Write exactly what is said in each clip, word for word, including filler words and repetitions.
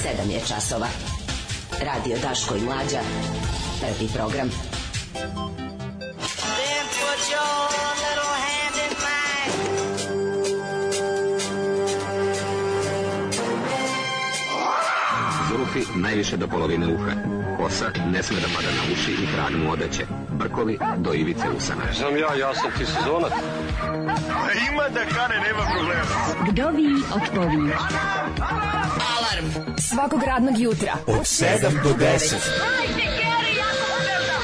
sedam je časova. Radio Daško i Mlađa. Prvi program. Zulufi najviše do polovine uha. Kosa ne sme da pada na uši i krag mu odeće. Brkovi do ivice usana. Znam ja, ja sam ti sezonac. Ima da kane, nema problema. Kdo vi od povi? Alarm svakog radnog jutra od sedam do deset. Hajde, Geri, jako moderno.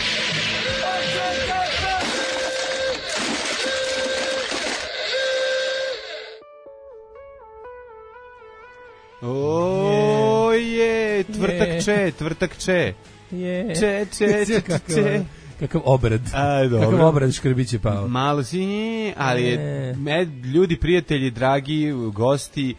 O je, tvrtak če, tvrtak če. Je. Če, če, če, če. Kakav obrad. A, dobro. Kakav obrad Škrbić je pao. Malo si, ali je, med, ljudi, prijatelji, dragi, gosti,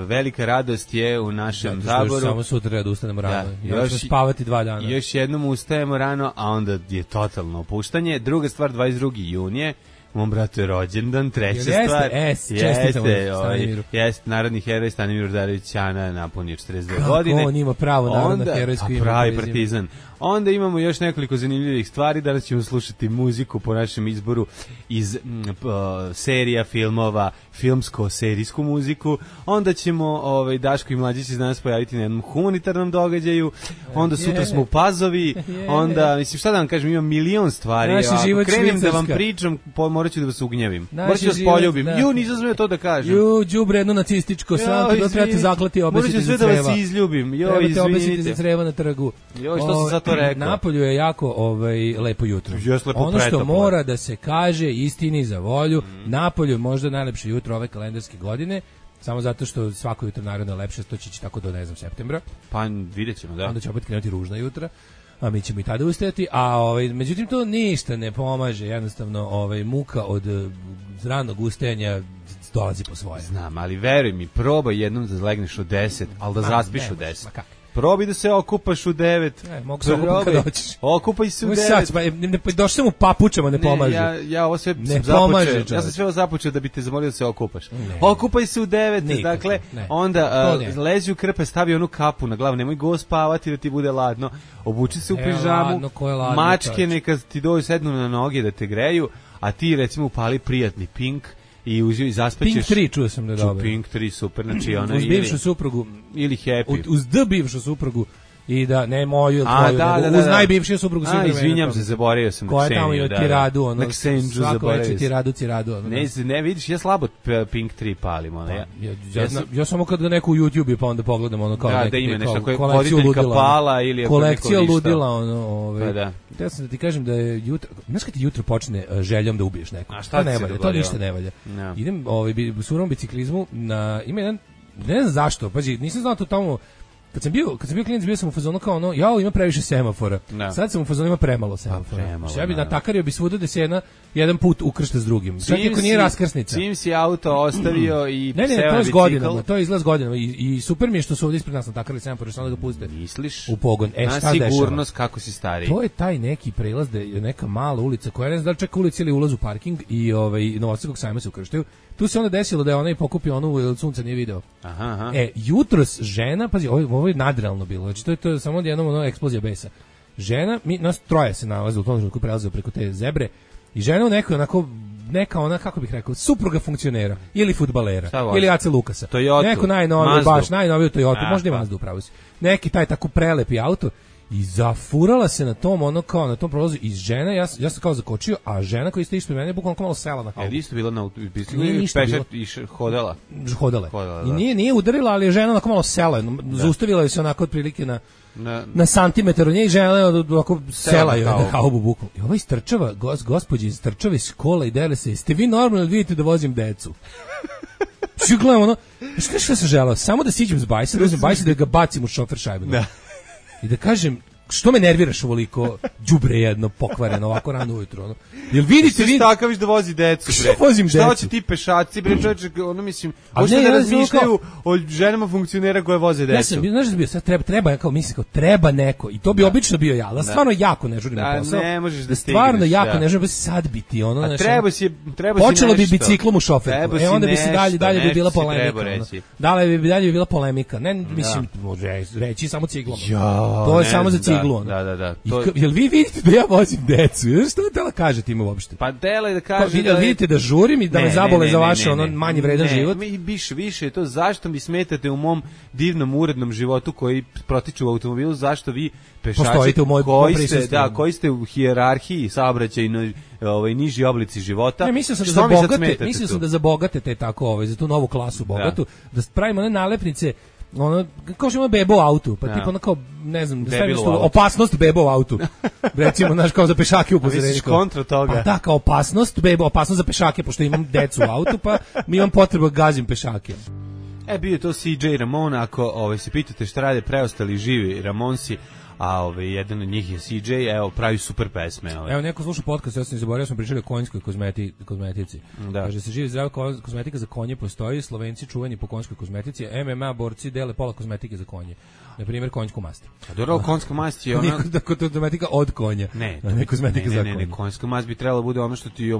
velika radost je u našem zaboru. Samo sutra treba da ustanemo rano. Da, još ćemo spavati dva dana. Još jednom ustajemo rano, a onda je totalno opuštanje. Druga stvar, dvadeset drugog juna mom bratu je rođendan, treća jeste, stvar. es, čestitamo Stanimiru. Jeste, narodni heroj Stanimir Udarević Ćana napunio četrdeset dve Kako godine. Kako on ima pravo narodno herojsko ime? Pravi partizan. Onda imamo još nekoliko zanimljivih stvari. Danas ćemo slušati muziku po našem izboru iz m, p, serija, filmova, filmsko-serijsku muziku. Onda ćemo, ovaj, Daško i Mlađi će danas pojaviti na jednom humanitarnom događaju. Onda sutra smo u Pazovi. Onda, mislim, šta da vam kažem, imam milion stvari. Naši Ako život krenem švicarska. da vam pričam, po, morat ću da vas ugnjevim. Naši morat ću da vas poljubim. Da. Ju, nisam smeo to da kažem. Ju, đubre jedno nacističko, sam ti da trebate zaklati, obesiti za creva. Morat ću sve da vas izljubim. Jo, trebate obesiti izvinite. za creva na trgu. Joj, što sam za to rekao? Napolju je jako ovaj, lepo jutro. Lepo ono što pretoplo. mora da se kaže istini za volju, mm. Napolju je možda najlepše jutro ove kalendarske godine, samo zato što svako jutro naravno je lepše, to će ići tako do, ne znam, septembra. Pa vidjet ćemo, da. Onda će opet krenuti ružna jutra, a mi ćemo i tada ustajati, a ovaj, međutim to ništa ne pomaže, jednostavno ovaj, muka od ranog ustajanja dolazi po svoje. Znam, ali veruj mi, probaj jednom da legneš u deset, ali da zaspiš u deset. Probaj da se okupaš u devet. E, mogu se okupati kad hoćeš. Okupaj se u devet. Sad, pa, ne, ne, došli sam u papučama, ne pomaže. Ja, ja ovo sve ne započeo. Pomaže, ja sam sve ovo započeo da bi te zamolio da se okupaš. Ne. Okupaj se u devet, Nikako, dakle, ne. onda uh, lezi u krpe, stavi onu kapu na glavu, nemoj go spavati da ti bude ladno, obuči se u e, pižamu, ladno, ko je ladno, mačke čovječ. Neka ti dođu sednu na noge da te greju, a ti recimo upali prijatni Pink, i uzio i zaspećeš. Pink tri čuo sam da je dobro. Pink tri, super, znači ona uz ili... bivšu suprugu. Ili Happy. Uz d bivšu suprugu. I da, ne moju, A, tvoju, da, nego da, da, uz da. najbivšiju suprugu svih vremena. A, izvinjam se, zaboravio sam koja tamo ima da, tiradu, ono, na Ksenđu svako zaboravio veće sam. tiradu, tiradu. Ono, ne, ne, vidiš, ja slabo Pink tri palim, ono, ja, ja, ja, ja, sam, ja samo kad ga neko u YouTube pa onda pogledam, ono, kao da, neki, da ima nešto, kao, koje voditeljka pala ili ako kolekcija neko ludila, ono, ove, pa da. Ja sam da ti kažem da je jutro, znaš kad ti jutro počne uh, željom da ubiješ neko, a šta to ne valja, to ništa ne valja. No. Idem ovaj, u surovom biciklizmu, na, ima jedan, ne znam zašto, pazi, nisam znao to tamo. Kad sam bio, kad sam bio klijent, bio sam u fazonu kao ono, ja ima previše semafora. No. Sad sam u fazonu ima premalo semafora. Pa premalo, ja bi natakario bi svuda da se jedna jedan put ukršta s drugim. Čak ako nije raskrsnica. Čim si auto ostavio i ne, ne, to je s godinama, to je izlaz godinama i, i super mi je što su ovdje ispred nas natakarili semafore, što onda ga puste. Misliš? U pogon. E, na šta sigurnost dešava? kako si stariji. To je taj neki prelaz da je neka mala ulica koja ne znam da li čak ulica ili ulaz u parking i ovaj Novosadskog sajma se ukrštaju. Tu se onda desilo da je ona i pokupio onu jer sunca nije video. Aha, aha. E, jutros žena, pazi, ovo, ovo je nadrealno bilo. Znači to je to je samo jednom ono eksplozija besa. Žena, mi nas troje se nalaze u tom trenutku prelaze preko te zebre i žena u nekoj onako neka ona kako bih rekao supruga funkcionera ili fudbalera ili Ace Lukasa. Toyota, neko najnoviji baš najnoviji Toyota, A, možda i Mazda upravo si. Neki taj tako prelepi auto i zafurala se na tom ono kao na tom prolazu iz žena, ja, ja sam kao zakočio, a žena koja ste išli ispred mene bukvalno kao malo sela na haubu. Je isto bila na biciklu i pešat i hodala. Hodala. hodala I nije nije udarila, ali je žena onako malo sela, zaustavila je se onako otprilike na na, na santimetar od nje i žena onako sela je na haubu bukvalno. I ova istrčava, gos, gospođi istrčava iz škola i dele se, ste vi normalno vidite da vozim decu? Svi gledamo ono, šta šta sam želao? Samo da siđem s bajsa, da uzmem bajsa da ga bacim u šofer šajbu. Da. I da kažem, što me nerviraš ovoliko, đubre jedno, pokvareno, ovako rano ujutro, ono. Jel vidite vi takav da vozi decu, bre. Što vozim Šta decu? hoće ti pešaci, bre, čoveče, ono mislim, A hoće ne, da ja razmišljaju o ženama funkcionera koje voze decu. Ja sam, znaš da bio, sad treba, treba, ja kao mislim, kao treba neko, i to bi da. Obično bio ja, da stvarno jako ne žurim da, na posao. Ne možeš da stigneš. Stvarno jako da. ne žurim, sad biti ono, a znači. treba si, treba si počelo nešto. bi biciklom u šoferku. E onda bi se dalje, dalje bi bila polemika. Dalje bi dalje bi bila polemika. Ne, mislim, može reći samo ciglom. To je samo za ciglu. Da, da, da. To... Jel vi vidite da ja vozim decu? Što da tela kažete im uopšte? Pa dele da kaže da vidite da žurim i da me zabole za vaše ono manje vredan život. Mi više više je to zašto mi smetate u mom divnom urednom životu koji protiče u automobilu, zašto vi pešači u moj koji ste, da, koji ste u hijerarhiji saobraćajnoj ovaj niži oblici života. Ne, mislim sam da za bogate, mislim sam da za bogate te tako ovaj za tu novu klasu bogatu da, da pravimo one nalepnice ono kao što ima bebo u autu, pa ja. Tipa ono kao ne znam, da staviš tu opasnost bebo u autu. Recimo naš kao za pešake upozorenje. Kontra toga. Pa da, kao opasnost bebo, opasnost za pešake pošto imam decu u autu, pa mi imam potrebu gazim pešake. E bio je to C J Ramon, ako ovaj se pitate šta rade preostali živi Ramonsi, a ovaj jedan od njih je C J, evo pravi super pesme. Ovaj. Evo neko sluša podcast, ja sam zaboravio, smo pričali o konjskoj kozmeti, kozmetici. Da. Kaže se živi zdrava kozmetika za konje postoji, Slovenci čuveni po konjskoj kozmetici, M M A borci dele pola kozmetike za konje. Na primjer konjsku mast. A dobro, konjska mast je ona kozmetika od konja. Ne, ne kozmetika ne, za ne, konje. Ne, konjska mast bi trebalo bude ono što ti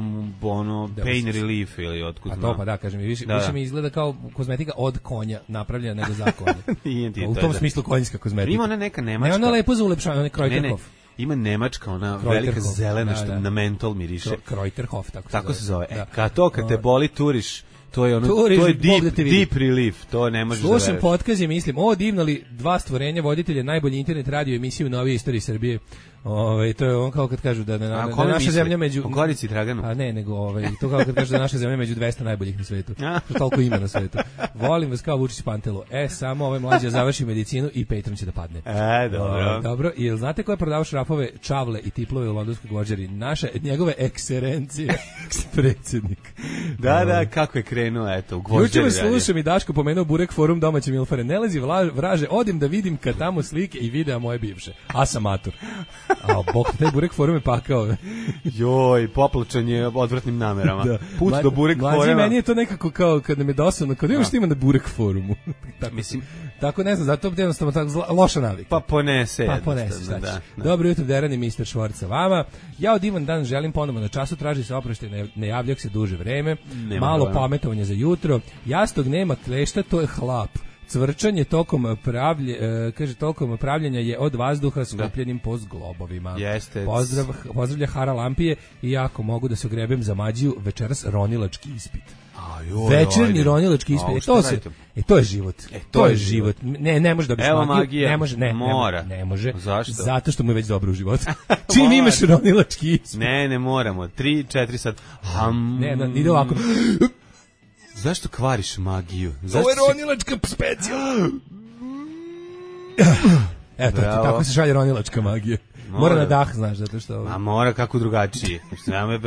ono da, pain relief ili otkud znam. A to pa da, kažem, više, da, više da. Mi izgleda kao kozmetika od konja napravljena nego za konja. Nije ti u tom da. Smislu konjska kozmetika. Ima ona neka nemačka. Ne, ona lepo za ulepšavanje, ona Kreuterhof. Ima nemačka, ona velika zelena što na mentol miriše. Kreuterhof, tako se tako zove. Se zove. E, kad to, kad te boli, turiš, to je ono, Turiš, to je deep, deep relief, to ne možeš da veriš. Slušam podcast i mislim, o divno li dva stvorenja voditelja najbolji internet radio emisiju u novijoj istoriji Srbije. Ovaj to je on kao kad kažu da, da, da, da naša zemlja među o Gorici Draganu. A ne, nego ovaj to kao kad kažu da naša zemlja među dvesta najboljih na svetu. Što toliko ima na svetu. Volim vas kao Vučić Pantelo. E samo ovaj mlađi završi medicinu i Patreon će da padne. E, dobro. O, dobro, jel znate ko je prodavao šrafove, čavle i tiplove u londonskoj gvožđari? Naša njegove ekserencije predsjednik. Da, da, kako je krenuo eto u gvožđari. Juče slušam i Daško pomenuo Burek forum domaće milfare. Ne lezi vraže, odim da vidim kad tamo slike i videa moje bivše. A sam mator. A bok, taj Burek forum je pakao. Joj, poplačan je odvratnim namerama. Da. Put Mla, do Burek foruma. Mlađi meni je to nekako kao kad nam je dosadno, kad imaš ima na Burek forumu. tako, Mislim, tako ne znam, zato je jednostavno tako zla, loša navika. Pa ponese. Pa ponese, šta da, da. Dobro jutro, Derani, mister Švorca vama. Ja od divan dan želim ponovno na času, traži se oproštaj, ne, ne javljak se duže vreme. Nema malo dobro. Pametovanje za jutro. Jastog nema klešta, to je hlap. Cvrčanje tokom pravlje, e, kaže tokom pravljenja je od vazduha skupljenim po globovima. Jeste. Pozdrav, pozdravlja Hara Lampije i ako mogu da se ogrebem za mađiju, večeras ronilački ispit. A, joj, večerni ronilački ispit. E, to se, e, to je život. E, to, to je je život. život. Ne, ne može da Evo magija. Ne može, ne, mora. Ne, ne može. Zašto? Zato što mu je već dobro u životu. Čim imaš ronilački ispit. Ne, ne moramo. tri četiri sad. Ham. Ne, ne, ide ovako. Zašto kvariš magiju? Zašto ovo je ronilačka specijalna. Eto, tako se šalje ronilačka magija. Mora, mora na dah, znaš, zato što... A mora kako drugačije.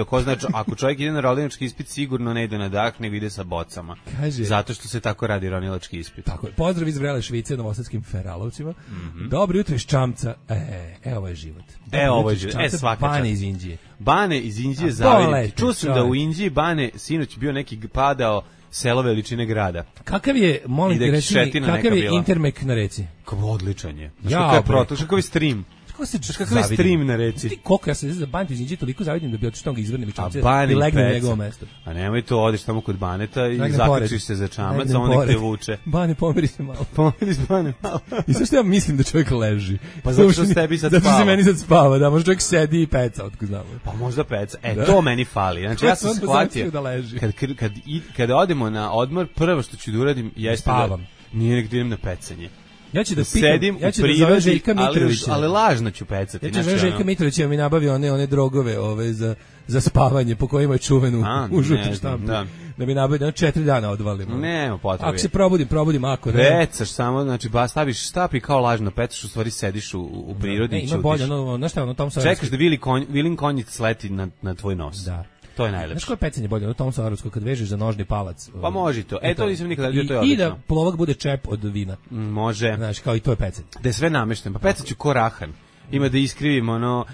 Ko znači, ako čovjek ide na ronilački ispit, sigurno ne ide na dah, nego ide sa bocama. Kaže, zato što se tako radi ronilački ispit. Tako je. Pozdrav iz vrele Švice, novosadskim Feralovcima. Mm -hmm. Dobro jutro iz Čamca. E, e, ovo je život. Dobro, e, ovo je život. E, svaka Bane iz Indije. Bane iz Indije zaviditi. Čuo sam da u Indiji Bane, sinoć bio neki padao selo veličine grada. Kakav je, molim te reći, kakav je intermek na reci? Kako odličan je. Znaš kakav je protok, kakav je stream. Kako se kakav je stream na reci? Ti koliko ja se za Bantu iz Indije toliko zavidim da bi otišao ga izvrnem i Čamce i legnem na njegovo mesto. A nemoj to, odeš tamo kod Baneta i zaključiš se za Čamac, a on nek te vuče. Bane, pomeri se malo. Pomeri se, Bane, malo. I sve što ja mislim da čovjek leži. Pa zato što s tebi sad spava. Zato se meni sad spava, da, možda čovjek sedi i peca, otko znamo. Pa možda peca. E, da. To meni fali. Znači, ja sam shvatio, da kad, kad, kad, kad odemo na odmor, prvo što ću da uradim jeste da nije nek da idem na pecanje. Ja ću da sedim pitam, ja ću u da zovem Željka Mitrovića. Ali, ali lažno ću pecati. Ja ću da Željka Mitrovića mi nabavi one, one drogove ove za, za spavanje po kojima je čuvenu A, u žuti štampu. Da. da mi nabavi da četiri dana odvalimo. Nema potrebe. Ako se probudim, probudim ako ne. Pecaš samo, znači ba staviš štapi kao lažno pecaš, u stvari sediš u, u prirodi i ćutiš. Ima bolje, no, no, šta, no, tom čekaš da Vili konj, Vilin konjic sleti na, na tvoj nos. Da. To je najlepše. Znaš koje pecanje bolje? No Tom Savarovsko kad vežeš za nožni palac. Pa može to. E, to nisam nikada vidio, to je odlično. I da plovak bude čep od vina. Može. Znaš, kao i to je pecanje. Da je sve namešten. Pa pecaću ko rahan. ima da iskrivim ono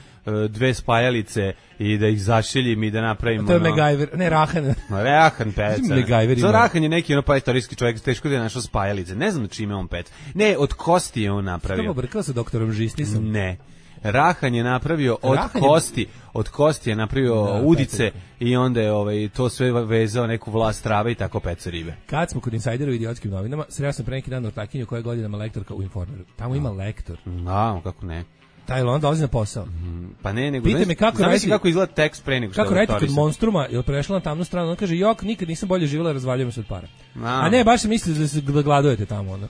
dve spajalice i da ih zašiljim i da napravim ono... To je MacGyver, ne Rahan. Rahan peca. MacGyver Za Rahan je neki ono pa istorijski čovjek, teško da je našao spajalice. Ne znam čime on pec. Ne, od kosti je on napravio. Što brkao sa doktorom Žistisom? Ne. Rahan je napravio od Rahan kosti, je... od kosti je napravio da, udice pecaj. I onda je ovaj, to sve vezao neku vlast trave i tako peca ribe. Kad smo kod insajdera u idiotskim novinama, sreo sam pre neki dan ortakinju koja je godinama lektorka u Informeru. Tamo ima lektor. Da, kako ne. Taj on dolazi na posao. Mm, pa ne, nego Pita me kako raditi, kako izgleda tekst pre nego što kako raditi kod Monstruma, je prešla na tamnu stranu, on kaže jok, nikad nisam bolje živjela, razvaljujem se od para. A, a ne, baš se misli da se gladujete tamo ono.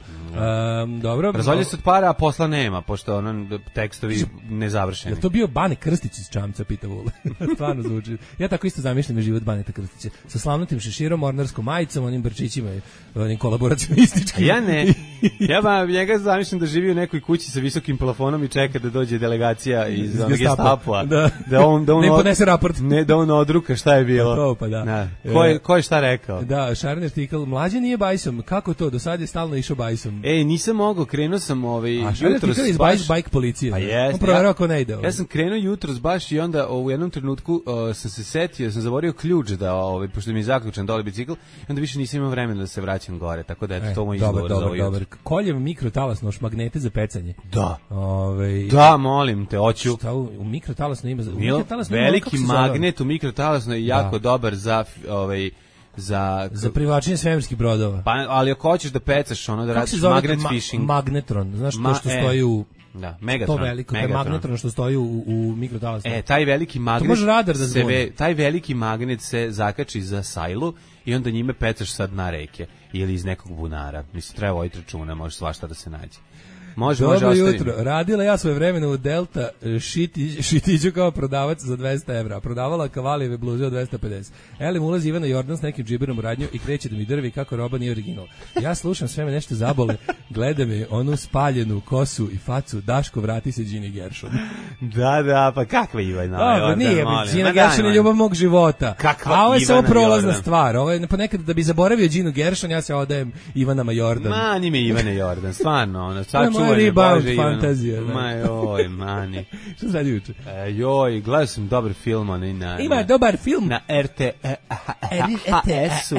Um, dobro. Razvaljujem se od para, a posla nema, pošto ono tekstovi nezavršeni. Je to bio Bane Krstić iz Čamca, pita Vule. Stvarno zvuči. Ja tako isto zamišljam život Baneta Krstića sa slavnutim šeširom, mornarskom majicom, onim brčićima i onim kolaboracionističkim. Ja ne. Ja ba njega zamišljam da živi u nekoj kući sa visokim plafonom i čeka da dođe delegacija iz Gestapoa. Da. Da on da on ne podnese raport. Ne da on odruka šta je bilo. To pa da. da. Ko je ko je šta rekao? Da, Šarni artikl, mlađe nije bajsom. Kako to? Do sad je stalno išao bajsom. Ej, nisam mogao, krenuo sam ovaj jutros iz baš bajk policije. Pa jest, on proverava ko ne ide. Ovaj. Ja sam krenuo jutros baš i onda u jednom trenutku uh, sam se setio, sam zaboravio ključ da ovaj pošto mi je zaključan dole bicikl i onda više nisam imao vremena da se vraćam gore, tako da eto e, to moj izgovor za ovaj. Dobar, koljem mikrotalasno magnete za pecanje. Da. Ovaj Da, molim te, hoću. Šta u, u mikrotalasno ima? U mikrotalasno veliki magnet u mikrotalasno je jako da. dobar za ovaj za za privlačenje svemirskih brodova. Pa ali ako hoćeš da pecaš ono da radiš magnet ma, fishing. Magnetron, znaš Ma, to što e, stoji u da, Megatron. To veliko, taj magnetron što stoji u, u mikrotalasno. E, taj veliki magnet. To može radar da se taj veliki magnet se zakači za sajlu i onda njime pecaš sad na reke ili iz nekog bunara. Mislim treba voditi računa, može svašta da se nađe. Može, Dobro može jutro. Radila ja svoje vremena u Delta šiti, šitiću kao prodavac za dvesta evra. Prodavala kavalijeve bluze od dvesta pedeset. Elim ulazi Ivana Jordan s nekim džiberom u radnju i kreće da mi drvi kako roba nije original. Ja slušam, sve me nešto zabole. Gleda me onu spaljenu kosu i facu. Daško, vrati se Gini Gershon. Da, da, pa kakva Ivana Jordan? Nije, Gina Gershon je ljubav mog života. Kakva A ovo je samo prolazna Jordan. stvar. Ovo je ponekad da bi zaboravio Ginu Gershon, ja se odajem Ivanama Jordan. Ma, nime Ivane Jordan, stvarno. Ono, sad rebound fantazija. Ma joj, mani. Što sad juče? E, joj, gledao sam dobar film. Onaj na, Ima na, dobar film. Na R T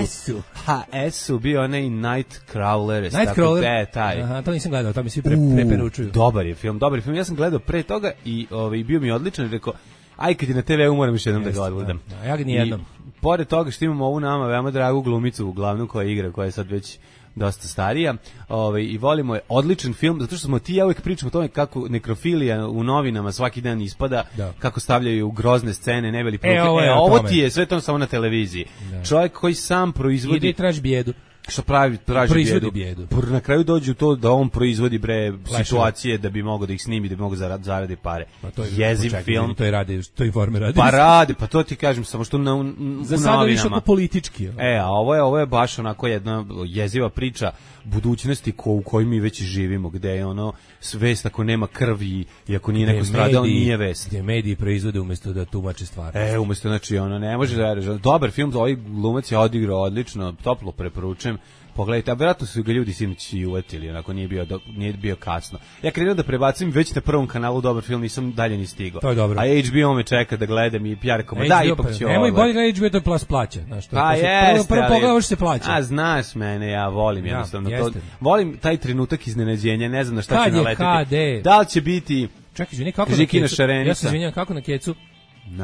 S-u. H S-u bio onaj Nightcrawler. Nightcrawler? Da, taj. Aha, to nisam gledao, to mi svi pre, preperučuju. Dobar je film, dobar je film. Ja sam gledao pre toga i ovaj, bio mi odličan i rekao, aj kad je na te ve u moram još jednom Jeste, da ga odgledam. Da, ja ga nijednom. Pored toga što imamo ovu nama veoma dragu glumicu, glavnu koja igra, koja je sad već dosta starija, ovaj, i volimo je odličan film, zato što smo ti ja uvijek pričamo o tome kako nekrofilija u novinama svaki dan ispada, da. Kako stavljaju grozne scene, ne veli e, ovo, e, ovo ti je sve to samo na televiziji. Da. Čovjek koji sam proizvodi... Ide i traži bijedu. Što pravi, traži proizvodi bijedu. bijedu. Na kraju dođu to da on proizvodi bre Lešava. situacije da bi mogao da ih snimi, da bi mogao zarad, zaradi pare. Pa to je jeziv počekaj, film. To je radi, to Informer radi. Pa radi, pa to ti kažem, samo što na, na, za sada više oko politički. E, a ovo je, ovo je baš onako jedna jeziva priča budućnosti ko, u kojoj mi već živimo, gde je ono vest ako nema krvi i ako nije neko stradao, nije vest. Gdje mediji proizvode umjesto da tumače stvari. E, umjesto, znači, ono, ne može da reže. Dobar film, ovaj glumac je odigrao odlično, toplo preporučujem. Pogledajte, a vjerojatno su ga ljudi sinoć i uvetili, onako nije bio, do, nije bio kasno. Ja krenuo da prebacim već na prvom kanalu dobar film, nisam dalje ni stigao. To je dobro. A H B O me čeka da gledam i ja rekao, da, ipak ću ovo. Nemoj bolje gledati H B O, to je plus plaća. Znaš, to pa jeste, jeste, prvo, prvo pogledaš se plaća. A znaš mene, ja volim ja, jednostavno jeste. to. Volim taj trenutak iznenađenja, ne znam na šta Kad će naletiti. H D? Da li će biti... Čekaj, izvini, kako na Kecu? Ja se izvinjam, kako na Kecu?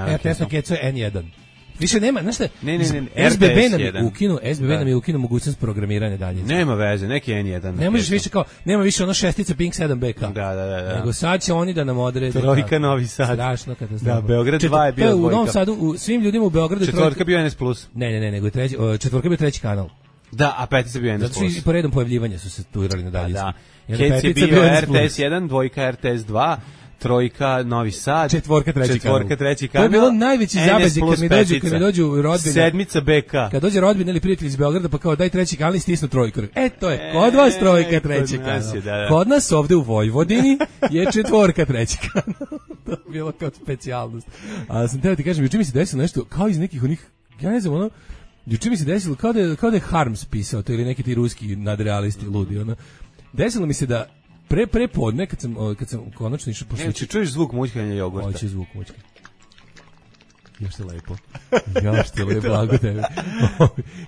R T S na Kecu je N jedan. Više nema, znaš šta? Ne, ne, ne, S B B nam je ukinu, S B B nam je ukinu mogućnost programiranja daljinski. Nema veze, neki N jedan. Ne možeš više kao, nema više ono šestica Pink sedam B K. Da, da, da, da. Nego sad će oni da nam odrede. Trojka Novi Sad. Strašno katastrofa. Da, Beograd dva je bio dvojka. U Novom Sadu, u svim ljudima u Beogradu četvorka bio N S plus. Ne, ne, ne, nego treći, četvorka bio treći kanal. Da, a petica bio N S plus. Zato što i po redom pojavljivanja su se turali na daljinski. Da, Kec je bio R T S jedan, dvojka R T S dva. Trojka Novi Sad, četvorka treći četvorka kanal. treći kanal. To je bilo najveći zabađe kad mi dođu, kad mi dođu rodbine. Sedmica B K. Kad dođe rodbina ili prijatelj iz Beograda pa kao daj treći kanal i stisnu trojku. E to je kod vas trojka treći kanal. Da, da. Kod nas ovde u Vojvodini je četvorka treći kanal. To je bilo kao specijalnost. A sam teo ti kažem, juče mi se desilo nešto kao iz nekih onih, ja ne znam ono, juče mi se desilo kao da je, kao da je Harms pisao to ili neki ti ruski nadrealisti ludi. Ono. Desilo mi se da pre pre podne kad sam kad sam konačno išao po Znači čuješ zvuk mućkanja jogurta. Hoće zvuk mućkanja. Još te lepo. Još te lepo, blago tebe.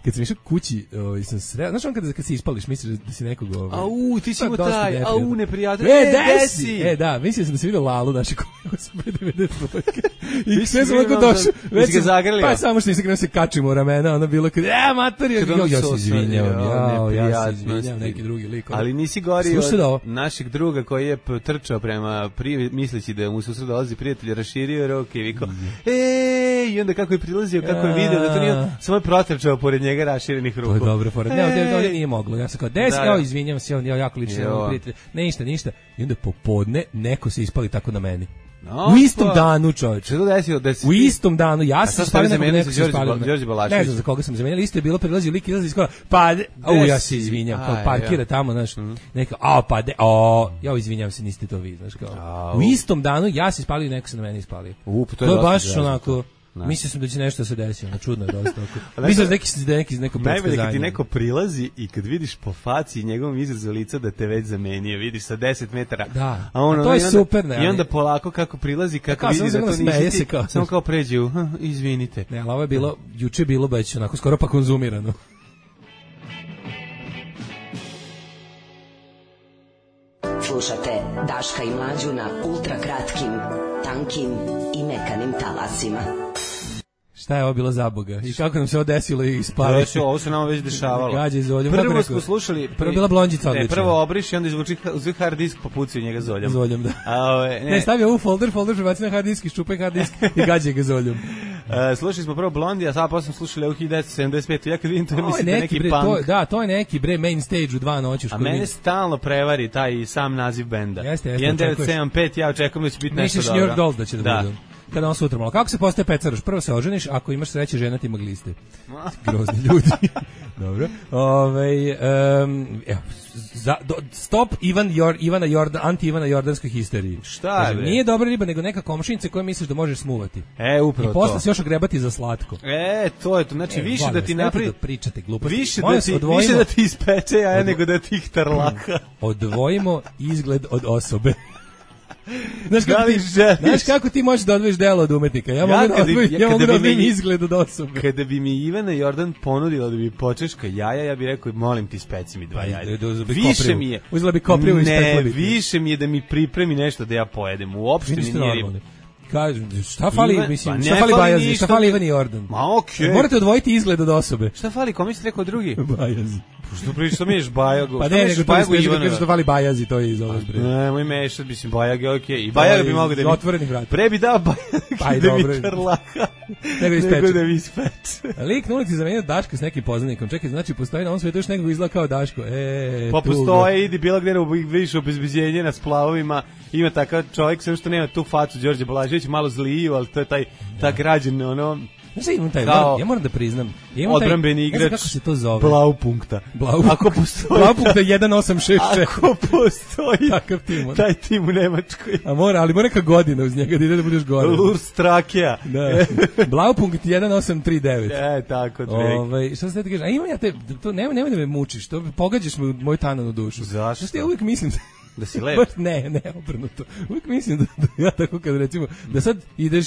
Kad sam išao kući, ovaj, sam sreo, znaš on kada, kad se ispališ, misliš da si nekog... Ovaj, au, ti si mu taj, au, neprijatelj. E, desi! E, da, mislio sam da si vidio Lalu, naši koji su pre devedeset dvojke. I sve sam lako došao. Već ga zagrlio. Pa samo što nisam krenuo se kačimo u ramena, ono bilo kad, e, mater, ja, ja se izvinjavam, ja, ja se izvinjavam, neki drugi lik. Ali nisi gori od našeg druga koji je trčao prema, misleći da mu susret dolazi prijatelj, raširio ruke i vikao, e, i onda kako je prilazio, kako je video da to nije, samo je protrčao pored njega raširenih ruku. To je dobro, pored. Ne, ovdje, ovdje nije moglo. Ja sam kao, des, evo, izvinjam se, on je jako lično prijatelj. Ne, ništa, ništa. I onda popodne neko se ispali tako na meni. No, u istom pa, danu, čovječe. Što desio? Desi... U istom danu, ja sam spalio nekog neko se spalio. Ne znam za koga sam zamenjali, isto je bilo, prilazio lik, izlazi iz kola, pa, au, ja se izvinjam, kao parkira tamo, znaš, mm. neka, a, pa, de, o, ja izvinjam se, niste to vi, znaš, kao. Au. U istom danu, ja se spalio i neko se na meni ispalio. U, to je, to je baš onako... Mislio sam da će nešto se desiti, ono čudno je dosta. Mislim da neki da neki neko najbolje kad ti neko prilazi i kad vidiš po faci i njegovom izrazu lica da te već zamenio, vidiš sa deset metara. Da. A ono, a to je i onda, super, ne. I onda polako kako prilazi, kako vidi da to nisi ti, samo kao pređe, uh, izvinite. Ne, ali ovo je bilo, juče je bilo već onako skoro pa konzumirano. Slušate Daška i Mlađu na ultra kratkim, tankim i mekanim talasima. Šta je ovo bilo za Boga? I kako nam se ovo desilo i ispali? Ovo, ovo se nama već dešavalo. Gađe zoljom. Prvo smo slušali... Prvo bila blondjica odlična. Ne, prvo obriš i onda izvuči hard disk, popucaju njega zoljom. Zoljom, da. A, ove, ne. ne, stavio ovu folder, folder prebaci na hard disk, iščupaj hard disk i gađe ga zoljom. Uh, slušali smo prvo Blondi, a sad posle slušali u hiljadu devetsto sedamdeset pete. Ja kad vidim to, to mislim da je neki bre, punk. To, da, to je neki bre main stage u dva noći. A mene stalno prevari taj sam naziv benda. Jeste, jeste. hiljadu devetsto sedamdeset pet, ja očekujem da će biti nešto dobro. Misliš New York Dolls da će da, da. budu. Kada on sutra malo. Kako se postaje pecaroš? Prvo se oženiš, ako imaš sreće žena ti ima gliste. Grozni ljudi. Dobro. Ovaj um, evo, za, do, stop Ivan Jor, Ivana Jordan, anti Ivana Jordanskoj histeriji. Šta je? Kažem, nije dobra riba, nego neka komšinica koju misliš da možeš smuvati. E, upravo to. I posle se još ogrebati za slatko. E, to je to. Znači, e, više da ti napravi... da pričate gluposti. Više da, ti, odvojimo, više da ti ispeče, a od... nego da ti ih tarlaka. Odvojimo izgled od osobe. Znaš kako, ti, znaš kako ti možeš da odvojiš delo od umetnika? Ja, ja mogu da odvojim, ja, ja mogu da odvojim izgled od osobe. Kada bi mi Ivana Jordan ponudila da bi počeška jaja, ja bih rekao, molim ti, speci mi dva jaja. Više mi je. Uzela bi koprivu i spekla bi. Ne, više mi je da mi pripremi nešto da ja pojedem. Uopšte mi nije riba. Kažem, šta fali, Ivan, mislim, šta fali Bajazi, šta fali Ivan Jordan? Ma okej. Okay. Morate odvojiti izgled od osobe. Šta fali, kome si rekao drugi? Bajazi. Što pričaš, što miješ Bajagu? Pa ne, nego to je kažeš što fali Bajazi, to je iz ovog breda. Ne, moj mešat, mislim, Bajag je okej. I Bajag bi mogao da mi... Otvorenih vrata. Pre bi dao Bajag da mi karlaka, nego da mi ispeče. Lik na ulici zamenio Daška s nekim poznanikom. Čekaj, znači, postoji na ovom svijetu još nekog izgleda kao Daško. E, pa postoje, idi bilo gdje više obezbeđenje na splavovima. Ima takav čovjek, sve što nema tu facu Đorđe Balažević, malo zliju, ali to je taj, ta građan, ono... Znaš, imam taj, ja moram da priznam. Ja odbrambeni igrač, kako se to zove? Blaupunkta. Blaupunkta. Ako postoji... Blaupunkta jedan osam šest četiri. Ako postoji takav tim, taj tim u Nemačkoj. A mora, ali mora neka godina uz njega da ide da budeš gore. Lurstrakija. Da. Blaupunkt jedan osam tri devet. E, tako, Ove, šta se ti kažeš? A imam ja te, to nemoj, nemoj da me mučiš, to pogađaš me u moju tananu dušu. Zašto? Što ja uvijek mislim da... Da si lep? Ne, ne, obrnuto. Uvijek mislim da, da ja tako kad recimo, da sad ideš...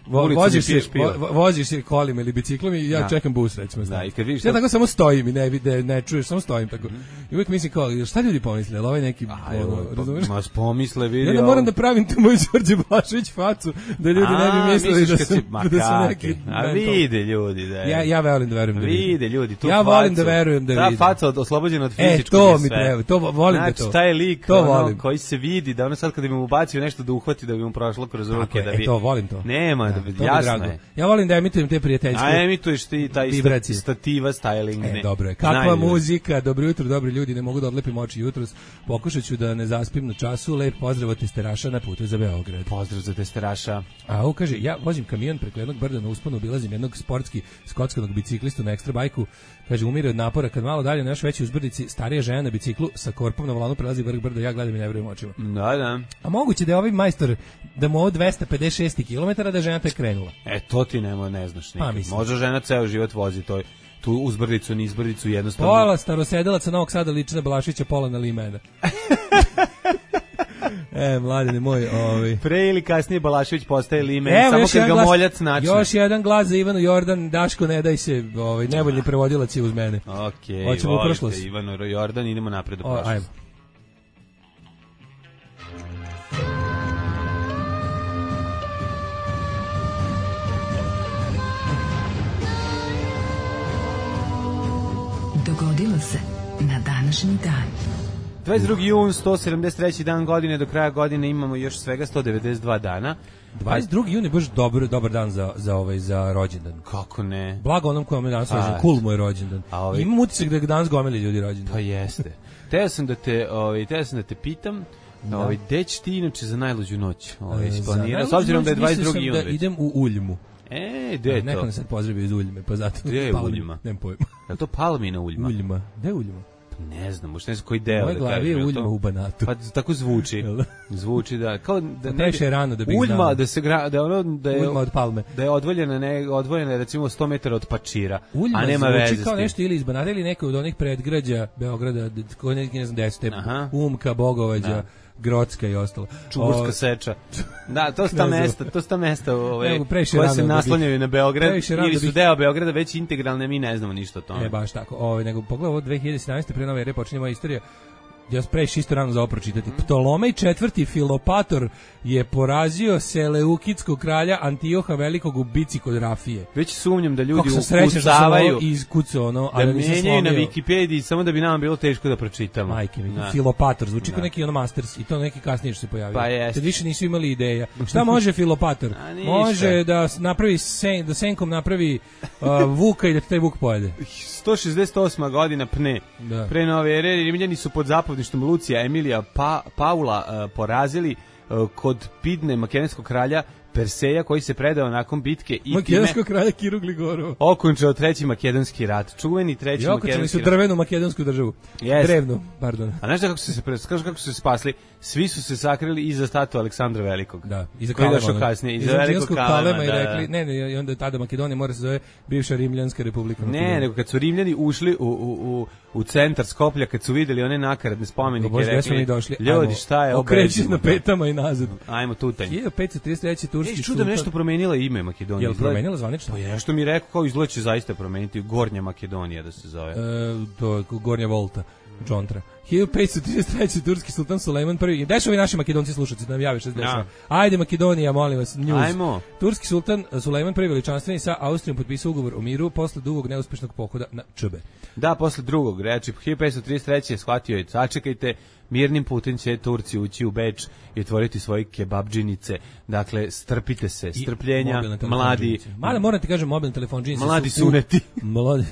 Vo, voziš, se, vo, voziš se kolima ili biciklom i ja da. čekam bus, recimo. Da, i kad vidiš ja tako samo stojim i ne, ne, ne čuješ, samo stojim tako. Mm. I uvijek mislim kao, šta ljudi pomisle, ali ovaj neki... Aj, ono, razumiješ? Ma pomisle, vidi... Ja da moram da pravim tu moju Đorđe Blašević facu, da ljudi a, ne bi mislili da, sam, si, da su neki... A vide ljudi da je... Ja, ja volim da verujem da vide. Vide ljudi, tu ja facu. volim da verujem da vide. Ta faca oslobođena od fizičkog e, to mi treba, to volim znači, da to. Taj lik to ono, koji se vidi, da ono sad kada bi mu ubacio nešto da uhvati, da bi mu prošlo kroz ruke, da bi... E, to volim to. Nema, da bi, jasno je. Ja volim da emitujem te prijateljske. A emituješ ti taj vibracije. Stativa styling. E, dobro je. Kakva Znaju muzika, dobro jutro, dobri ljudi, ne mogu da odlepim oči jutros. Pokušat ću da ne zaspim na času. Lep pozdrav od testeraša na putu za Beograd. Pozdrav za testeraša. A on kaže, ja vozim kamion preko jednog brda na usponu, obilazim jednog sportski skotskanog biciklistu na ekstra bajku. Kaže, umire od napora, kad malo dalje na još veći uzbrdici, starija žena na biciklu sa korpom na volanu prelazi vrh brda, ja gledam i ne verujem očima. Da, da. A moguće da je ovaj majstor da mu ovo dvesta pedeset šest kilometara da žena tek krenula. E, to ti nema, ne znaš nikad. Pa, može žena ceo život vozi to, tu uzbrdicu, nizbrdicu jednostavno. Pola starosedelaca Novog Sada liči na Balašića, pola na Limena. E, mladine moj, ovaj. Pre ili kasnije Balašević postaje limen, evo, samo kad ga glas, moljac načne. Još jedan glas za Ivanu Jordan, Daško, ne daj se, ovaj, nevoljni prevodilac je uz mene. Okej, okay, volite Ivanu Jordan, idemo napred do prošlosti. Ajmo. Dogodilo se na današnji dan. dvadeset drugi jun, sto sedamdeset treći dan godine, do kraja godine imamo još svega sto devedeset dva dana. dvadeset drugi jun je baš dobar, dobar dan za, za, ovaj, za rođendan. Kako ne? Blago onom kojom je danas rođendan, cool mu je rođendan. Ovaj... Imam utisak da danas gomeli ljudi rođendan. Pa jeste. Teo sam da te, ovaj, teo sam da te pitam, da. Ovaj, gde ćeš ti inače za najluđu noć ovaj, isplanirao, s obzirom da je dvadeset drugi jun. Da idem u Uljmu. E, gde je to? Neko nas sad pozdravio iz Uljme, pa zato... Gde je Uljma? Nemam pojma. Je li to Palmina Uljma? Uljma. Gde je Uljma? Ne znam, možda ne znam koji deo. Moje glavi je Uljma u Banatu. Pa tako zvuči. Zvuči da kao da ne je rano da bih Uljma znao. da se gra, da ono da je Uljma od Palme. Da je odvoljena ne odvojena recimo sto metara od Pačira, Uljma a nema veze. Zvuči kao nešto ili iz Banata ili neko od onih predgrađa Beograda, koji neki ne znam gde su te Umka, Bogovađa. Da. Grocka i ostalo. Čuburska o... seča. Da, to su ta mesta, to su ta mesta ove, koje se naslanjaju na Beograd ili su deo Beograda već integralne, mi ne znamo ništa o tome. Ne, baš tako. Ove, nego pogledaj ovo dve hiljade sedamnaeste pre nove ere počinje moja istorija. Ja previše isto rano za ovo pročitati. Mm. Ptolomej četvrti Filopator je porazio Seleukidskog kralja Antioha Velikog u bici kod Rafije. Već sumnjam da ljudi ukucavaju iz kucu ono, da menjaju na Wikipediji samo da bi nam bilo teško da pročitamo. Majke mi, Filopator zvuči kao neki ono Masters i to neki kasnije što se pojavio. Pa jest. Kad više nisu imali ideja. Šta može Filopator? Može da napravi sen, da senkom napravi uh, vuka i da taj vuk pojede. sto šezdeset osma godina pne. Da. Pre nove ere Rimljani su pod zapovjedništvom Lucija Emilija pa, Paula uh, porazili uh, kod Pidne makedonskog kralja Perseja koji se predao nakon bitke i makedonskog kralja Kiru Gligorova. Okončao treći makedonski rat. Čuveni treći I makedonski rat. su drvenu makedonsku državu. Yes. Drevnu, pardon. A znaš kako su se kažu kako su se spasli? Svi su se sakrili iza statue Aleksandra Velikog. Da, iza koji je došao kasnije, iza velikog Kalema i rekli, ne, ne, i onda tada Makedonija mora se zove bivša Rimljanska republika. Ne, nego kad su Rimljani ušli u u u u centar Skoplja, kad su videli one nakaradne spomenike, Bože, rekli, došli, ljudi, šta je ovo? Okreći na petama i nazad. Ajmo tutanj. hiljadu petsto trideset treći turski sultan. Nešto promenila ime Makedonije. Jel promenila zvanično? Pa je, što mi rekao, kao izgleda zaista promeniti Gornja Makedonija da se zove. E, to je Gornja Volta, Džontra. hiljadu petsto trideset treći turski sultan Sulejman prvi. Gde su ovi naši Makedonci slušaoci da nam jave šta se dešava? Ajde Makedonija, molim vas, news. Ajmo. Turski sultan Sulejman prvi veličanstveni sa Austrijom potpisao ugovor o miru posle dugog neuspešnog pohoda na Čbe. Da, posle drugog, reči hiljadu petsto trideset treći je shvatio je, sačekajte, mirnim putem će Turci ući u Beč i otvoriti svoje kebabdžinice. Dakle, strpite se, strpljenja, mladi. Mada moram ti kažem, mobilne telefonđinice mladi su suneti. Mladi,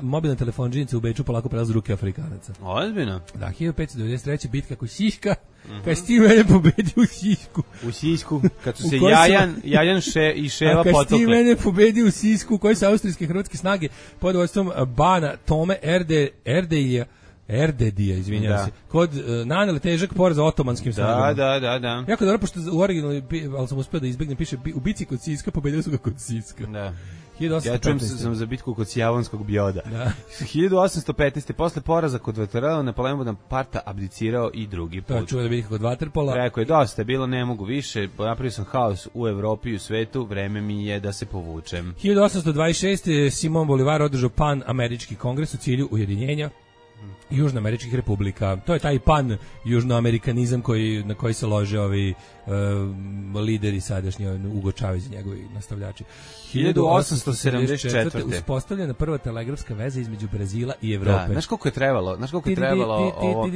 mobilne telefonđinice u Beču polako prelaze ruke Afrikanaca. Ozbiljno. Da, hiljadu petsto devedeset treći bitka kod Siška, mm-hmm. kad si ti mene pobedi u Sisku. U Sisku, kad su se Jajan, Jajan še, i Ševa potokle. A kad si ti mene pobedi u Sisku, koji su austrijske hrvatske snage pod vodstvom Bana Tome Erde, Erdeilja, Erdedija, izvinjavam se, kod uh, nanele težak poraz otomanskim snagama. Da, da, da, da. Jako dobro, pošto u originalnoj, ali sam uspio da izbegnem, piše u bici kod Siska, pobedili su ga kod Siska. Da. Ja čujem se sam za bitku kod Sjavonskog bioda. Da. hiljadu osamsto petnaeste posle poraza kod Vaterpola Napoleon Bonaparte abdicirao i drugi put. To čuo da bitka kod Vaterpola. Rekao je, dosta je bilo, ne mogu više, napravio sam haos u Evropi i u svetu, vreme mi je da se povučem. hiljadu osamsto dvadeset šeste Simon Bolivar održao pan-američki kongres u cilju ujedinjenja južnoameričkih republika. To je taj pan južnoamerikanizam koji, na koji se lože ovi uh, lideri sadašnji, Hugo Chavez i njegovi nastavljači. hiljadu osamsto sedamdeset četvrte uspostavljena prva telegrafska veza između Brazila i Evrope. Da, znaš koliko je trebalo? Znaš koliko je trebalo ovo?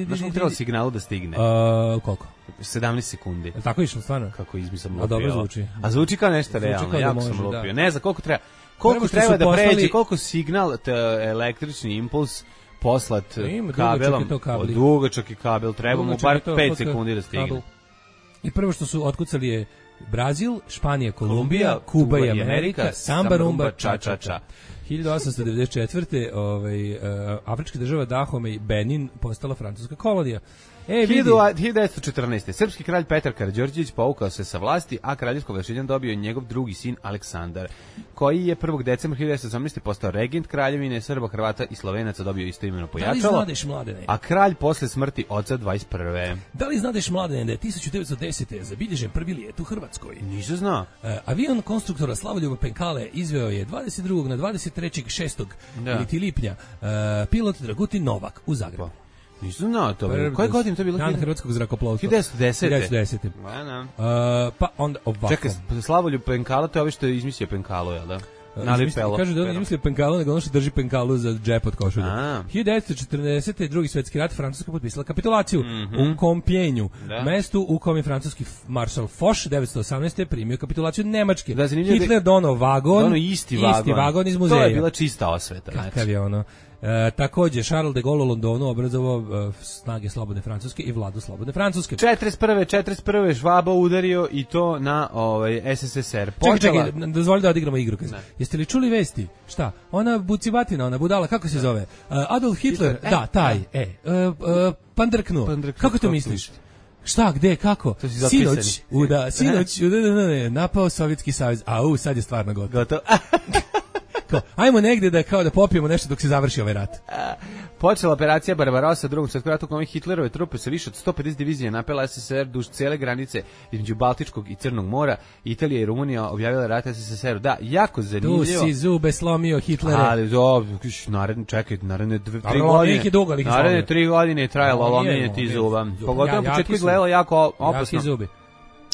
Znaš koliko je trebalo signalu da stigne? Uh, koliko? sedamnaest sekundi. Je tako išlo stvarno? Kako izmisam lupio. A dobro zvuči. A zvuči kao nešto realno, jako može, sam lupio. Da. Ne znam koliko treba. Koliko treba da poslali... pređe, koliko signal, te, električni impuls poslat ima, kabelom, dugačak je kabel, treba mu bar pet sekundi da stigne. Kabel. I prvo što su otkucali je Brazil, Španija, Kolumbija, Kuba i Amerika, samba, rumba, ča, ča, ča. hiljadu osamsto devedeset četvrte ovaj, uh, afrička država Dahome i Benin postala francuska kolonija. E, vidi. hiljadu devetsto četrnaeste. Srpski kralj Petar Karađorđević povukao se sa vlasti, a kraljevsko ovlašćenje dobio njegov drugi sin Aleksandar, koji je prvog decembra hiljadu devetsto osamnaeste. postao regent kraljevine Srba, Hrvata i Slovenaca, dobio istoimeno pojačalo. Da li znadeš, Mladene? A kralj posle smrti oca dvadeset prve. Da li znadeš, Mladene, da je tisuću devetsto desete. zabilježen prvi lijet u Hrvatskoj? Nisam znao. E, avion konstruktora Slavoljuba Penkale izveo je dvadeset drugog na dvadeset trećeg šestog Da. Ili ti lipnja e, pilot Dragutin Novak u Zagrebu. Nisam znao to. Koje godine to bilo? Dan hrvatskog zrakoplovstva. hiljadu devetsto desete. hiljadu devetsto desete. Uh, pa onda ovako. Čekaj, Slavoljub Penkala, to je ovo što je izmislio Penkalu, jel da? Nalipelo. Kaže da on izmislio Penkalu, nego ono što drži Penkalu za džep od košulja. hiljadu devetsto četrnaeste. drugi svetski rat, Francuska potpisala kapitulaciju mm -hmm. u Compiègneu, da. mestu u kom je francuski maršal Foch devetsto osamnaeste. primio kapitulaciju Nemačke. Da, Hitler dono vagon, dono isti vagon. Isti vagon iz muzeja. To je bila čista osveta. Kakav je ono. E, takođe, Charles de Gaulle u Londonu obrazovao e, snage slobodne Francuske i vladu slobodne Francuske. četrdeset prve. četrdeset prve. Švaba udario i to na ovaj, S S S R. Počela... Čekaj, čekaj, dozvoli da odigramo igru. Jeste li čuli vesti? Šta? Ona bucibatina, ona budala, kako se zove? Uh, Adolf Hitler, Hitler. da, taj, e, e uh, uh, pandrknu. Pandrknu. Kako to misliš? Šta, gde, kako? Sinoć, u da, sinoć, u da, da, da, napao Sovjetski savez, a u, sad je stvarno gotovo. Gotovo. Kao, ajmo negde da kao da popijemo nešto dok se završi ovaj rat. Počela operacija Barbarossa drugom svetskom ratu, kojom Hitlerove trupe sa više od sto pedeset divizija napela S S S R duž cele granice između Baltičkog i Crnog mora. Italija i Rumunija objavila rat S S S R-u. Da, jako zanimljivo. Tu si zube slomio Hitlere. Ali do, naredne, čekaj, naredne dve, tri godine. Dugo, naredne tri godine je trajalo lomljenje ti zuba. Pogotovo na početku izgledalo jako opasno. Zubi.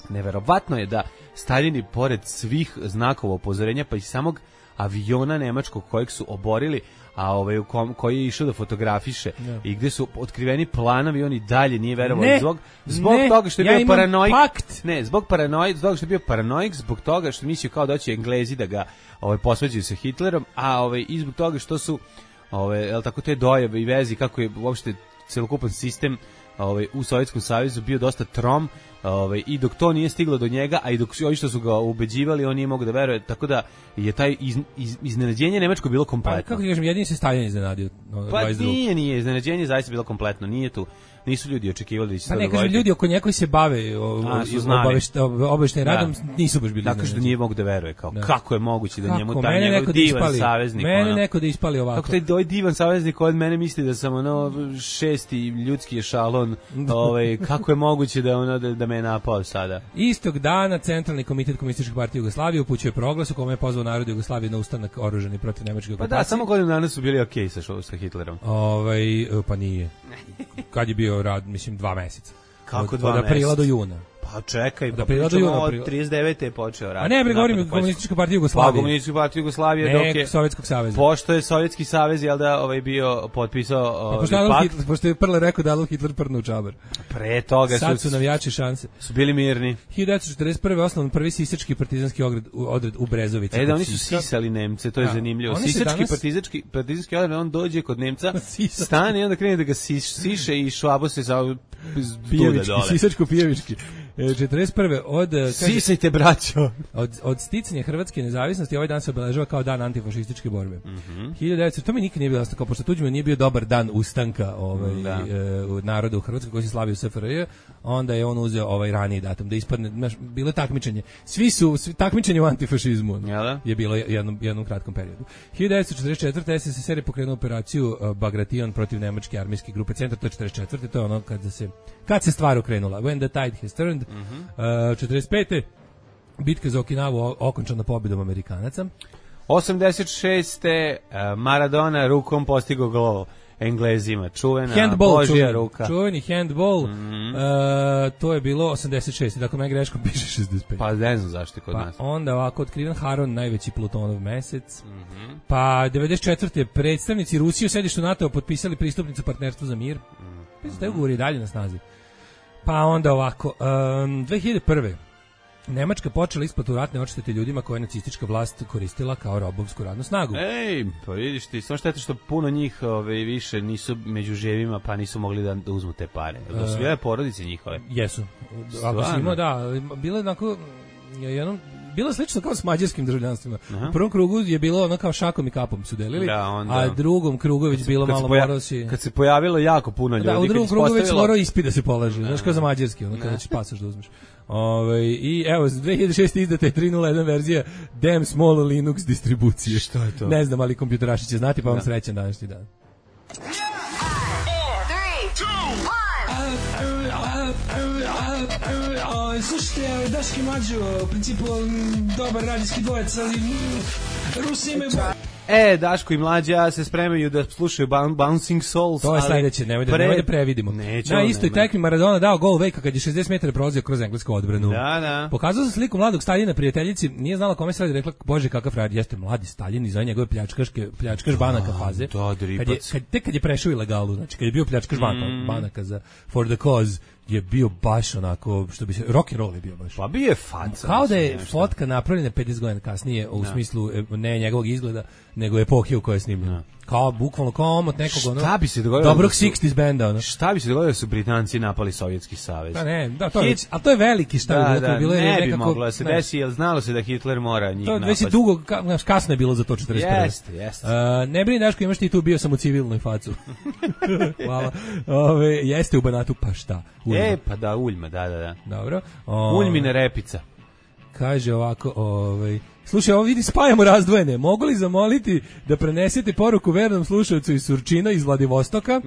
Neverovatno je da Staljini, pored svih znakova upozorenja, pa i samog aviona nemačkog kojeg su oborili, a ovaj u kom, koji je išao da fotografiše yeah. i gde su otkriveni planovi, on i dalje nije verovao zbog zbog ne, toga što je ja bio paranoik. Pakt. Ne, zbog paranoik, zbog što je bio paranoik, zbog toga što mislio kao da će Englezi da ga ovaj posvađaju sa Hitlerom, a ovaj i zbog toga što su ovaj el tako te dojave i vezi kako je uopšte celokupan sistem ovaj u Sovjetskom savezu bio dosta trom. Ovaj i dok to nije stiglo do njega, a i dok ovi što su ga ubeđivali, on nije mogao da veruje, tako da je taj iz, iz, iznenađenje nemačko bilo kompletno. Pa kako ti kažem, jedini se Stalin iznenadio. No, pa nije, nije, iznenađenje zaista bilo kompletno, nije tu. Nisu ljudi očekivali da će se pa to ne, dogoditi. Kažem, ljudi oko nje koji se bave obaveštenim radom da. nisu baš bili. Dakle, što nije mogu da veruje, kao da. Kako je moguće da kako? njemu taj njegov divan ispali. saveznik. Mene ono, neko da ispali ovako. Kako taj doj divan saveznik od mene misli da sam ono šesti ljudski ešalon, ovaj, kako je moguće da, ono, da, da me je napao sada. Istog dana Centralni komitet Komunističke partije Jugoslavije upućuje proglas u kome je pozvao narod Jugoslavije na ustanak oružani protiv nemačke okupacije. Pa da, samo godinu dana su bili okej okay sa, sa Hitlerom. Ovaj, pa nije. Kad je bio rad, mislim, dva meseca. Kako dva meseca? Od aprila do juna. Pa čekaj, pa pričamo od trideset devete je počeo rad. A ne, bre, govorim Komunistička partija Jugoslavije. Pa Komunistička partija Jugoslavije dok je Sovjetskog saveza. Pošto je Sovjetski savez, jel da, ovaj bio potpisao ovaj, pa pošto pakt. Hitler, pošto je prle rekao da Adolf Hitler prdnu u čabar. Pre toga sad su, su navijači šanse. Su bili mirni. hiljadu devetsto četrdeset prve osnovan prvi sisački partizanski odred, odred u Brezovici. E da, oni su sisali Nemce, to je ja. zanimljivo. Sisački danas... partizanski, partizanski odred, on dođe kod Nemca, stane i onda krene da ga siš, siše i švabo se za pijevički, sisačko pijevički. četrdeset prve od sisajte braćo od od sticanja hrvatske nezavisnosti ovaj dan se obeležava kao dan antifašističke borbe. Mm -hmm. hiljadu devetsto to mi nikad nije bilo jasno, kao pošto Tuđman nije bio dobar dan ustanka ovaj e, u narodu u Hrvatskoj koji se slavio u S F R J, onda je on uzeo ovaj raniji datum da ispadne, znaš, bilo takmičenje. Svi su svi, takmičenje u antifašizmu. Ja, je bilo jednom jednom kratkom periodu. hiljadu devetsto četrdeset četvrte S S S R je pokrenuo operaciju uh, Bagration protiv nemačke armijske grupe Centar, to je četrdeset četvrte to je ono kad se kad se stvar okrenula. When the tide has turned. Mm -hmm. uh, četrdeset pete bitka za Okinavu okončana pobjedom Amerikanaca. osamdeset šeste Maradona rukom postigao gol Englezima, čuvena handball, Božja čuveni, ruka. Čuveni handball, mm -hmm. uh, to je bilo osamdeset šeste dakle meni greškom piše šezdeset pet. Pa ne znam zašto je kod pa nas. Onda ovako otkriven Haron, najveći Plutonov mesec. Mm -hmm. Pa devedeset četvrte predstavnici Rusije u sedištu NATO potpisali pristupnicu partnerstva za mir. Mm -hmm. Taj ugovor je dalje na snazi. Pa onda ovako, um, dve hiljade prve Nemačka počela isplatu ratne odštete ljudima koje je nacistička vlast koristila kao robovsku radnu snagu. Ej, pa vidiš ti, samo šteta što puno njih ove, više nisu među živima, pa nisu mogli da, da uzmu te pare. Da su bile porodice njihove. Jesu. Ako si imao, da, bilo je onako, jednom, bilo slično kao s mađarskim državljanstvima. U prvom krugu je bilo ono kao šakom i kapom su delili, da, onda, a drugom krugu već bilo malo poja- morao si... Kad se pojavilo jako puno ljudi. Da, u drugom krugu postavilo... već morao ispit da se polaže, znaš kao za mađarski, ono kada će pasoš da uzmeš. Ove, I evo, dve hiljade šeste izdata je tri nula jedan verzija Damn Small Linux distribucije. Što je to? Ne znam, ali kompjuteraši će znati, pa vam srećan današnji dan. Slušajte, Daški Mađo, u principu dobar radijski dvojec, ali Rusi imaju... E, Daško i Mlađa se spremaju da slušaju Bouncing Souls. To je sledeće, nemoj da, pre... nemoj da previdimo. Nećemo, na istoj tekmi Maradona dao gol Vejka kad je šezdeset metara prolazio kroz englesku odbranu. Da, da. Pokazao sam sliku mladog Staljina prijateljici, nije znala kome se radi, rekla, bože kakav frajer, jeste mladi Staljin i za njegove pljačkaške, pljačkaš banaka faze. Da, kad je, kad, tek kad je prešao ilegalu, znači kad je bio pljačkaš banaka, mm. banaka za For the Cause, je bio baš onako, što bi se, rock and roll je bio baš. Pa bio je faca. Kao da je fotka napravljena pedeset godina kasnije, u da. smislu ne njegovog izgleda, nego epohe u kojoj je snimljena. Kao, bukvalno, kao omot nekog, ono, šta bi se dogodilo dobrog šezdesetih benda, ono. Šta bi se dogodilo da su Britanci napali Sovjetski savez? Da, ne, da, to je, Hit... a to je veliki šta da, bi bilo, da, bilo je ne nekako, bi moglo da se ne. desi, jer znalo se da Hitler mora njih napasti. To već je dugo, ka, kasno je bilo za to četrdeset prve. Jeste, jeste. Uh, ne brini, Daško, imaš ti tu, bio sam u civilnoj facu. Hvala. Ove, jeste u Banatu, pa šta? Uljma. E, pa da, Uljma, da, da, da. Dobro. O, Uljmine repica. Kaže ovako, ovaj... Slušaj, ovo vidi, spajamo razdvojene. Mogu li zamoliti da prenesete poruku vernom slušalcu iz Surčina, iz Vladivostoka?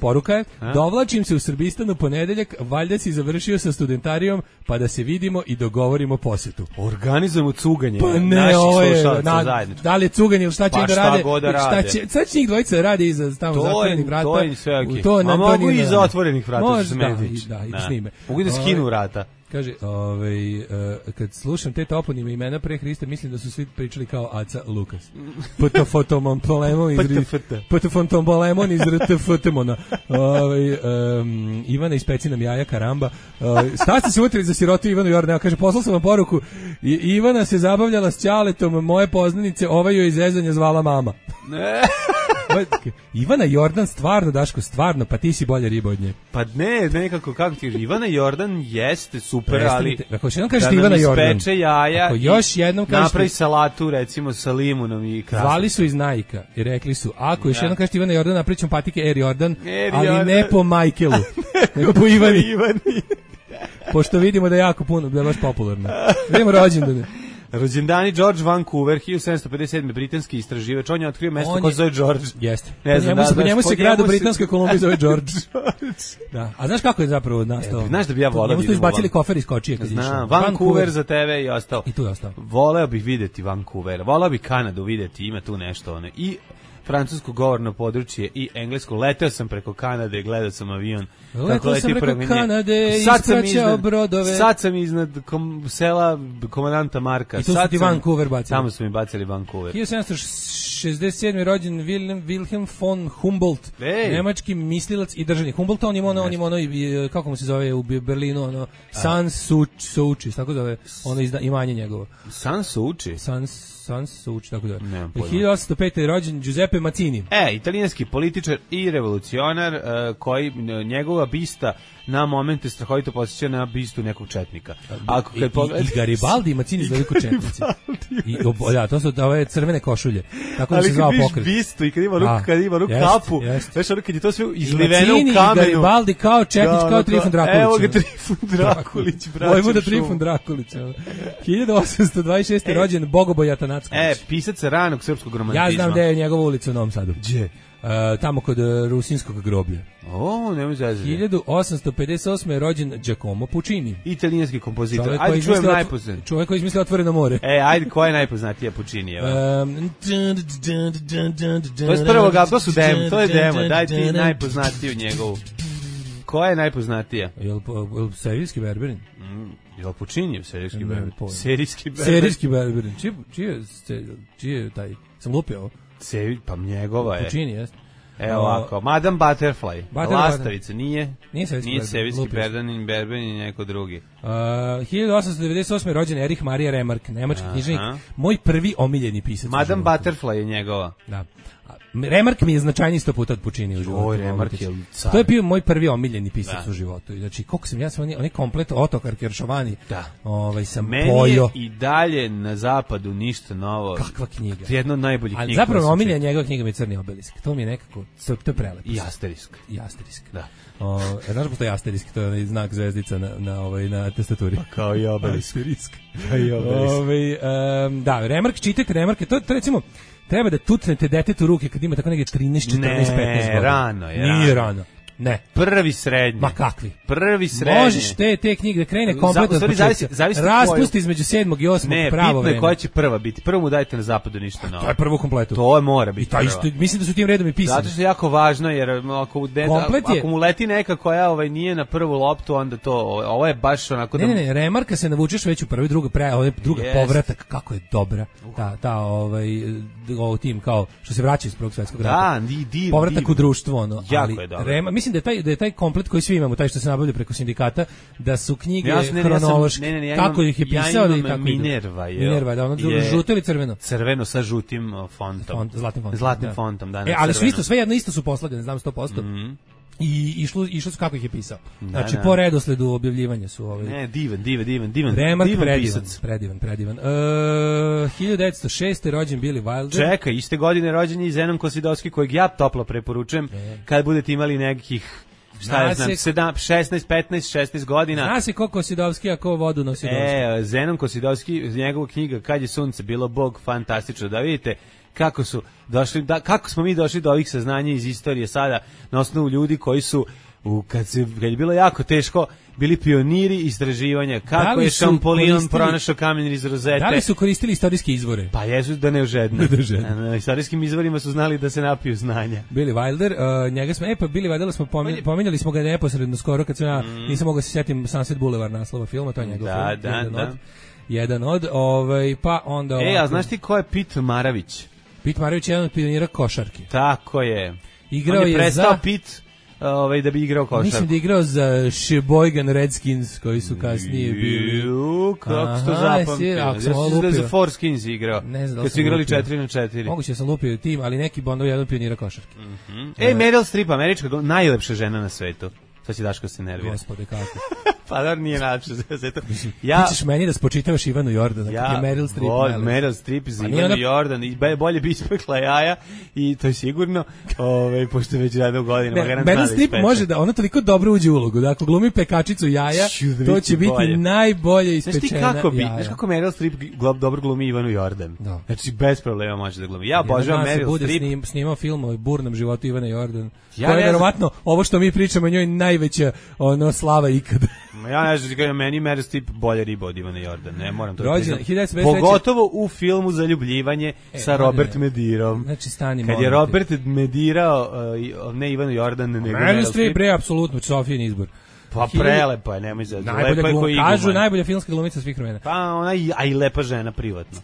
Poruka je, dovlačim se u Srbistan u ponedeljak, valjda si završio sa studentarijom, pa da se vidimo i dogovorimo posjetu. Organizujemo cuganje pa ne, naših na, slušalaca zajednički. Da li je cuganje ili šta će pa da rade? God šta će, sad će njih dvojica rade iza tamo zatvorenih vrata. To je sve okej. Okay. A mogu i iza otvorenih vrata. Može, da, da, i da snime. Mogu i da skinu vrata. Kaže, ovaj, uh, kad slušam te toponime imena pre Hrista, mislim da su svi pričali kao Aca Lukas. Ptofotomompolemon iz Ptofotompolemon iz R T F Temona. Ovaj um, Ivana iz Peci nam jaja karamba. Uh, Sta se utrili za sirotu Ivanu Jordan. Kaže, poslao sam vam poruku. I, Ivana se zabavljala s ćaletom moje poznanice, ovaj joj iz zezanja zvala mama. Ne. Ivana Jordan stvarno, Daško, stvarno, pa ti si bolja riba od nje. Pa ne, nekako, kako ti Ivana Jordan jeste super, prestanite, ali ako još jednom kažete Ivana Jordan, ispeče jaja ako još jednom kažete, napravi salatu recimo sa limunom i krasno. Zvali su iz Nike i rekli su, ako još ja. jednom kažete Ivana Jordan, napričam patike Air Jordan, Air ali Jordan. ne po Michaelu, nego po Ivani. Ivani. Pošto vidimo da je jako puno, da je baš popularno. Vidimo rođendane. Rođendani George Vancouver, hiljadu sedamsto pedeset sedme britanski istraživač, on je otkrio mesto koje se zove George. Jeste. Ne znam, po njemu, da, po njemu znaš, se grad u Britanskoj se... Kolumbiji zove George. Da. A znaš kako je zapravo nastao? E, znaš da bi ja volao. Njemu su izbacili kofer iz kočije kad Znam, išao. Vancouver, Vancouver za tebe i ostalo. I tu je ostao. Voleo bih vidjeti Vancouver, voleo bih Kanadu vidjeti, ima tu nešto ono. I francusko govorno područje i englesko. Leteo sam preko Kanade, gledao sam avion. Leteo sam preko Kanade, ispraćao brodove. Sad sam iznad kom, sela komandanta Marka. I tu su ti Vancouver bacili. Tamo su mi bacili Vancouver. hiljadu sedamsto šezdeset sedme rođen Wilhelm, Wilhelm von Humboldt, Ej. nemački mislilac i državnik. Humboldt, on ima ono, on ima ono, kako mu se zove u Berlinu, ono, Sans Souci, tako zove, ono izda, imanje njegovo. Sans Souci? Sans Sans Souci, tako da. hiljadu osamsto pete je rođen Giuseppe Mazzini. E, italijanski političar i revolucionar, uh, koji njegova bista na momente strahovito posjeća na bistu nekog četnika. Ako kad I, pogled... i Garibaldi i Mazzini izgledaju kao četnici. I, da, to su ove crvene košulje. Tako da se zvao pokret. Ali kad vidiš bistu i kad ima ruku, kad ima ruku kapu, znaš ono kad je to sve izliveno u kamenu. I Garibaldi kao četnič, da, kao Trifun Drakulić. Evo ga Trifun Drakulić, braćo. Vojvoda Trifun Drakulić. hiljadu osamsto dvadeset šeste e, rođen Bogoboj Atanacković. E, pisac ranog srpskog romantizma. Ja znam gde je njegova ulica u Novom Sadu. Gdje? Uh, tamo kod uh, Rusinskog groblja. O, nemoj zazati. hiljadu osamsto pedeset osme je rođen Giacomo Puccini. Italijanski kompozitor. Ajde čujem najpoznatiji. Čovjek koji izmislio Otvoreno more. E, ajde, koja je najpoznatija Puccinijeva? Um, to je s prvog, to su demo, to je demo. Daj ti najpoznatiju njegovu. Koja je najpoznatija? Jel, jel serijski Berberin? Mm, jel Puccinijev serijski Berberin? Serijski Berberin. Serijski Berberin. Čije, čije, čije je taj? Sam lupio ovo? Sevi, pa njegova je. Puccini, jest. Evo ovako, Madame Butterfly, Butterfly. Lastavica, nije? Nije Serijski Nije Serijski Berberin, Berberin i neko drugi. Uh, hiljadu osamsto devedeset osme rođen Erich Maria Remarque, nemački književnik, moj prvi omiljeni pisac. Madame Butterfly je njegova. Da. Remark mi je značajniji sto puta od Puccini u životu. Oj, Remark je car. To je bio moj prvi omiljeni pisac da. u životu. Znači, koliko sam ja sam onaj komplet Otokar Keršovani, da. ovaj, sam meni pojo. Meni je i dalje na zapadu ništa novo. Kakva knjiga. Jedno od najboljih knjiga. Ali zapravo omiljena njegova knjiga mi je Crni obelisk. To mi je nekako, to, to je prelepo. I Asterisk. I Asterisk. Da. O, znaš postoji Asterisk, to je onaj znak zvezdica na, na, ovaj, na tastaturi. Pa kao i obelisk. Asterisk. Kao i obelisk. Ovaj, um, da, Remark, čitajte Remarke, to, to recimo, treba da tutnete detetu ruke kad ima tako neke trinaest, četrnaest, petnaest godina. Ne, rano je. Nije rano. Ne. Prvi srednji. Ma kakvi? Prvi srednji. Možeš te, te knjige da krene kompletno od početka. Raspusti između sedmog i osmog ne, pravo vreme. Ne, bitno je koja će prva biti. Prvo mu dajte na zapadu ništa novo. To je prvo kompletu. To je mora biti. I to isto, mislim da su tim redom i pisani. Zato što je jako važno, jer ako, de, ako mu leti neka koja ovaj, nije na prvu loptu, onda to, ovo je baš onako... Ne, da... ne, ne, Remarka se navučeš već u prvi, druga, pre, ovaj, druga yes. povratak, kako je dobra. Ta, ta, ovaj, ovo tim kao, što se vraća iz Prvog svjetskog rata. Da, di, di, povratak di, u društvo, ono. Jako ali je dobro. Rema, mislim da je taj, da je taj komplet koji svi imamo, taj što se nabavlja preko sindikata, da su knjige ja sam, ne, hronološke, ja sam, ne, ne, ja kako imam, ih je pisao ja i kako Minerva, je, Minerva, da ono je, žuto ili crveno? Crveno sa žutim fontom. Font, zlatnim fontom. Zlatnim da. fontom, da. E, ali su isto, sve jedno isto su poslagane, znam sto posto. Mm-hmm. I išlo, išlo su kako ih je pisao. Da, znači, da. po redosledu objavljivanja su ovaj. Ne, divan, divan, divan, divan. Remark divan predivan, pisac. predivan, predivan. Uh, hiljadu devetsto šeste. rođen Billy Wilder. Čekaj, iste godine rođen je i Zenon Kosidovski, kojeg ja toplo preporučujem e. kad budete imali nekih šta ja znam, sedam, šesnaest, petnaest, šesnaest godina. Zna se ko Kosidovski, a ko vodu nosi Kosidovski. E, Zenon Kosidovski, njegova knjiga Kad je sunce bilo Bog, fantastično, da vidite kako su došli, da, kako smo mi došli do ovih saznanja iz istorije sada na osnovu ljudi koji su u, kad, se, kad je bilo jako teško bili pioniri istraživanja kako je Champollion pronašao kamen iz rozete. Da li su koristili istorijske izvore? Pa jesu da ne ožedne. Na istorijskim izvorima su znali da se napiju znanja. Billy Wilder, uh, njega smo, e pa Billy Wilder smo pominjali, pominjali smo ga neposredno skoro kad sam ja, mm. nisam mogao se sjetim Sunset Boulevard naslova filma, to je njegov da, film. Da, jedan da. Od, jedan od, ovaj, pa onda... E, a znaš ti ko je Pit Maravić? Pit Maravić je jedan od pionira košarke. Tako je. Igrao On je, je prestao za... Pit ovaj da bi igrao košarku. Mislim da je igrao za Sheboygan Redskins koji su kasnije bili. Ju, kako se to zapamtio? Ja sam da za Forskins igrao. Ne znam da li su igrali četiri na četiri. Moguće da sam lupio tim, ali neki Bondov jedan pionira košarke. Mm-hmm. Ej, Meryl Streep, američka najlepša žena na svetu. Sad će Daško se nervira. Gospode, kako? Pa da nije najlepša žena na svetu. Ja, ti ćeš meni da spočitavaš Ivanu Jordana, ja, kako je Meryl Streep. Ja, Meryl Streep za Ivanu ona... Jordan, i bolje bi ispekla jaja, i to je sigurno, ove, pošto već rade u godinama. Ne, Meryl Streep može da, ona toliko dobro uđe u ulogu, da ako glumi pekačicu jaja, to će biti bolje. Najbolje ispečena jaja. Znaš ti kako bi, znaš kako Meryl Streep dobro glumi Ivanu Jordan? Da. Znači, bez problema može da glumi. Ja obožavam Meryl Streep. Snim, snimao film o burnom životu Ivane Jordan. Ja to je verovatno, ovo što mi pričamo, njoj najveća ono, slava ikada. Ja ne znam, kada meni Meryl Streep bolje riba od Ivane Jordan, ne moram to priznati. Pogotovo u filmu Zaljubljivanje e, sa Robert Medirom. Znači, stani, kad je Robert Medirao, uh, ne Ivanu Jordan, nego Meryl Streep, bre, apsolutno, Sofijin izbor. Pa prelepa je, nemoj za najbolja lepa je koji iguma. Kažu najbolja filmska glumica svih vremena. Pa ona i, a i lepa žena privatno.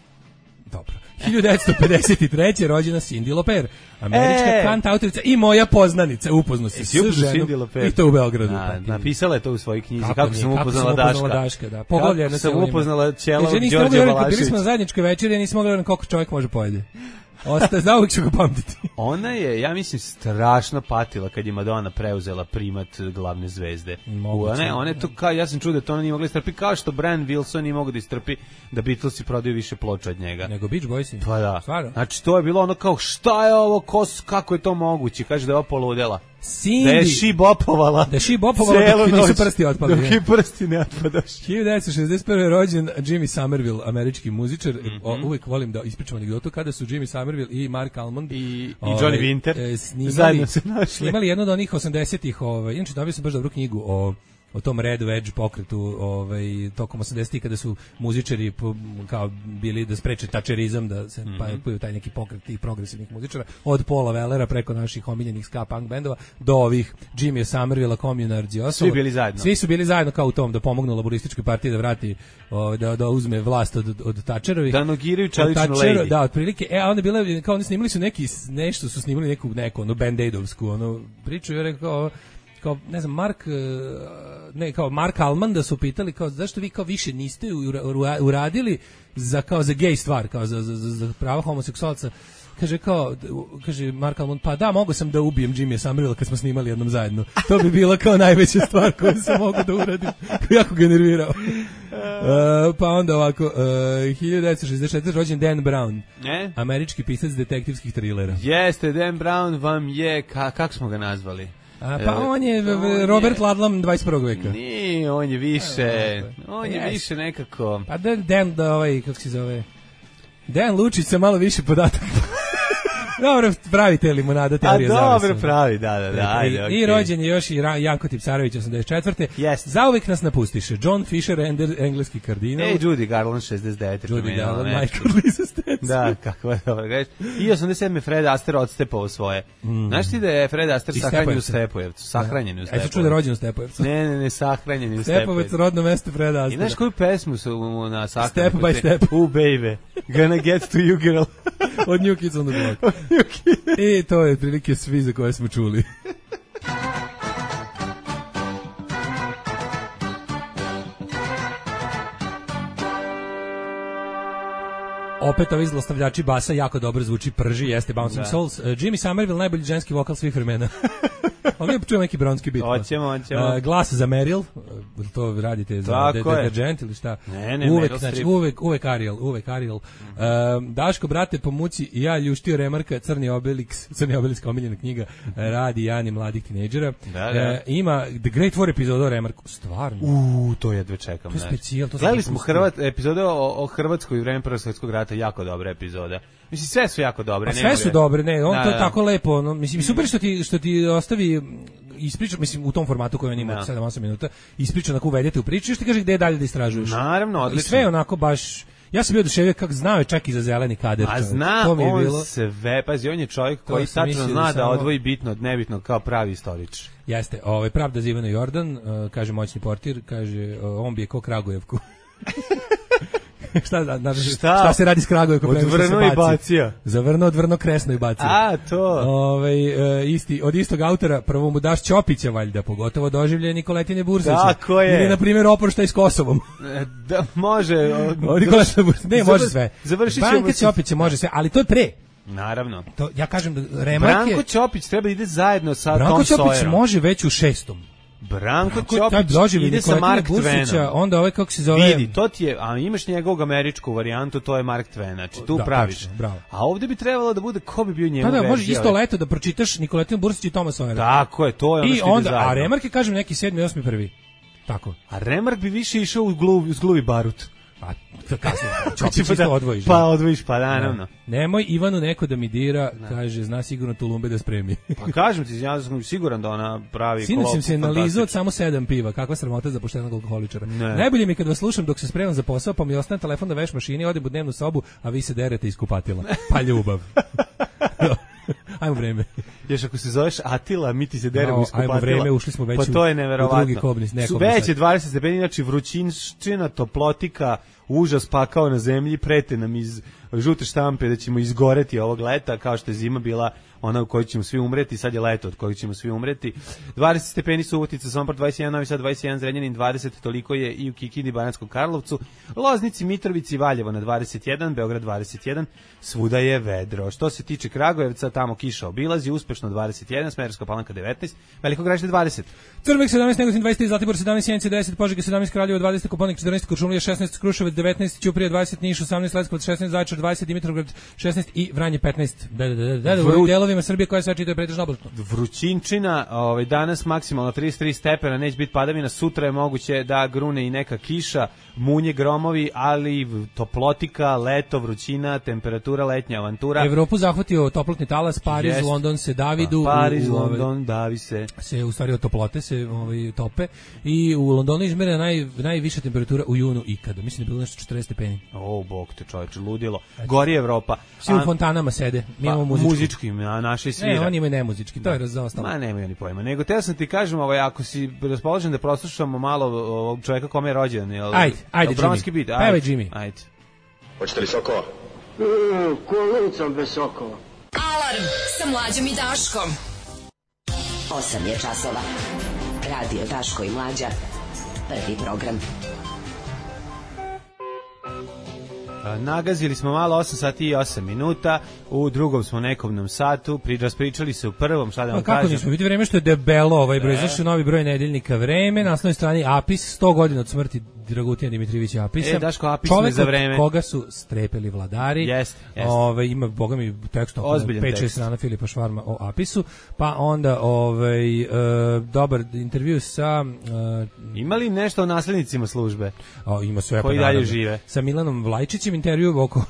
Dobro. hiljadu devetsto pedeset treće. rođena Cyndi Lauper, američka e! kantautorica i moja poznanica, upoznao se s ženom i to u Beogradu. Na, napisala je to u svojoj knjizi, kako, kako sam upoznala Daška. Daška da. Poglavlja kako sam upoznala Ćela Đorđe Balašević. Bili smo na zajedničkoj večeri, ja nisam mogla da koliko čovjek može pojede. Ostaje, za uvijek ću ga pamtiti. Ona je, ja mislim, strašno patila kad je Madonna preuzela primat glavne zvezde. Moguće. Ona, ona je to kao, ja sam čuo da to ona nije mogla istrpi, kao što Brian Wilson nije mogao da istrpi da Beatlesi prodaju više ploča od njega. Nego Beach Boysi. Pa da. Stvarno? Znači, to je bilo ono kao, šta je ovo, kos, kako je to moguće? Kaže da je ovo poludela. Cindy. Da je šibopovala. Da je šibopovala dok ti nisu prsti otpali. Dok ti prsti ne otpadaš. hiljadu devetsto šezdeset prve. rođen Jimmy Somerville, američki muzičar. Mm-hmm. O, uvijek volim da ispričam anegdotu kada su Jimmy Somerville i Mark Almond i, i Johnny Winter e, snimali, zajedno se našli. Snimali jedno od onih osamdesetih, ovaj, inače dobio sam baš dobru knjigu o o tom Red Wedge pokretu, ovaj, tokom osamdesetih kada su muzičari po, kao bili da spreče tačerizam, da se mm-hmm. pa taj neki pokret tih progresivnih muzičara, od Paula Wellera preko naših omiljenih ska punk bendova do ovih Jimmy Somerville, Communards i ostalo. Svi bili zajedno. Svi su bili zajedno kao u tom da pomognu laborističkoj partiji da vrati, o, da, da uzme vlast od, od Tačerovih. Da nogiraju čeličnu lady. Da, otprilike. E, a onda bile, kao oni snimali su neki, nešto su snimali neku, neku, ono, Band-Aidovsku, ono, priču, je rekao, kao, ne znam, Mark, ne, kao Mark Alman da su pitali, kao, zašto vi kao više niste uradili za, kao, za gej stvar, kao, za, za, za prava homoseksualca. kaže kao, kaže Mark Almond, pa da, mogu sam da ubijem Jimmya Somerville kad smo snimali jednom zajedno. To bi bila kao najveća stvar koju sam mogu da uradim. Jako ga nervirao. Uh, pa onda ovako, uh, hiljadu devetsto šezdeset četvrte rođen Dan Brown, e? američki pisac detektivskih trilera. Jeste, Dan Brown vam je, ka, kako smo ga nazvali? A, pa on je on Robert je, Ludlum dvadeset prvog veka. Nije, on je više, on je yes. više nekako... Pa da, Dan, da ovaj, kako se zove... Dan Lučić sa malo više podataka. Dobro, pravite limonada teorija zavisa. A dobro, pravi, da, da, da. Ajde, I, okay. I rođen je još i Janko Tipsarević osamdeset četvrte Yes. Zauvek nas napustiše. John Fisher, Ender, engleski kardinal. Ej, Judy Garland, šezdeset devete Judy Garland, Michael Lisa Stetson. Da, kako je dobro reći. I osamdeset sedme Fred Astaire odstepao svoje. Mm. Znaš ti da je Fred Astaire sahranjen u Stepojevcu? Sahranjen u Stepojevcu. Ajde, čuo da je rođen u Stepojevcu. Ne, ne, ne, sahranjen u Stepojevcu. Stepovac, rodno mesto Fred Astaire. I znaš koju pesmu su na sahranju? Step by step. Oh, baby, gonna get to you, girl. Od New Kids on the Block. I to je prilike svi za koje smo čuli. Opet ovi zlostavljači basa jako dobro zvuči, prži, jeste Bouncing da. Souls. Uh, Jimmy Somerville, najbolji ženski vokal svih vremena. Ovdje čujem neki bronski bit. Hoćemo, hoćemo. Uh, glas za Meryl, uh, to radite za deterđent ili šta? Ne, ne, uvek, Meryl znači, uvek, uvek Ariel, uvek Ariel. Uh, Daško, brate, po muci i ja ljuštio Remarka, Crni Obelix, Crni Obelix, omiljena knjiga, radi Jani mladih tinejdžera. Da, da. Uh, ima The Great War epizoda o Remarku, stvarno. Uuu, to jedve čekam. To je specijal. Gledali smo Hrvat, epizode o, o Hrvatskoj i vreme Prvog svjetskog rata, jako dobra epizoda. Mislim, sve su jako dobre. A sve su dobre, ne, on da, to da. tako lepo, no, mislim, super što ti, što ti ostavi ispriča, mislim, u tom formatu koji on ima da. sedam osam minuta, ispriča onako uvedete u priču i još ti kaže gde je dalje da istražuješ. Naravno, odlično. I sve onako baš, ja sam bio oduševio kako znao je čak i za zeleni kader. A zna to mi je on bilo. sve, pazi, on je čovjek koji tačno zna da, da samo... odvoji bitno od nebitnog kao pravi istorič. Jeste, ovaj, pravda za Ivana Jordan, uh, kaže moćni portir, kaže, uh, on bi je ko Kragujevku. šta, na, šta? šta se radi s Kragujevkom? Odvrno i bacija. Zavrno, odvrno, kresno i bacija. A, to. Ove, uh, isti, od istog autora, prvo mu daš Ćopića, valjda, pogotovo doživlje Nikoletine Bursića. Tako je. Ili, na primjer, oporštaj s Kosovom. Da, može. Od Nikoletine Bursića. Ne, može sve. Završit ćemo. Branka Ćopića može sve, ali to je pre. Naravno. To, ja kažem da Remark je... Branko Ćopić treba ide zajedno sa Branko Tom Ćopić Sawyerom. može već u šestom. Branko Ćopić ide sa Mark Twainem. Onda ovaj kako se zove... Vidi, to ti je, a imaš njegovog američku varijantu, to je Mark Twain, znači tu da, praviš. Tačno, bravo. A ovdje bi trebalo da bude, ko bi bio njegov verzija? Da, da, može isto ali... leto da pročitaš Nikoletinu Bursić i Toma Sawyera. Tako je, to je ono I što ide onda, zajedno. a Remark je, kažem, neki sedmi, osmi, prvi. Tako. A Remark bi više išao u gluvi, gluvi barut. Pa, kasnije, Ćopić isto da, odvojiš. Pa odvojiš, pa naravno. Ne. Nemoj Ivanu neko da mi dira, ne. Kaže, zna sigurno Tulumbe da spremi. Pa kažem ti, ja sam siguran da ona pravi Sinoć kolop. sam se nalizao od samo sedam piva, kakva sramota za poštenog alkoholičara. Ne. Najbolje mi je kad vas slušam dok se spremam za posao, pa mi ostane telefon da veš mašini, odem u dnevnu sobu, a vi se derete iz kupatila. Pa ljubav. Ajmo vreme. Još ako se zoveš Atila, mi ti se deremo no, iz kupatila. Ajmo vreme, ušli smo već pa to je neverovatno. U drugi kobnis. Su već je dvadeset stepeni, znači vrućinščina, toplotika, užas pakao na zemlji, prete nam iz žute štampe da ćemo izgoreti ovog leta, kao što je zima bila ona u kojoj ćemo svi umreti, sad je leto od kojeg ćemo svi umreti. dvadeset stepeni Subotica, Sombor dvadeset jedan, Novi Sad dvadeset jedan, Zrenjanin dvadeset, toliko je i u Kikindi, Banatskom Karlovcu, Loznici, Mitrovici, Valjevo na dvadeset jedan, Beograd dvadeset jedan, svuda je vedro. Što se tiče Kragujevca, tamo kiša obilazi, uspešno dvadeset jedan, Smederevska Palanka devetnaest, Veliko Gradište dvadeset. Crvek sedamnaest, Negotin dvadeset tri, Zlatibor sedamnaest, Sjenica deset, Požega sedamnaest, Kraljevo dvadeset, Koponik četrnaest, Kuršumlija šesnaest, Kruševac devetnaest, Ćuprija dvadeset, Niš osamnaest, Leskovac šesnaest, Zaječar dvadeset, Dimitrovgrad šesnaest i Vranje petnaest. Da, da, da, da, da, u delovima Srbije koja se čita je pretežno oblačno. Vrućinčina, ovaj danas maksimalno trideset tri stepena, neće biti padavina, sutra je moguće da grune i neka kiša, munje, gromovi, ali toplotika, leto, vrućina, temperatura, letnja avantura. Evropu zahvatio toplotni talas, Pariz, yes. London se Davidu, pa, Pariz, u, u, London, davi se. Se u stvari od toplote se ovaj tope i u Londonu izmerena naj najviša temperatura u junu ikada. Mislim da je bilo nešto četrdeset stepeni. O, bog te čoveče, ludilo. Gori Evropa. Svi u fontanama sede. Mi pa, imamo muzički. Muzički, a naši svira. Ne, oni imaju nemuzički, to je razostalo. Ma nemaju oni pojma. Nego te sam ti kažem, ovaj, ako si raspoložen da proslušamo malo ovog čovjeka kome je rođen, jel? Ajde, ajde, Jimmy. Bit, ajde. Pevaj, Jimmy. Ajde. Hoćete li sokova? Mm, kolicom bez sokova. Alarm sa Mlađom i Daškom. osam je časova. Radio Daško i Mlađa. Prvi program. Nagazili smo malo osam sati i osam minuta, u drugom smo nekom satu, pri, raspričali se u prvom, šta da vam kažem. Kako nismo, vidi vreme što je debelo, ovaj broj, zašto novi broj nedeljnika Vreme, na naslovnoj strani Apis, sto godina od smrti Dragutina Dimitrijevića Apisa. E, Daško, Apis me za vreme. Koga su strepeli vladari. Jest, jest. Ove, ima, boga mi, tekst pet šest strana Filipa Švarma o Apisu, pa onda ovaj, e, dobar intervju sa... E, ima li nešto o naslednicima službe? O, ima sve. Koji pa, dalje žive? Sa Milanom Vlajčićem intervju oko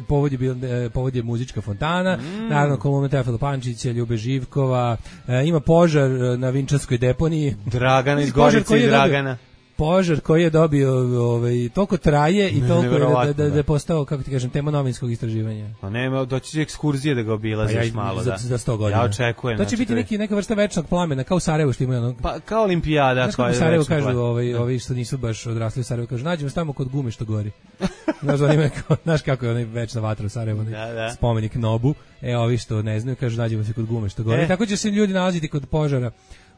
povod je, bil, povod je muzička fontana, mm. naravno kolumna Teofila Pančića, Ljube Živkova, e, ima požar na Vinčanskoj deponiji. Dragana iz Gorice i Dragana. Požar koji je dobio ovaj toliko traje i toliko je da, da, da je postao, kako ti kažem, tema novinskog istraživanja. Pa nema, doći će ekskurzije da ga obilaziš pa ja, malo, za, da. Za sto godina. Ja očekujem. To će biti neki, neka vrsta večnog plamena, kao u Sarajevu što ima ono. Pa kao olimpijada. Znaš kako u Sarajevu kažu, ovaj, ovi što nisu baš odrasli u Sarajevu, kažu, nađemo tamo kod gume što gori. Znaš, onime, znaš kako je onaj večna vatra u Sarajevu, da, da. Spomenik Nobu, e, ovi što ne znaju, kažu, nađemo se kod gume što gori. E. Tako će se ljudi nalaziti kod požara.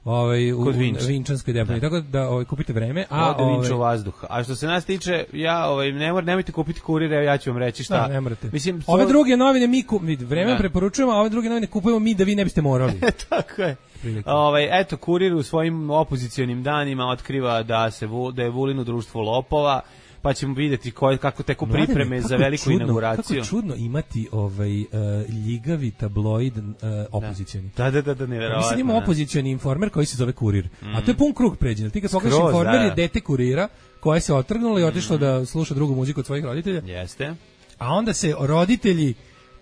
Ovaj u Vinč. Vinčanskoj deponiji, tako da ovaj kupite vreme, a ode ovaj Vinču vazduh. A što se nas tiče, ja ovaj ne mor, nemojte kupiti Kurire, ja ću vam reći šta. Da, ne morate. Mislim, ove druge novine mi ku, vreme preporučujemo, a ove druge novine kupujemo mi da vi ne biste morali. Tako je. Ovaj eto Kurir u svojim opozicionim danima otkriva da se da je Vulin u društvu lopova. Pa ćemo vidjeti koje, kako teku pripreme Mladene, za veliku čudno, inauguraciju. Kako čudno imati ovaj uh, ljigavi tabloid uh, opozicioni. Da, da, da, da, nevjerovatno. Mislim ima opozicioni informer koji se zove Kurir. Mm. A to je pun krug pređen. Ti kad pogledaš informer da. Je dete Kurira koje se otrgnulo i otišlo mm. da sluša drugu muziku od svojih roditelja. Jeste. A onda se roditelji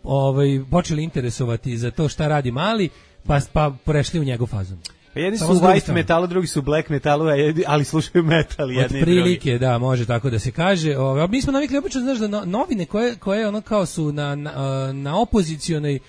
ovaj počeli interesovati za to šta radi mali, pa pa prešli u njegov fazon. Pa jedni su u white metalu, drugi su u black metalu, ali slušaju metal jedni i drugi. Prilike, da, može tako da se kaže. Ove, mi smo navikli obično, znaš, da novine koje, koje ono kao su na, na, na opozicijonoj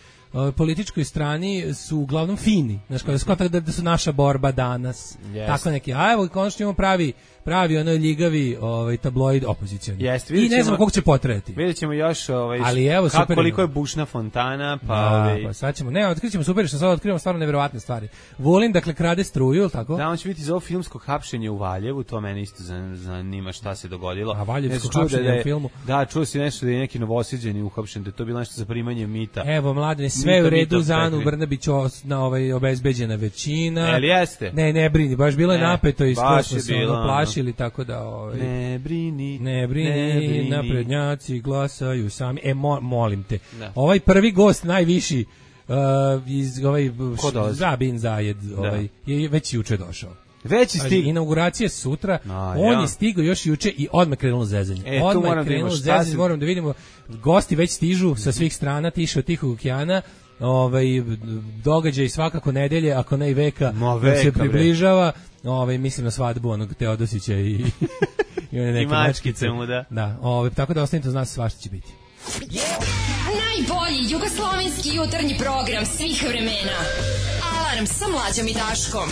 političkoj strani su uglavnom fini. Znaš, kao da, da, da su naša borba danas. Yes. Tako neki. A evo, konačno imamo pravi pravi onaj ljigavi ovaj tabloid opozicioni. Yes, I ne znam koliko će potrajati. Vidjećemo još ovaj ali evo kako, super, koliko je bušna fontana, pa da, ovaj pa sad ćemo. Ne, otkrićemo super što sad otkrivamo stvarno neverovatne stvari. Vulin dakle krade struju, tako? Da, on će biti za ovo filmsko hapšenje u Valjevu, to mene isto zanima šta se dogodilo. A valjevsko hapšenje da je, u filmu. Da, čuo si nešto da je neki Novosađani uhapšen, da je to bilo nešto za primanje mita. Evo Mladene, sve mita, u redu za Anu Brnabić na ovaj obezbeđena većina. Jel jeste? Ne, ne brini, baš bilo je napeto i skoro smo se plašili, tako da ovaj ne brini, ne brini, ne brini, naprednjaci glasaju sami. E, mo, molim te. Da. Ovaj prvi gost, najviši, uh, iz ovaj Zabin Zajed, ovaj, je već juče došao. Već je stigao. Inauguracija sutra, A, on ja. je stigao još juče i odmah krenulo zezanje. E, odmah je krenulo zezanje, si... moram da vidimo, gosti već stižu sa svih strana, tiše od Tihog okeana, ovaj, događaj svakako nedelje, ako ne i veka, veka se približava. Ovaj mislim na svadbu onog Teodosića i i one neke mačkice mu da. Da, ovaj tako da ostanite uz nas, svašta će biti. Yeah. Najbolji jugoslovenski jutarnji program svih vremena. Alarm sa Mlađom i Daškom.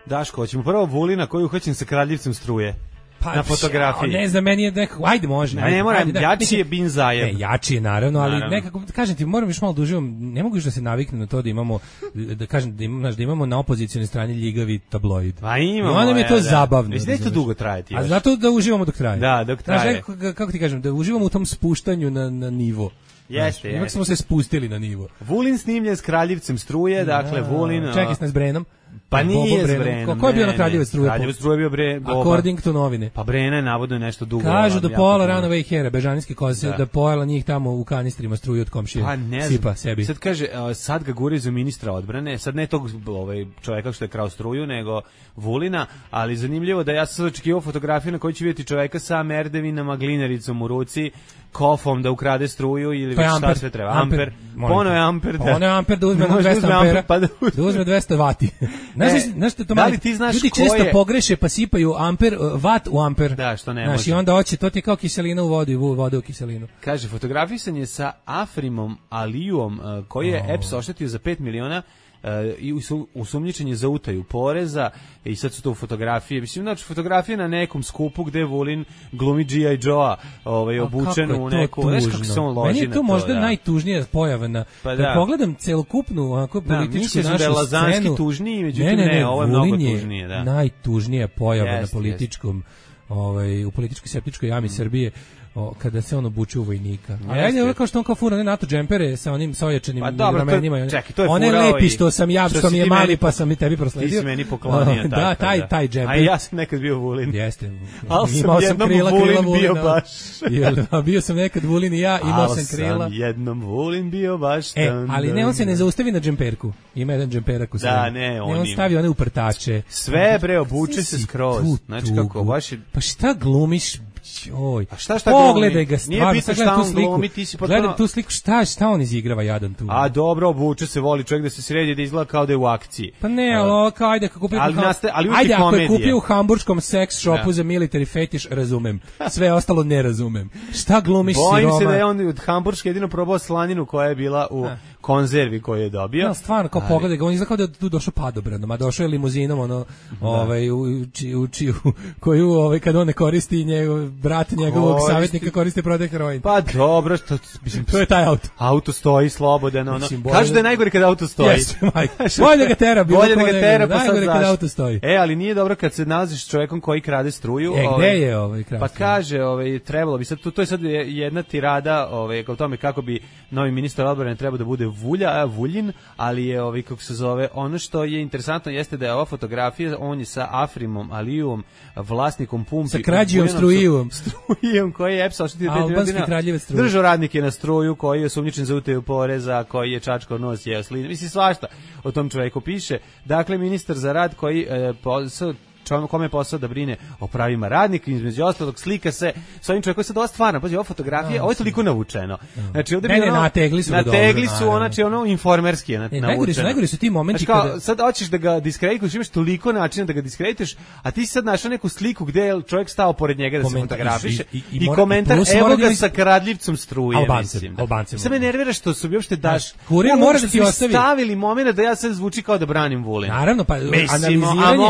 Daško, hoćemo prvo Vulina koji je uhvaćen sa kradljivcem struje. Pa, na fotografiji. Ja, ne znam, meni je nekako, ajde može. Ne, ne moram, jači je Bin Zajed. Ne, jači je naravno, ali naravno. Nekako, kažem ti, moram još malo duživom, ne mogu još da se naviknem na to da imamo, da kažem, da imamo, da imamo na opozicijalnoj strani ljigavi tabloid. Pa imamo. I onda mi je to ja, zabavno. Mislim da je to dugo trajati. A zato da uživamo dok traje. Da, dok traje. Znaš, kako, kako ti kažem, da uživamo u tom spuštanju na, na nivo. Jeste, jeste. Ipak smo se spustili na nivo. Vulin snimljen s kraljevcem struje, dakle, Vulin... Čekaj s nas Brenom. Pa nije s Brenom. Ko je bio na Kraljevac struje? Kraljevac struje bio Bre... According to novine. Pa Brena je navodno nešto dugo. Kažu da pojela Runaway Hare, bežanijske koze, da. da pojela njih tamo u kanistrima struju od komšije. Pa ne sipa sebi. Sad kaže, sad ga gure za ministra odbrane, sad ne tog ovaj, čoveka što je krao struju, nego Vulina, ali zanimljivo da ja sam sad očekivao fotografiju na kojoj će vidjeti čoveka sa merdevinama, glinaricom u ruci, kofom da ukrade struju ili pa šta sve treba. Amper. amper. Pono je amper. Da. Pono je amper da uzme dvesta ampera. Pa da, da uzme dvesta vati. Znaš, znaš to da li ti znaš ljudi često je... pogreše pa sipaju amper, vat u amper. Da, što ne znaš, može. I onda hoće, to ti je kao kiselina u vodu i voda u kiselinu. Kaže, fotografisan je sa Afrimom Alijom, koji je oh. E P S oštetio za pet miliona i usumnjičen je za utaju poreza i sad su to fotografije, mislim, znači fotografije na nekom skupu gde Vulin glumi G I Joe-a ovaj, obučen u neku, znaš kako se on loži. Meni je to, to možda da. najtužnija pojava na, pa da. pogledam celokupnu onako političku da, našu da je Lazanski scenu. tužniji, međutim ne, ne, ne, ne, ovo je Vulin mnogo je tužnije. Da. Najtužnija pojava yes, na političkom ovaj, u političkoj septičkoj jami Srbije, o, kada se on obuče u vojnika. A ajde, ovo kao što on kao fura, ne NATO džempere sa onim sa ojačanim pa, ramenima. Čekaj, to je one lepi što sam ja, što, što mi je mali, pa sam i tebi prosledio. Ti si meni poklonio. Da, taj, da. taj džemper. A ja sam nekad bio Vulin. Jeste. Ali sam jednom krila, Vulin krila Vulina. Bio baš. Jel, bio sam nekad Vulin i ja, imao sam krila. Ali sam jednom Vulin bio baš. E, ali ne, on se ne zaustavi na džemperku. Ima jedan džemperak u sebi. Da, ne, on, ne, on stavi one uprtače. Sve bre, obuče se skroz. Znači kako, baš je... Pa šta glumiš? Oj. A šta šta pogledaj ga stvarno, nije bitno šta on glumi, ti si potpuno... Gledam tu sliku, šta, šta on izigrava jadan tu. A dobro, obuče se, voli čovjek da se sredi, da izgleda kao da je u akciji. Pa ne, ali kao, ajde, kako kupio, ali, naste, ali ajde, ako komedije. je kupio u hamburškom sex shopu da. za military fetiš, razumem. Sve ostalo ne razumem. Šta glumiš siroma? Bojim se da je on od hamburške jedino probao slaninu koja je bila u da. konzervi koju je dobio. No, stvarno, kao pogledaj ga, on izgleda kao da je tu došao padobranom, a došao je limuzinom, ono, da. ovaj, u, u, čiju, koju, ovaj, kad on ne koristi, njegov, brat njegovog savjetnika koristi protiv heroin. Pa dobro, što, mislim, to je taj auto. Auto stoji slobodan, ono, kažu da je najgore kad auto stoji. Jeste, majko. Bolje da ga tera, bilo bolje da ga tera, pa sad kad auto stoji. E, ali nije dobro kad se nalaziš s čovjekom koji krade struju. E, ovaj, gde je ovaj krade? Pa kaže, ovaj, trebalo bi sad, to, to je sad jedna tirada, ovaj, o tome kako bi novi ministar odbrane trebao da bude Vulja, a Vuljin, ali je, ovaj, kako se zove, ono što je interesantno jeste da je ova fotografija, on je sa Afrimom Alijevom, vlasnikom pumpi. Sa krađijom strujivom. Strujom koji je E P S oštetio albanski kraljevac struje. Držao radnike na struju, koji je osumnjičen za utaju poreza, koji je čačkao nos, jeo slinu. Mislim, svašta o tom čovjeku piše. Dakle, ministar za rad koji e, posao, čovjek kome je posao da brine o pravima radnika, između ostalog slika se s ovim čovjekom, sad ova stvarno, pazi, ova fotografija, ovo je toliko navučeno. Znači, ovdje ne, ne, ono, nategli su na tegli su, ona, znači, ono, informerski je navučeno. Najgori su, najgori su ti momenti znači, kao, kada... sad hoćeš da ga diskredituješ, imaš toliko načina da ga diskredituješ, a ti si sad našao neku sliku gdje je čovjek stao pored njega da komentar, se fotografiše i, i, i, i komentar, evo ga sa kradljivcom struje, Albancem, mislim. Albancem. Sad me nervira što su bi uopšte daš. Kurir mora da ti ostavi. Stavili moment da ja sad zvuči kao da branim Vulina. Naravno, pa analiziranje,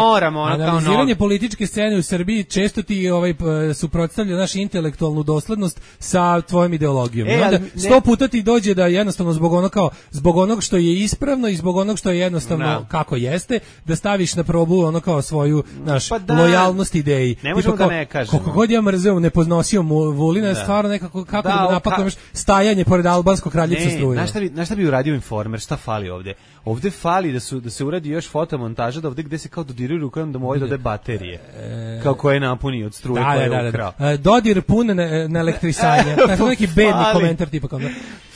analiziranje političke scene u Srbiji često ti ovaj suprotstavlja našu intelektualnu doslednost sa tvojom ideologijom. E, I onda ne... sto puta ti dođe da jednostavno zbog onog kao zbog onog što je ispravno i zbog onog što je jednostavno no. kako jeste, da staviš na probu ono kao svoju naš pa da, lojalnost ideji. Ne možemo kao, da ne kažemo. Koliko god ja mrzeo nepoznosio Vulina, da. stvarno nekako kako da, da napakuješ stajanje pored albanskog kraljevstva struje. Ne, šta bi, na šta bi uradio Informer, šta fali ovde? Ovde fali da su da se uradi još fotomontaža da ovde gde se kao dodiruju rukom da mu ovaj dode baterije. E, kao koje napuni od struje da, koje da, je ukrao. Da, da. Dodir pun na, na elektrisanje. Tako neki bedni komentar tipa kao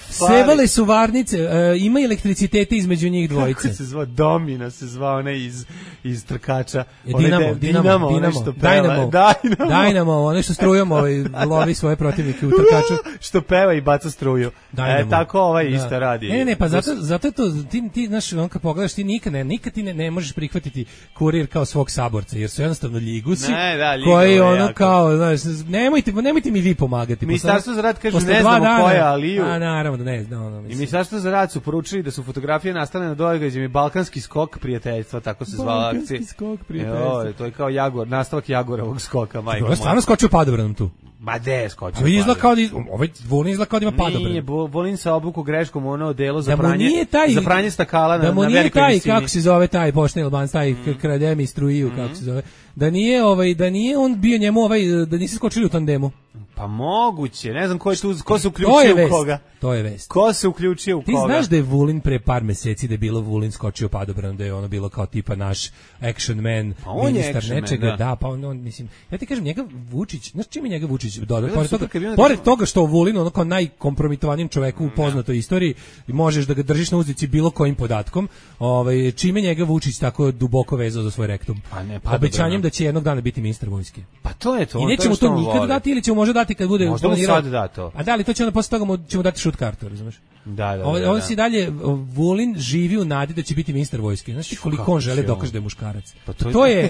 sevale su varnice, uh, ima elektricitete između njih dvojice. Kako se zvao? Domina se zvao, onaj iz, iz trkača. Je Dinamo, de, Dinamo, Dinamo, Dinamo, što peva. Dynamo, Dynamo. Dynamo, one što strujom ovaj, lovi svoje protivnike u trkaču. Što peva i baca struju. Dynamo. E, tako ovaj da. isto radi. Ne, ne, pa zato, zato je to, ti, ti znaš, on kad pogledaš, ti nikad ne, nikad ti ne, ne možeš prihvatiti Kurir kao svog saborca, jer su jednostavno ljigusi, ne, da, koji ono jako. Kao, znaš, nemojte, nemojte mi vi pomagati. Ministarstvo za rad kaže, ne znamo ko je Aliju. A, naravno, ne znam. No, I Ministarstvo za rad su poručili da su fotografije nastale na događajima Balkanski skok prijateljstva, tako se zvala akcija. Balkanski skok prijateljstva. Jo, to je kao Jagor, nastavak Jagorovog skoka, majko moja. To je stvarno skočio padobranom tu. Ma de, skočio. A izgleda kao da ovaj Vulin izgleda kao da ima padobran. Nije, Vulin sa obuku greškom ono delo za pranje, taj, za pranje stakala na, na velikoj visini. Da mu nije taj, kako se zove taj pošteni Alban, taj mm. krademi struju, mm. kako se zove. Da nije, ovaj, da nije on bio njemu, ovaj, da nisi skočili u tandemu. Pa moguće, ne znam ko je tu, ko se uključio u koga. To je vest. Ko se uključio u Ti koga? Ti znaš da je Vulin pre par meseci da je bilo Vulin skočio padobranom, da je ono bilo kao tipa naš action man, pa on ministar action nečega, man, da. da, pa on, on mislim, ja ti kažem njega Vučić, znaš čime njega Vučić doda, pored toga, pored toga što Vulin ono kao najkompromitovanijim čoveku u poznatoj istoriji i možeš da ga držiš na uzdici bilo kojim podatkom, ovaj čime njega Vučić tako duboko vezao za svoj rektum. Pa ne, pa obećanjem da će jednog dana biti ministar vojske. Pa to je to. I nećemo to, to nikad voli. Dati ili ćemo možda dati kad bude možda mu sad da to. A da li to će onda posle toga mu ćemo dati šut kartu, razumeš? Da, da, on, da, on da. si dalje Vulin živi u nadi da će biti ministar vojske. Znaš ti koliko on želi dokaže da je muškarac. Pa to, to je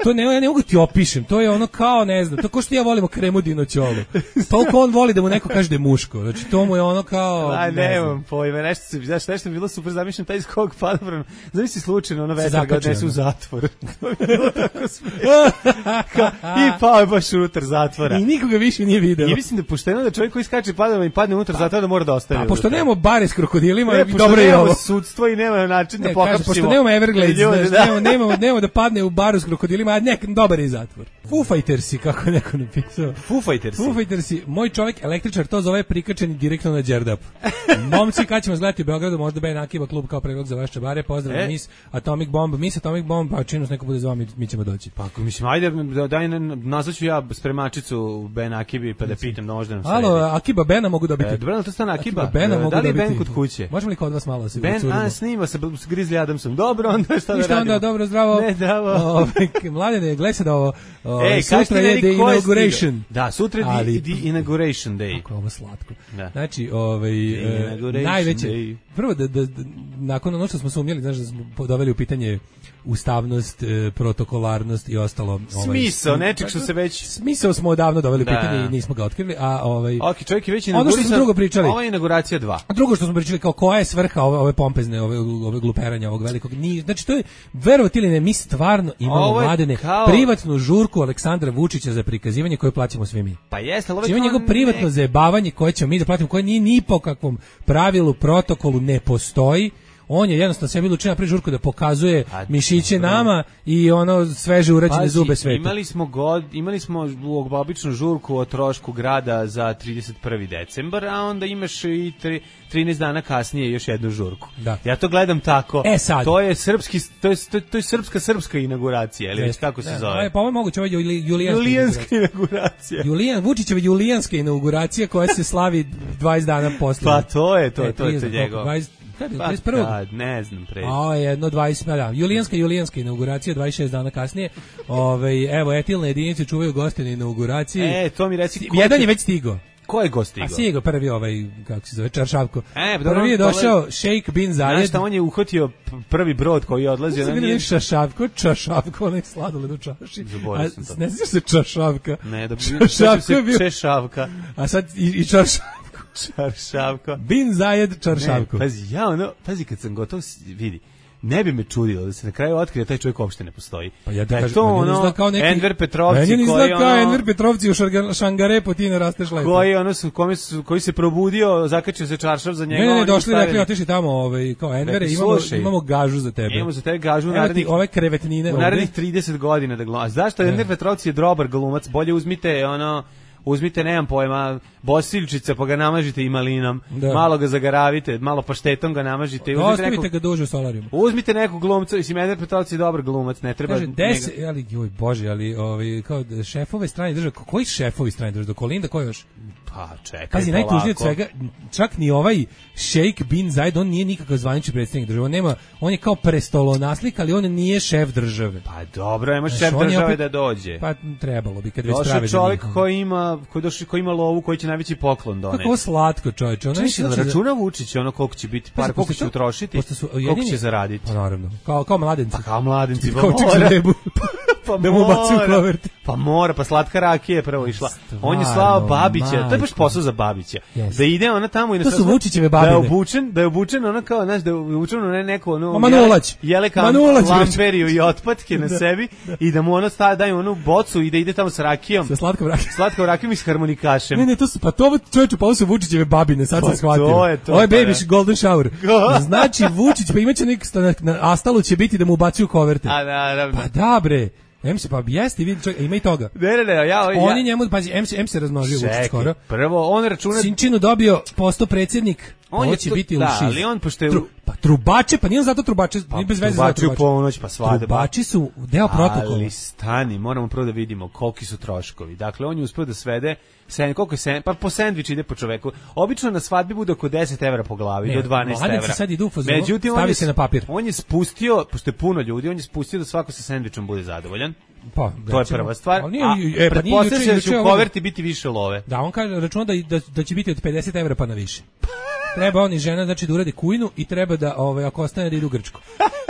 to ne, ja ne mogu ti opišem, to je ono kao, ne znam, to ko što ja volimo Kremudino ćolu. Toliko on voli da mu neko kaže da je muško, znači to mu je ono kao... Aj, ne, ne znam pojme, nešto se, znaš, nešto je bilo super zamišljeno, taj skok padobran, zamisli slučajno, ono vetar ga odnesu u zatvor. To je bilo tako smiješno. I pao je baš unutar zatvora. I nikoga više nije video. I mislim da pošteno da čovjek koji skače padobran i padne unutar zatvora da mora da ostane. Pa, pošto nemamo bare s krokodilima, ne, dobro je ovo. Sudstvo i nema način da pohapsimo. Pošto nemamo Everglades, nemamo da padne u baru s krokodilima krokodilima, a nek dobar je zatvor. Foo Fightersi, kako neko napisao. Foo Fightersi. Foo Fightersi, moj čovjek električar to zove prikačeni direktno na Đerdap. Momci, kad ćemo zgledati u Beogradu, možda Ben Akiba klub kao predlog za vaš čabare, pozdrav e? Miss Atomic Bomb, Miss Atomic Bomb, pa činu s neko bude zvao, mi, mi ćemo doći. Pa mislim, ajde, daj, nazvaću ja spremačicu Ben Akibi, pa da pitam da možda nam sredi. Alo, Akiba Bena mogu dobiti. E, dobro, to stane Akiba. Akiba Bena mogu da li je dobiti. Ben kod kuće? Možemo li kod vas malo se Ben, a, snima se s Grizzly Adamsom. Dobro, onda šta da radimo? Onda, dobro, zdravo. Ne, zdravo. Ove, mladene, gledaj se da ovo, Ej, sutra je the inauguration. Da, sutra je ali, the inauguration day. Kako je ovo slatko. Da. Znači, ovaj, e, najveće, day. Prvo da, da, da, nakon ono što smo sumnjali, znaš da smo doveli u pitanje ustavnost, e, protokolarnost i ostalo. Ovaj, smisao, nečeg što se već... Smisao smo odavno doveli u da. pitanje i nismo ga otkrili, a ovaj... Ok, čovjek je već inaugurisan. Ono što smo drugo pričali. Ova je inauguracija dva. A drugo što smo pričali, kao koja je svrha ove, ove pompezne, ove, ove gluperanja, ovog velikog... Ni, znači, to je, verovati ili ne, mi stvarno imamo mladene kao... privatnu žurku Aleksandra Vučića za prikazivanje koje plaćamo svi mi. Pa jeste, ali ovo je njegov privatno ne... zajebavanje koje ćemo mi da platimo, koje nije ni po kakvom pravilu, protokolu ne postoji. On je jednostavno sebi lučio na prižurku da pokazuje a, mišiće dobro. Nama i ono sveže urađene Pazi, zube sveta. Imali smo god, imali smo običnu žurku o trošku grada za trideset prvi decembar, a onda imaš i tri, trinaest dana kasnije još jednu žurku. Da. Ja to gledam tako. E sad. To je srpski, to je to je, to je srpska srpska inauguracija, ili već kako se ne, zove? Pa ovo je moguće, ovo je julijanska, julijanska inauguracija. Julijan Vučićeva julijanska inauguracija koja se slavi dvadeset dana posle. Pa to je to, e, to je to njegov. Kad je, pa, dvadeset prvog kad, ne znam pre. A, jedno dvadeset, da, julijanska, julijanska inauguracija, dvadeset šest dana kasnije. Ove, evo, etilne jedinice čuvaju goste na inauguraciji. E, to mi reci. Jedan je već stigo. Ko je gost stigao? A stigao prvi ovaj, kako se zove, Čaršavko. E, prvi je došao Šejk bin Zayed. Znaš šta, on je uhvatio prvi brod koji je odlazio. Na nije Čaršavko, Čaršavko, onaj sladoled u čaši. Zaboravio sam to. Ne znaš se Čaršavka? Ne, da bi se Češavka. A sad i, i Čaršavko. Čaršavko. Bin Zayed Čaršavko. Ne, pazi, ja ono, pazi kad sam gotov, vidi, ne bi me čudilo da se na kraju otkrije da taj čovjek uopšte ne postoji. Pa ja da je kažem, to ono, kao neki, Enver Petrovci koji koji ono... kao Enver Petrovci u Šangarepu ti ne rasteš lepo. Koji, ono, su, koji, su, koji se probudio, zakačio se čaršav za njega. Ne, ne, ne, došli, rekli, otišli tamo, ovaj, kao Envere, imamo, imamo gažu za tebe. Imamo za tebe gažu u narednih, ove krevetnine, u narednih trideset godina da gluma. Zašto Enver Petrovci je dobar glumac, bolje uzmite, ono... Uzmite, nemam pojma, bosiljčica pa ga namažite i malinom, da. Malo ga zagaravite, malo paštetom ga namažite. Ostavite nekog, ga duže u solarijumu. Uzmite nekog glumca, mislim, Enver Petrovci je dobar glumac, ne treba... Kaže, deset, ali, joj bože, ali ovi, kao šefove strane države, koji šefovi strane države, do Kolinda, ko još? Pa čekaj, pazi, najtužnije od svega, čak ni ovaj Šejk bin Zayed, on nije nikakav zvanični predsjednik države, on nema, on je kao prestolonaslik, ali on nije šef države. Pa dobro, nema šef države opet, da dođe. Pa trebalo bi, kad već prave. Došao čovjek koji ima, koji, došli, koji ima lovu, koji će najveći poklon doneti. Kako slatko, čovječe. Ono će da računa Vučić, ono koliko će biti, par koliko će utrošiti, koliko će zaraditi. Pa naravno, kao, kao mladenci. Pa kao mladenci, pa mora. Pa da mu baci u kovert. Pa mora, pa slatka rakija je prvo išla. Stvarno, on je slao Babića, to je baš posao za Babića. Yes. Da ide ona tamo i na to su Vučićeve babine. Da je obučen, da je obučen ona kao, znaš, da je obučen ona neko ono Manulać. Jeleka lamperiju i otpatke na sebi da. I da mu ono staje daju onu bocu i da ide tamo sa rakijom. Sa slatkom rakijom. Slatkom rakijom i s harmonikašem. Ne, ne, to su pa to čoveče, pa ovo su Vučićeve babine, sad sam shvatio. To je to. Ovo je baby golden shower. Znači Vučić pa imaće neki na Astalu će biti da mu ubacuju koverte. A naravno. Pa da bre. Em se pa jeste, vidi čovjek, ima i toga. Ne, ne, ne, ja, ja. Oni njemu, pazi, em se, em se razmnožio Vučić skoro. Prvo, on računa... Sinčinu dobio posto predsjednik, on ovo će to, biti da, u šiz. ali on, pošto je... Tru, pa trubače, pa nije on zato trubače, pa, nije bez veze za trubače. Ponoć, pa svadba. Trubači su deo protokola. Ali stani, moramo prvo da vidimo koliki su troškovi. Dakle, on je uspio da svede, sen, koliko je sen, pa po sendvič ide po čoveku. Obično na svadbi bude oko deset evra po glavi, ne, do dvanaest evra. Sad idu u fazonu, Međutim, stavi je, se na papir. On je spustio, pošto je puno ljudi, on je spustio da svako sa sendvičom bude zadovoljan. Pa, to je prva stvar. Nije, a, e, pa pretpostavljam da će u koverti biti više love. Da, on kaže, računa da, da, da će biti od pedeset evra pa na više. Treba on i žena, znači da uradi kujnu i treba da, ovaj, ako ostane da idu u Grčku.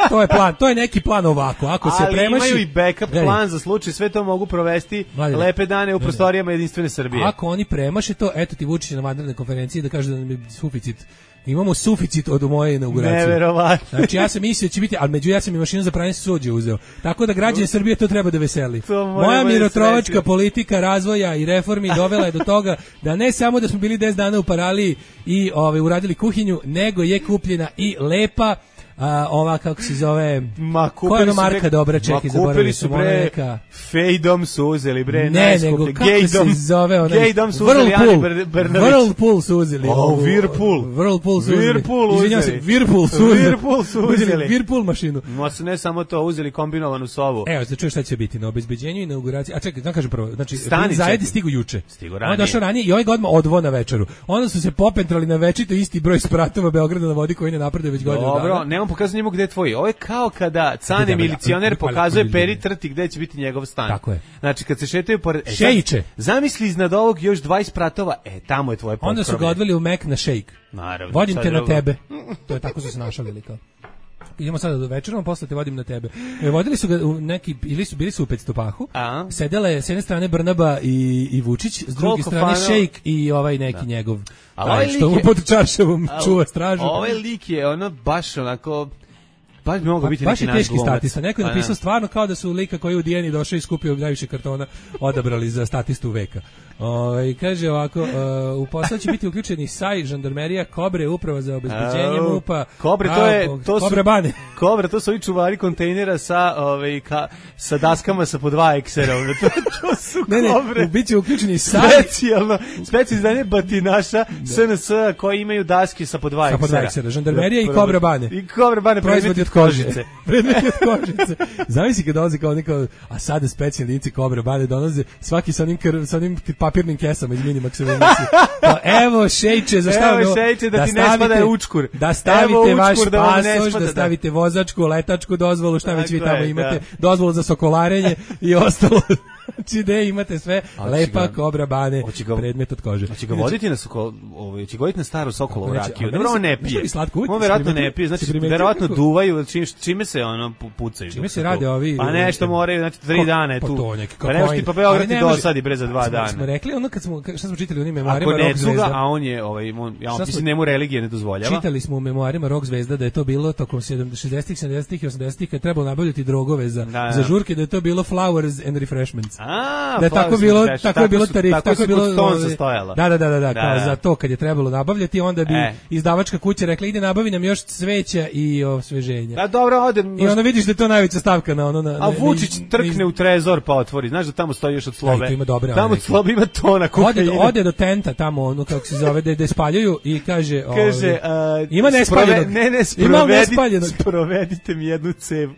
To je plan, to je neki plan ovako. Ako se ali premaši, imaju i backup gledaj, plan za slučaj, sve to mogu provesti Vladine, lepe dane u prostorijama Jedinstvene Srbije. Ako oni premaše to, eto ti Vučić na vanrednoj konferenciji da kaže da nam je suficit. Imamo suficit od moje inauguracije. Neverovatno. Znači ja sam mislio će biti, ali među ja sam i mašinu za pranje suđe uzeo. Tako da građani Srbije to treba da veseli. Moja mirotrovačka politika razvoja i reformi dovela je do toga da ne samo da smo bili deset dana u paraliji i ovaj uradili kuhinju, nego je kupljena i lepa A, ova, kako se zove, ma, koja je ono marka bre, dobra, čekaj, zaboravili su neka. Fejdom su uzeli, bre, ne, nego, kako Gaydom, se zove, onaj, Gaydom su uzeli, Ani Brnavić. Whirlpool su uzeli. Oh, Whirlpool. Whirlpool su uzeli. Whirlpool Izvinjam se, Whirlpool su uzeli. Whirlpool su uzeli. Whirlpool mašinu. Ma su ne samo to, uzeli kombinovanu sobu. Evo, da čuješ šta će biti na obezbeđenju i inauguraciji. A čekaj, da kažem prvo, znači, zajedi stigu juče. Stigu ranije. On je došao ranije i ovaj ga odmah odvo na večeru. Onda su se popentrali na večito isti broj spratova Beograda na vodi koji ne napreduje već godinu dana. Dobro, nemam pokazati njemu gde je tvoj. Ovo je kao kada Cane milicioner pokazuje Peri Trti gde će biti njegov stan. Tako je. Znači kad se šetaju pored Šejiće. Zamisli iznad ovog još dvadeset spratova. E, tamo je tvoje potkrovlje. Onda su ga odveli u Mek na šejk. Naravno. Vodim te na tebe. To je tako su se našalili kao. Idemo sada do večera, posle te vodim na tebe. E, vodili su ga u neki, ili su bili su u Petstopahu. A? Sedele s jedne strane Brnaba i, i Vučić, s druge strane fano... Šejk i ovaj neki da. njegov. A ovaj što mu pod čaršavom čuva stražu. Ovaj lik je ono baš onako baš bi mogao biti baš neki naš teški statista. Neko je napisao stvarno kao da su lika koji je u Dijeni došao i skupio najviše kartona odabrali za statistu veka. Ovaj kaže ovako, uh, u posao će biti uključeni Saj, žandarmerija, Kobre, uprava za obezbeđenje M U P-a. Kobre to je to su Kobre bane. Kobre to su ovi čuvari kontejnera sa ovaj ka, sa daskama sa po dva eksera. To, to su ne, ne, Kobre. Biće uključeni Saj, specijalno, specijalno izdanje batinaša S N S koji imaju daske sa po dva eksera. Sa po dva eksera, žandarmerija i Kobre bane. I Kobre bane proizvodi od kožice. Predmeti od kožice. Zamisli kad dolaze kao neka, a sada specijalni lici Kobre bane dolaze svaki sa onim, kr, sa onim papirnim kesama iz Minimaxa emisije. Pa evo šejče, za šta evo šejče da, da ti ne spada učkur. Da stavite učkur, vaš da pasoš, da stavite vozačku, letačku dozvolu, šta već vi tamo imate, da. Dozvolu za sokolarenje i ostalo. Znači da imate sve lepa Kobra bane, predmet od kože. Hoće ga voditi na sokol, ovaj će voditi na staru Sokolovu rakiju. Dobro, on ne pije. On verovatno ne pije, znači verovatno duvaju, čime se ono pucaju. Čime se rade ovi? Pa nešto moraju, znači tri dana je tu. Pa nešto ti pa Beograd ti dosadi bre za dva dana. Smo rekli ono kad smo šta smo čitali u onim memoarima Rock Zvezda, a on je ovaj ja mislim njemu religija ne dozvoljava. Čitali smo u memoarima Rock Zvezda da je to bilo tokom šezdesetih, sedamdesetih i osamdesetih kad trebalo nabavljati drogove za za žurke, da je to bilo flowers and refreshments. A, da je tako bilo, tako, tako je bilo tarif, tako, tako je bilo Da, da, da, da, da, kao za to kad je trebalo nabavljati, onda bi e. izdavačka kuća rekla ide nabavi nam još cveća i osveženja. Da, dobro, odem. I onda vidiš da je to najveća stavka na ono na. A Vučić trkne u trezor pa otvori. Znaš da tamo stoji još od Slobe. Ima dobre, tamo od Slobe ima tona kokaina. Ode, ode do tenta tamo, ono kako se zove, da, da spaljuju i kaže, kaže ovaj, uh, ima nespaljenog. Ne, ne, sprovedite, sprovedite mi jednu cev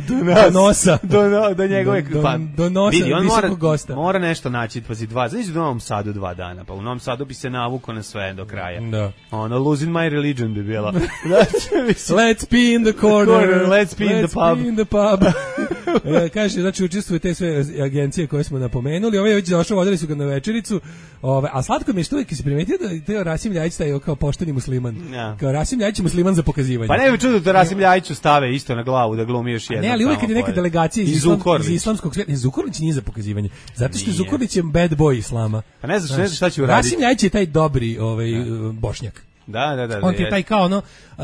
do nas. Do nosa. Do, no, do njegove do, pa, do nosa vidi, on visokog mora, gosta. Mora nešto naći, pazi, dva. Znači u Novom Sadu dva dana, pa u Novom Sadu bi se navukao na sve do kraja. Da. Ono, losing my religion bi bila. Znači, let's be in the corner, corner let's be in the pub. Be in the pub. e, kaže, znači učestvuju te sve agencije koje smo napomenuli. Ovaj je već došao, vodili su ga na večericu. Ove, a slatko mi je što uvijek se primetio da Teo Rasim Ljajić taj kao pošteni musliman. Ja. Kao Rasim Ljajić je musliman za pokazivanje. Pa ne bi čudo da Rasim Ljajiću stave isto na glavu da glumi još jedno. Ne, ali uvijek kad je neka delegacija iz, islam, iz islamskog svijeta, Zukorlić nije za pokazivanje. Zato što Zukorlić je bad boy islama. Pa ne znaš, ne znaš šta će uraditi. Rasim Ljajić je taj dobri ovaj, ja. Bošnjak. Da, da, da. On ti je taj kao ono, uh,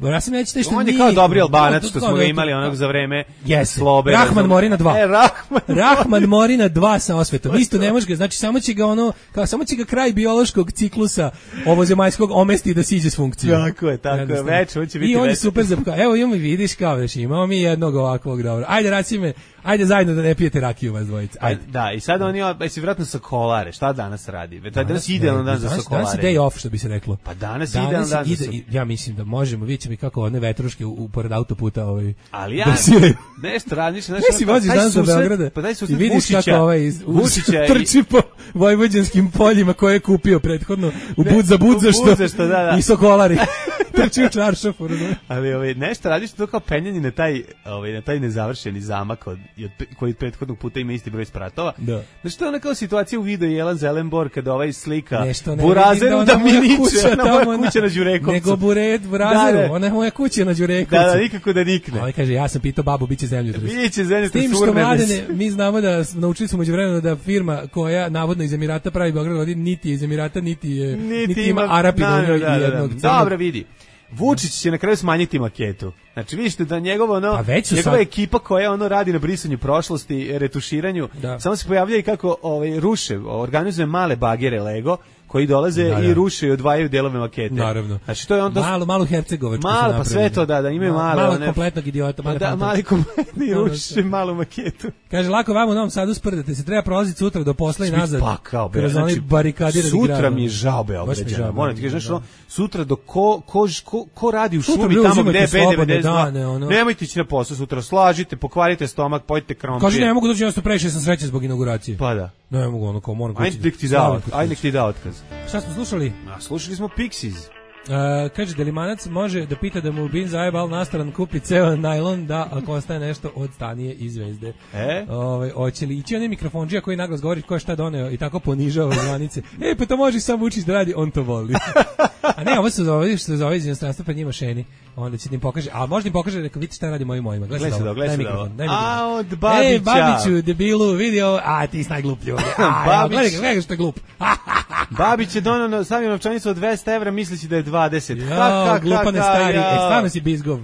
Rasim Ljajić taj što on je kao dobri Albanac što smo ga imali onog za vreme Slobe. Rahman Morina dva. E, Rahman, Rahman Morina dva sa osvetom. Isto ne može ga, znači samo će ga ono, kao samo će ga kraj biološkog ciklusa ovozemaljskog omesti da siđe s funkcije. Tako je, tako je. Već on će biti. I on je super za kao, evo imamo vidiš kao već imamo mi jednog ovakvog dobro. Ajde Rasime, ajde zajedno da ne pijete rakiju vas dvojica. Ajde. Da, i sad oni jesi vjerojatno sa kolare. Šta danas radi? Danas, danas idealan dan za sokolare. Danas je day off što bi se reklo. Pa danas Danas dan ide, so... ja mislim da možemo, vidjet ćemo i kako one vetruške u, u pored autoputa ovaj, ali ja, nešto radiš, znaš, ne si voziš danas do Beograda pa daj i vidiš Vučića, kako ovaj iz, trči po vojvođanskim poljima koje je kupio prethodno u bud za bud za što, što da, da. i sokolari trči u čaršafu. Ali ovaj, nešto radiš to kao penjanje na taj, ovaj, na taj nezavršeni zamak od, koji prethodnog puta ima isti broj spratova. Da. Znači to je ona kao situacija u videu Jelan Zelenbor kada ovaj slika Burazeru da mi niče na moja kuća na Đurekovcu. Nego Buret Burazeru, da, da. Ona je moja kuća na Đurekovcu. Da, da, nikako da nikne. A ovaj kaže, ja sam pitao babu, biće zemljotres. Biće zemljotres. S tim što mladene, mi znamo da naučili smo međuvremenu da firma koja navodno iz Emirata pravi Beograd, niti je iz Emirata, niti, je, niti, niti ima Arapi na njoj i jednog. Dobro, vidi. Vučić će na kraju smanjiti maketu. Znači vidite da njegovo ono njegova sad... ekipa koja ono radi na brisanju prošlosti, retuširanju, da. Samo se pojavljaju kako ovaj ruše, organizuje male bagere Lego koji dolaze da, da. i ruše i odvajaju delove makete. Naravno. Znači to je onda malo malu Hercegovačku. Malo pa sve to da da imaju malo malo one, kompletnog idiota, ma da mali kompletni ruše malu maketu. Kaže lako vamo u Novom Sadu sprdate se, treba prolaziti sutra do posla i nazad. Pa kao be, kroz znači, onaj barikadirani grad. Sutra mi je žao Beograđana. Moram ti kažeš, znači sutra do ko ko ko, ko radi u šumi tamo gde je B devedeset dva. Nemojte ići na posao sutra, slažite, pokvarite stomak, pojete krompir. Kaže ne mogu doći, ja sam previše sam srećan zbog inauguracije. Pa da. Ne mogu, ono kao moram kući. Ajde nek ti da, ajde nek ti da otkaz. Šta smo slušali? A, slušali smo Pixies. Uh, kaže, Delimanac može da pita da mu Bin zajebal nastaran kupi ceo najlon, da ako ostaje nešto od Stanije i Zvezde. E? Ove, hoće li ići onaj mikrofonđija koji naglas govori ko je šta doneo i tako ponižava zvanice. E, pa to može samo Vučić da radi, on to voli. A ne, ovo se zove, što se zove iz inostranstva, pa njima šeni. Onda će ti im pokaže, a možda im pokaže, reka, vidite šta radi mojim mojima. Gledaj se da, gledaj se da. A, od Babića. Ej, Babiću, debilu, vidio, a ti si najgluplji ovdje. A, gledaj ga, gledaj ga što je glup. Babić je donao stavio novčanicu od dvesta evra, misleći da je dvadeset. Ja, ha, ha, glupane ha, stari, ja. E, stvarno si bizgov.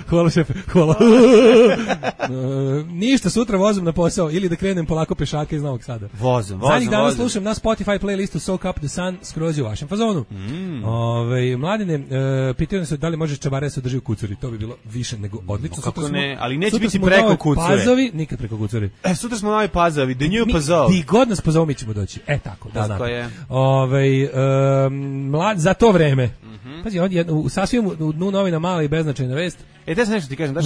Hvala šefe, hvala. uh, ništa, sutra vozom na posao ili da krenem polako pešaka iz Novog Sada. Vozom, vozom, zadnjih dana vozom. Slušam na Spotify playlistu Soak Up the Sun, skroz u vašem fazonu. Mm. Ove, mladine, uh, pitaju se da li može čabare se drži u kucuri, to bi bilo više nego odlično. No, kako sutra ne, smo, ali neće biti preko kucure. Pazovi, nikad preko kucuri. E, sutra smo novi Pazovi, the new Pazov. Di god nas pozovu, mi ćemo doći. E, tako, da tako je. Ove, um, mlad, za to vreme. Mm-hmm. Pazi, on je u sasvim u dnu novina mala i beznačajna vest. E, da sam nešto ti kažem, daš,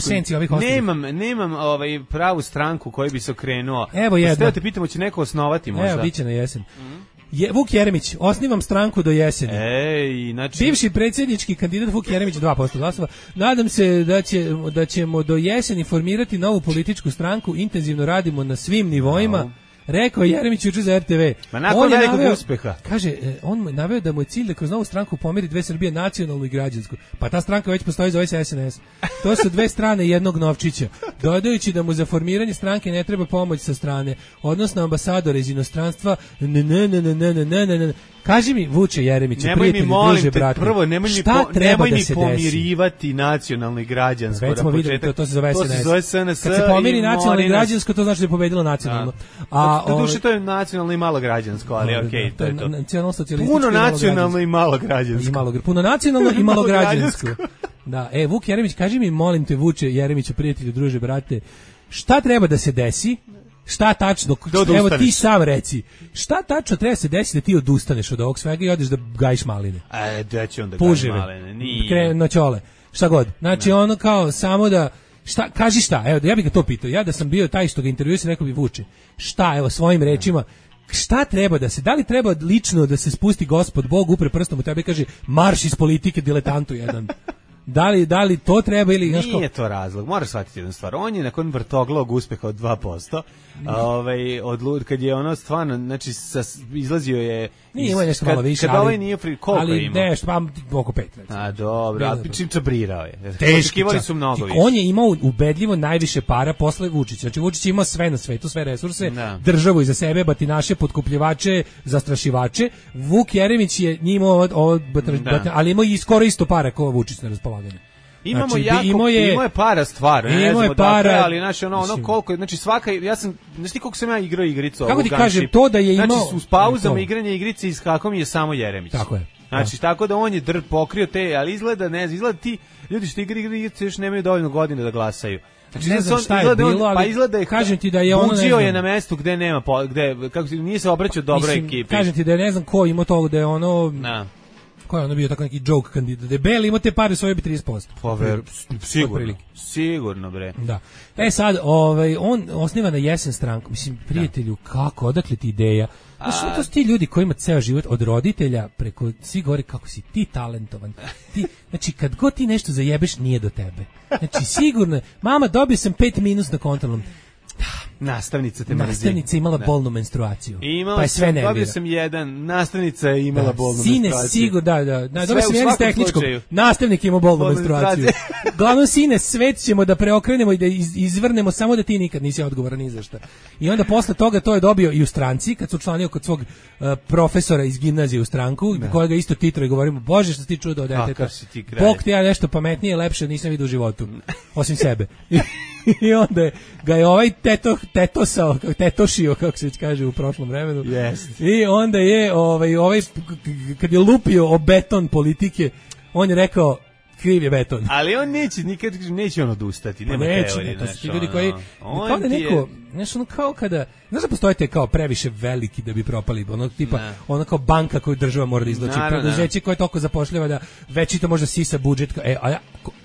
nemam, nemam ovaj pravu stranku koji bi se okrenuo. Evo jedna. Pa te pitamo, će neko osnovati možda? Evo, biće na jesen. Mm-hmm. Je, Vuk Jeremić, osnivam stranku do jeseni. Ej, znači... Bivši predsjednički kandidat Vuk Jeremić, dva posto glasova. Nadam se da, će, da ćemo do jeseni formirati novu političku stranku, intenzivno radimo na svim nivoima. No. Rekao Jeremić juče za R T V. Ma nakon velikog uspeha. Kaže, on naveo da mu je cilj da kroz novu stranku pomiri dve Srbije, nacionalnu i građansku. Pa ta stranka već postoji, zove se S N S. To su dve strane jednog novčića. Dodajući da mu za formiranje stranke ne treba pomoć sa strane, odnosno ambasadora iz inostranstva. Ne, ne, ne, ne, ne, ne, ne, ne. Kaži mi, Vuče Jeremiću, prijatelji, druže, brate, prvo, nemoj mi, po, nemoj mi pomirivati nacionalno i građansko. Već smo vidjeli, to, to se zove S N S. To se zove S N S. Kad se pomiri nacionalno i građansko, to znači da je pobedilo nacionalno. A, do duše, to je nacionalno i malo građansko, ali okej, okay, to je to. Nacionalno socijalističko puno nacionalno i malo građansko. I malo, puno nacionalno i malo građansko. Da, e, Vuk Jeremić, kaži mi, molim te, Vuče Jeremiću, prijatelju, druže, brate, šta treba da se desi? Šta tačno, da evo ti sam reci, šta tačno treba se desiti da ti odustaneš od ovog svega i odeš da gajiš maline? E, da će onda gajiš maline, nije. Krenu na čole, šta god. Znači ne. Ono kao samo da, šta, kaži šta, evo ja bih ga to pitao, ja da sam bio taj što ga intervjuisam, rekao bi Vuče, šta, evo svojim rečima, šta treba da se, da li treba lično da se spusti Gospod Bog, upre prstom u tebe i kaže marš iz politike diletantu jedan. Da li, da li to treba ili... Nije znaš, to razlog, moraš shvatiti jednu stvar. On je nakon vrtoglog uspeha od dva posto, ovaj, od, kad je ono stvarno, znači sa, izlazio je... Nije imao nešto malo više, kad ali... ovaj nije fri, koliko ali je imao? Ali nešto, pa oko pet. Recimo. A dobro, ali čim čabrirao je. Teški su mnogo više. On je imao ubedljivo najviše para posle Vučića. Znači Vučić je imao sve na svetu, sve resurse, da. Državu iza sebe, batinaše, potkupljivače, zastrašivače. Vuk Jeremić je njimao ovo, ovo da. Ali imao i skoro isto para kao Vučić na raspolaganju. Imamo znači, jako, imao je, imao je para stvarno, ne znamo para, dakle, ali znači ono, ono koliko, znači svaka, ja sam, znači koliko sam ja igrao igricu. Kako ti kažem, to da je imao... Znači uz pauzama igranja igrice i skakom je samo Jeremić. Tako je. Znači, da. Tako da on je dr pokrio te, ali izgleda, ne znam, izgleda ti, ljudi što igraju igrice još nemaju dovoljno godina da glasaju. Znači, ne znam šta je bilo, ali pa izgleda je, kažem ti da je ono, buđio je na mestu gde nema, gde, kako se, nije se obraćao dobroj ekipi. Kažem ti da je ne znam ko imao to, da je ono... Na. Ko je ono bio tako neki joke kandidat? Debeli ima te pare, svoje bi trideset posto. Pa ver, sigurno, sigurno bre. Da. E sad, ovaj, on osniva na jesen stranku. Mislim, prijatelju, da. Kako, odakle ti ideja? Znaš, to su ti ljudi koji ima ceo život od roditelja preko, svi govori kako si ti talentovan. Ti, znači, kad god ti nešto zajebeš, nije do tebe. Znači, sigurno, mama, dobio sam pet minus na kontrolnom. Nastavnica te mrzi. Nastavnica imala da. Bolnu menstruaciju. Imala pa je sve nervira. Dobio sam jedan, nastavnica je imala da, bolnu sine, menstruaciju. Sine, sigur, da, da. da dobio sam jedan s tehničkog. Nastavnik ima bolnu menstruaciju. Glavno, sine, svet ćemo da preokrenemo i da iz, izvrnemo, samo da ti nikad nisi odgovoran ni za šta. I onda posle toga to je dobio i u stranci, kad se učlanio kod svog uh, profesora iz gimnazije u stranku, da. Kojega isto titro i govorimo, Bože, što si ti čudo od deteta. Bog te ja nešto pametnije, lepše nisam vidio u životu. Osim sebe. I onda ga je ovaj teto tetosao, tetošio, kako se već kaže u prošlom vremenu. Yes. I onda je ovaj, ovaj, kad je lupio o beton politike, on je rekao, kriv je beton. Ali on neće, nikad neće on odustati, nema neće, teorije. Ne, to su ti ono, ljudi koji, kao da neko, je... znaš, ono kao kada, znaš da postojite kao previše veliki da bi propali, ono tipa, ne. Ono kao banka koju država mora da izlači, preduzeće koje toliko zapošljava da večito možda sisa budžet, e, a ja,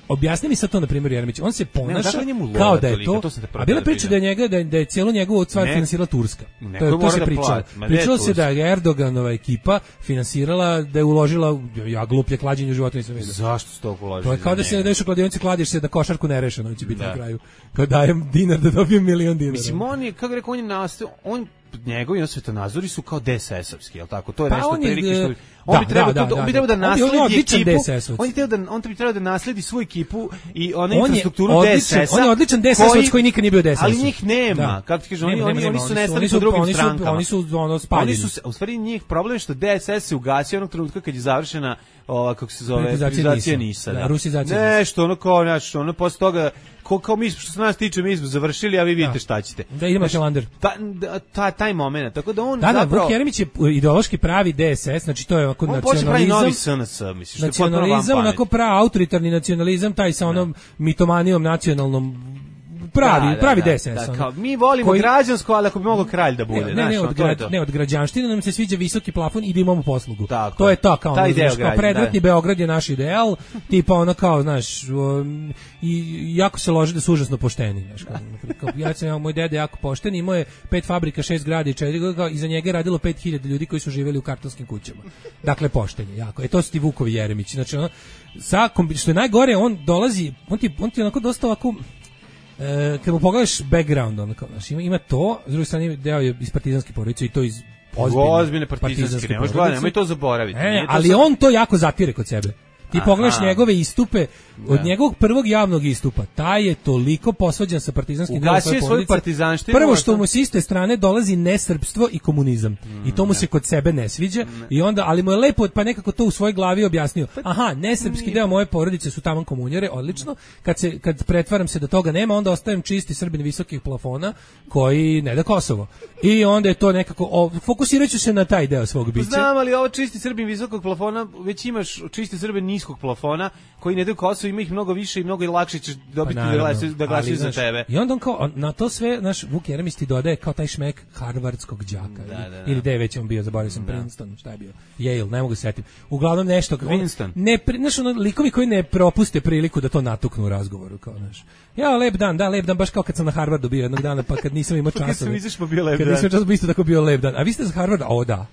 objasni mi sad to na primjer Jeremić, on se ponaša ne, kao da je to, to a bila priča da je njega, da je, da je cijelu njegovu stvar finansirala Turska. To, to se pričalo. Pričalo se da je Erdoganova ekipa finansirala, da je uložila, ja gluplje klađenje u životu nisam vidio. Zašto se to uložilo? To je kao da se ne daješ u kladionici, kladiš se da košarku nerešeno će biti na kraju. Kad dajem dinar da dobijem milion dinara. Mislim, on je, kako rekao, on je nastao, on njegovi on svetonazori su kao D S S-ovski, jel tako? To je pa nešto prilike što on bi trebao da, da, on bi trebao da nasledi ekipu. On je trebao da on bi trebao da nasledi svoju ekipu i ona infrastrukturu D S S-a. On je odličan D S S-ovac koji nikad nije bio D S S. Ali njih nema. Kako ti kažeš, oni oni oni su nestali po drugim strankama. Oni su ono spaljeni. Oni su u stvari njih problem što D S S se ugasio onog trenutka kad je završena ova kako se zove privatizacija Nisa, da, rusizacija. Nešto ono kao naš, ono posle toga ko kao mi što se nas tiče mi smo završili, a vi vidite šta ćete. Da idemo Šelander. Ta, ta taj momenat, tako da on da, zapravo da, Vuk Jeremić je ideološki pravi D S S, znači to je onako nacionalizam. Novi S N S, misliš, nacionalizam, onako pravi autoritarni nacionalizam, taj sa onom da. mitomanijom nacionalnom. Pravi, da, pravi da, D S S. Da, kao, mi volimo koji, građansko, ali ako bi mogao kralj da bude. Ne, znaš, ne, od, grad, to ne od građanštine nam se sviđa visoki plafon i da imamo poslugu. Tako, to je to, kao, ono, znaš, kao predratni da. Beograd je naš ideal, tipa ono kao, znaš, um, i jako se loži da su užasno pošteni. Znaš, kao, kao, ja sam, moj dede jako pošten, imao je pet fabrika, šest grada i četiri, kao, iza njega je radilo pet hiljada ljudi koji su živjeli u kartonskim kućama. Dakle, poštenje, jako. E, to su ti Vukovi Jeremić. Znači, ono, sa, što je najgore, on dolazi, on ti, on ti onako dosta ovako, E, kad mu pogledaš background, ono kao, znaš, ima, ima to, s druge strane deo je iz partizanske porodice i to iz ozbiljne, ozbiljne partizanske, ne možeš gledati, nemoj to zaboraviti. E, ali za... on to jako zatire kod sebe. Ti Aha. pogledaš njegove istupe, od da. njegovog prvog javnog istupa, taj je toliko posvađan sa partizanskim delom svoje porodice. Prvo što mu s iste strane dolazi nesrpstvo i komunizam. Mm, I to mu ne. se kod sebe ne sviđa. Ne. I onda, ali mu je lepo, pa nekako to u svojoj glavi objasnio. Aha, nesrpski deo moje porodice su taman komunjare, odlično. Kad se kad pretvaram se da toga nema, onda ostajem čisti Srbin visokih plafona koji ne da Kosovo. I onda je to nekako, o, fokusirat ću se na taj deo svog bića. Znam, ali ovo čisti Srbin visokog plafona, već imaš čisti Srbin niskog plafona, koji ne daju Kosovo, ima ih mnogo više i mnogo i lakše ćeš dobiti pa naravno, da glasaju za tebe. I onda on kao, na to sve, naš Vuk Jeremić ti dodaje kao taj šmek harvardskog đaka. Da, da, da. Ili da je već on bio, zaboravio sam, da. Princeton, šta je bio? Yale, ne mogu se setiti. Uglavnom nešto, Winston. Ne, znaš, ono, likovi koji ne propuste priliku da to natuknu u razgovoru, kao, znaš. Ja, lep dan, da, lep dan, baš kao kad sam na Harvardu bio jednog dana, pa kad nisam imao časove. Kad sam izašao bio lep dan. Kad nisam časove, isto tako bio lep dan. A vi ste za Harvarda? O, da.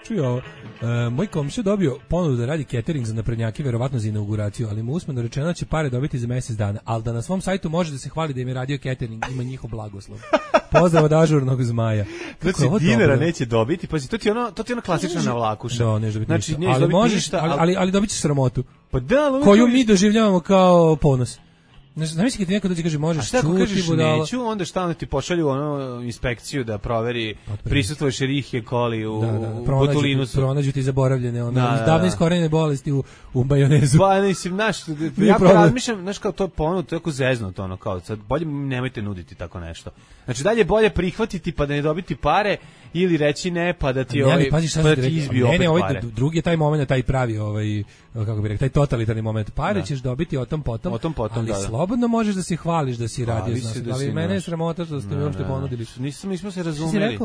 Čuj ovo, e, moj komšija dobio ponudu da radi catering za naprednjake, verovatno za inauguraciju, ali mu usmeno rečeno će pare dobiti za mjesec dana, ali da na svom sajtu može da se hvali da im je radio catering, ima njihov blagoslov. Pozdrav od ažurnog zmaja. Znači, dinara neće dobiti, pazi, to ti je ono, to ti je ono klasična navlakuša. Da, neće dobiti znači, ništa. Ali, možeš, ništa, ali, ali, ali dobit ćeš sramotu, pa da, koju mi doživljavamo kao ponos. Znaš kad ti neko dođe kaže možeš čuti, kažeš neću, onda šta onda ti pošalju ono inspekciju da proveri prisustvuješ Escherichia coli u, da, da, u botulinu. Pronađu ti zaboravljene, ono, da, davno da. iskorenjene bolesti u, u majonezu. Pa mislim, znaš, ja razmišljam, znaš kao to je ponud, to je jako zeznuto, ono, kao, sad bolje nemojte nuditi tako nešto. Znači dalje bolje prihvatiti pa da ne dobiti pare ili reći ne pa da ti ne, ovaj pazi, pa da ti izbije opet ne, ne, ovaj, pare. Drugi je taj moment, taj pravi, ovaj, kako bih rekao, taj totalitarni moment. Pare da. ćeš dobiti o tom potom, o tom potom ali da, da. slobodno možeš da se hvališ da si radio s nas. Da ali mene je sramota što ste mi uopšte ponudili. Nisam, nismo se razumeli.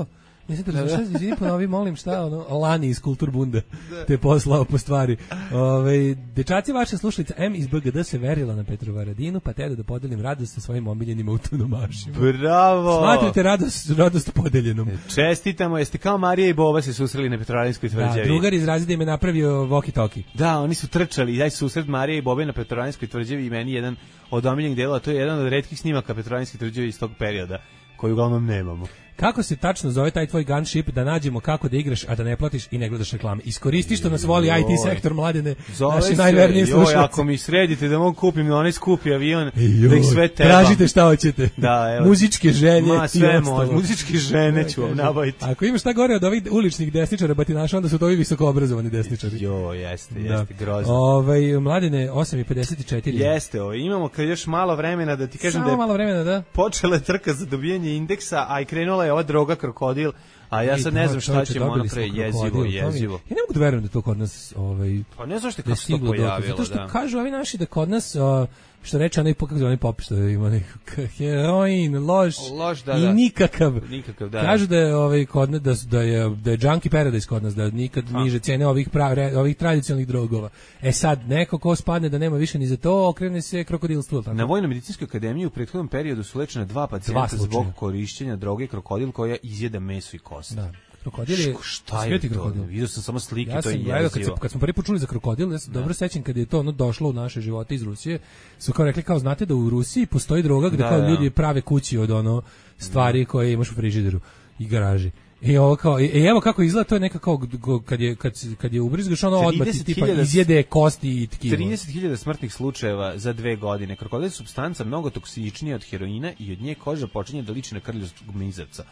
Nisam te razumeli, šta, izvini, ponovi, molim, šta, ono, Lani iz Kulturbunda te poslao po stvari. Ove, dečaci, vaša slušalica M iz B G D se verila na Petrovaradinu, pa te da podelim radost sa svojim omiljenima autonomašima. Bravo! Smatrite radost, radost podeljenom. Čestitamo, jeste kao Marija i Boba se susreli na Petrovaradinskoj tvrđavi. Da, drugar iz razreda im je napravio walkie-talkie. Da, oni su trčali, daj susret Marije i Bobe na Petrovaradinskoj tvrđavi i meni jedan od omiljenih dela, to je jedan od retkih snimaka Petrovaradinske tvrđave iz tog perioda, koji uglavnom nemamo. kako se tačno zove taj tvoj gunship da nađemo kako da igraš, a da ne platiš i ne gledaš reklame. Iskoristi što nas voli I T sektor, Mladene, naši najverniji slušalci. Joj, ako mi sredite da mogu kupim onaj skupi avion, da ih sve tebam. Tražite šta hoćete. Da, evo. Muzičke želje. Ma, sve može. Muzičke žene ću vam nabaviti. Ako imaš šta gore od ovih uličnih desničara batinaša, onda su to ovi visokoobrazovani desničari. Jo, jeste, jeste, grozno. Ovaj, Mladene, osam i pedeset četiri. Jeste, ovo, imamo kad još malo vremena da ti kažem Samo da je malo vremena, da. počela je trka za dobijanje indeksa, a i krenula je ova droga krokodil, a ja sad ne znam šta ćemo ono pre, jezivo, jezivo. Ja ne mogu da verujem da to kod nas, ovaj, pa ne znam što kako se to pojavilo, zato što da. kažu ovi naši da kod nas, uh, što reče onaj kako onaj popis što ima nekakav heroin, lož, lož da, i da. nikakav. Nikakav, da. Kažu da je ovaj kod nas da, da je da je Junkie Paradise kod nas, da nikad ha. niže cene ovih prav, ovih tradicionalnih drogova. E sad neko ko spadne da nema više ni za to, okrene se krokodilstvu, tako. Na Vojno-medicinskoj akademiji u prethodnom periodu su lečena dva pacijenta dva zbog korišćenja droge krokodil koja izjeda meso i kosti. Da. Krokodil je, šta je to? Krokodil. Vidio sam samo slike, ja to je jezivo. Ja sam gledao, kad smo prvi put čuli za krokodil, ja sam dobro sećam kad je to ono došlo u naše živote iz Rusije, su kao rekli, kao znate da u Rusiji postoji droga gde da, kao da. ljudi prave kući od ono stvari koje imaš u frižideru i garaži. I ovo kao, i evo kako izgleda, to je neka kao kad je kad kad je ubrizgaš ono odmah tipa izjede kosti i tkivo. trideset hiljada smrtnih slučajeva za dve godine. Krokodil je supstanca mnogo toksičnija od heroina i od nje koža počinje da liči na krljavog mizavca.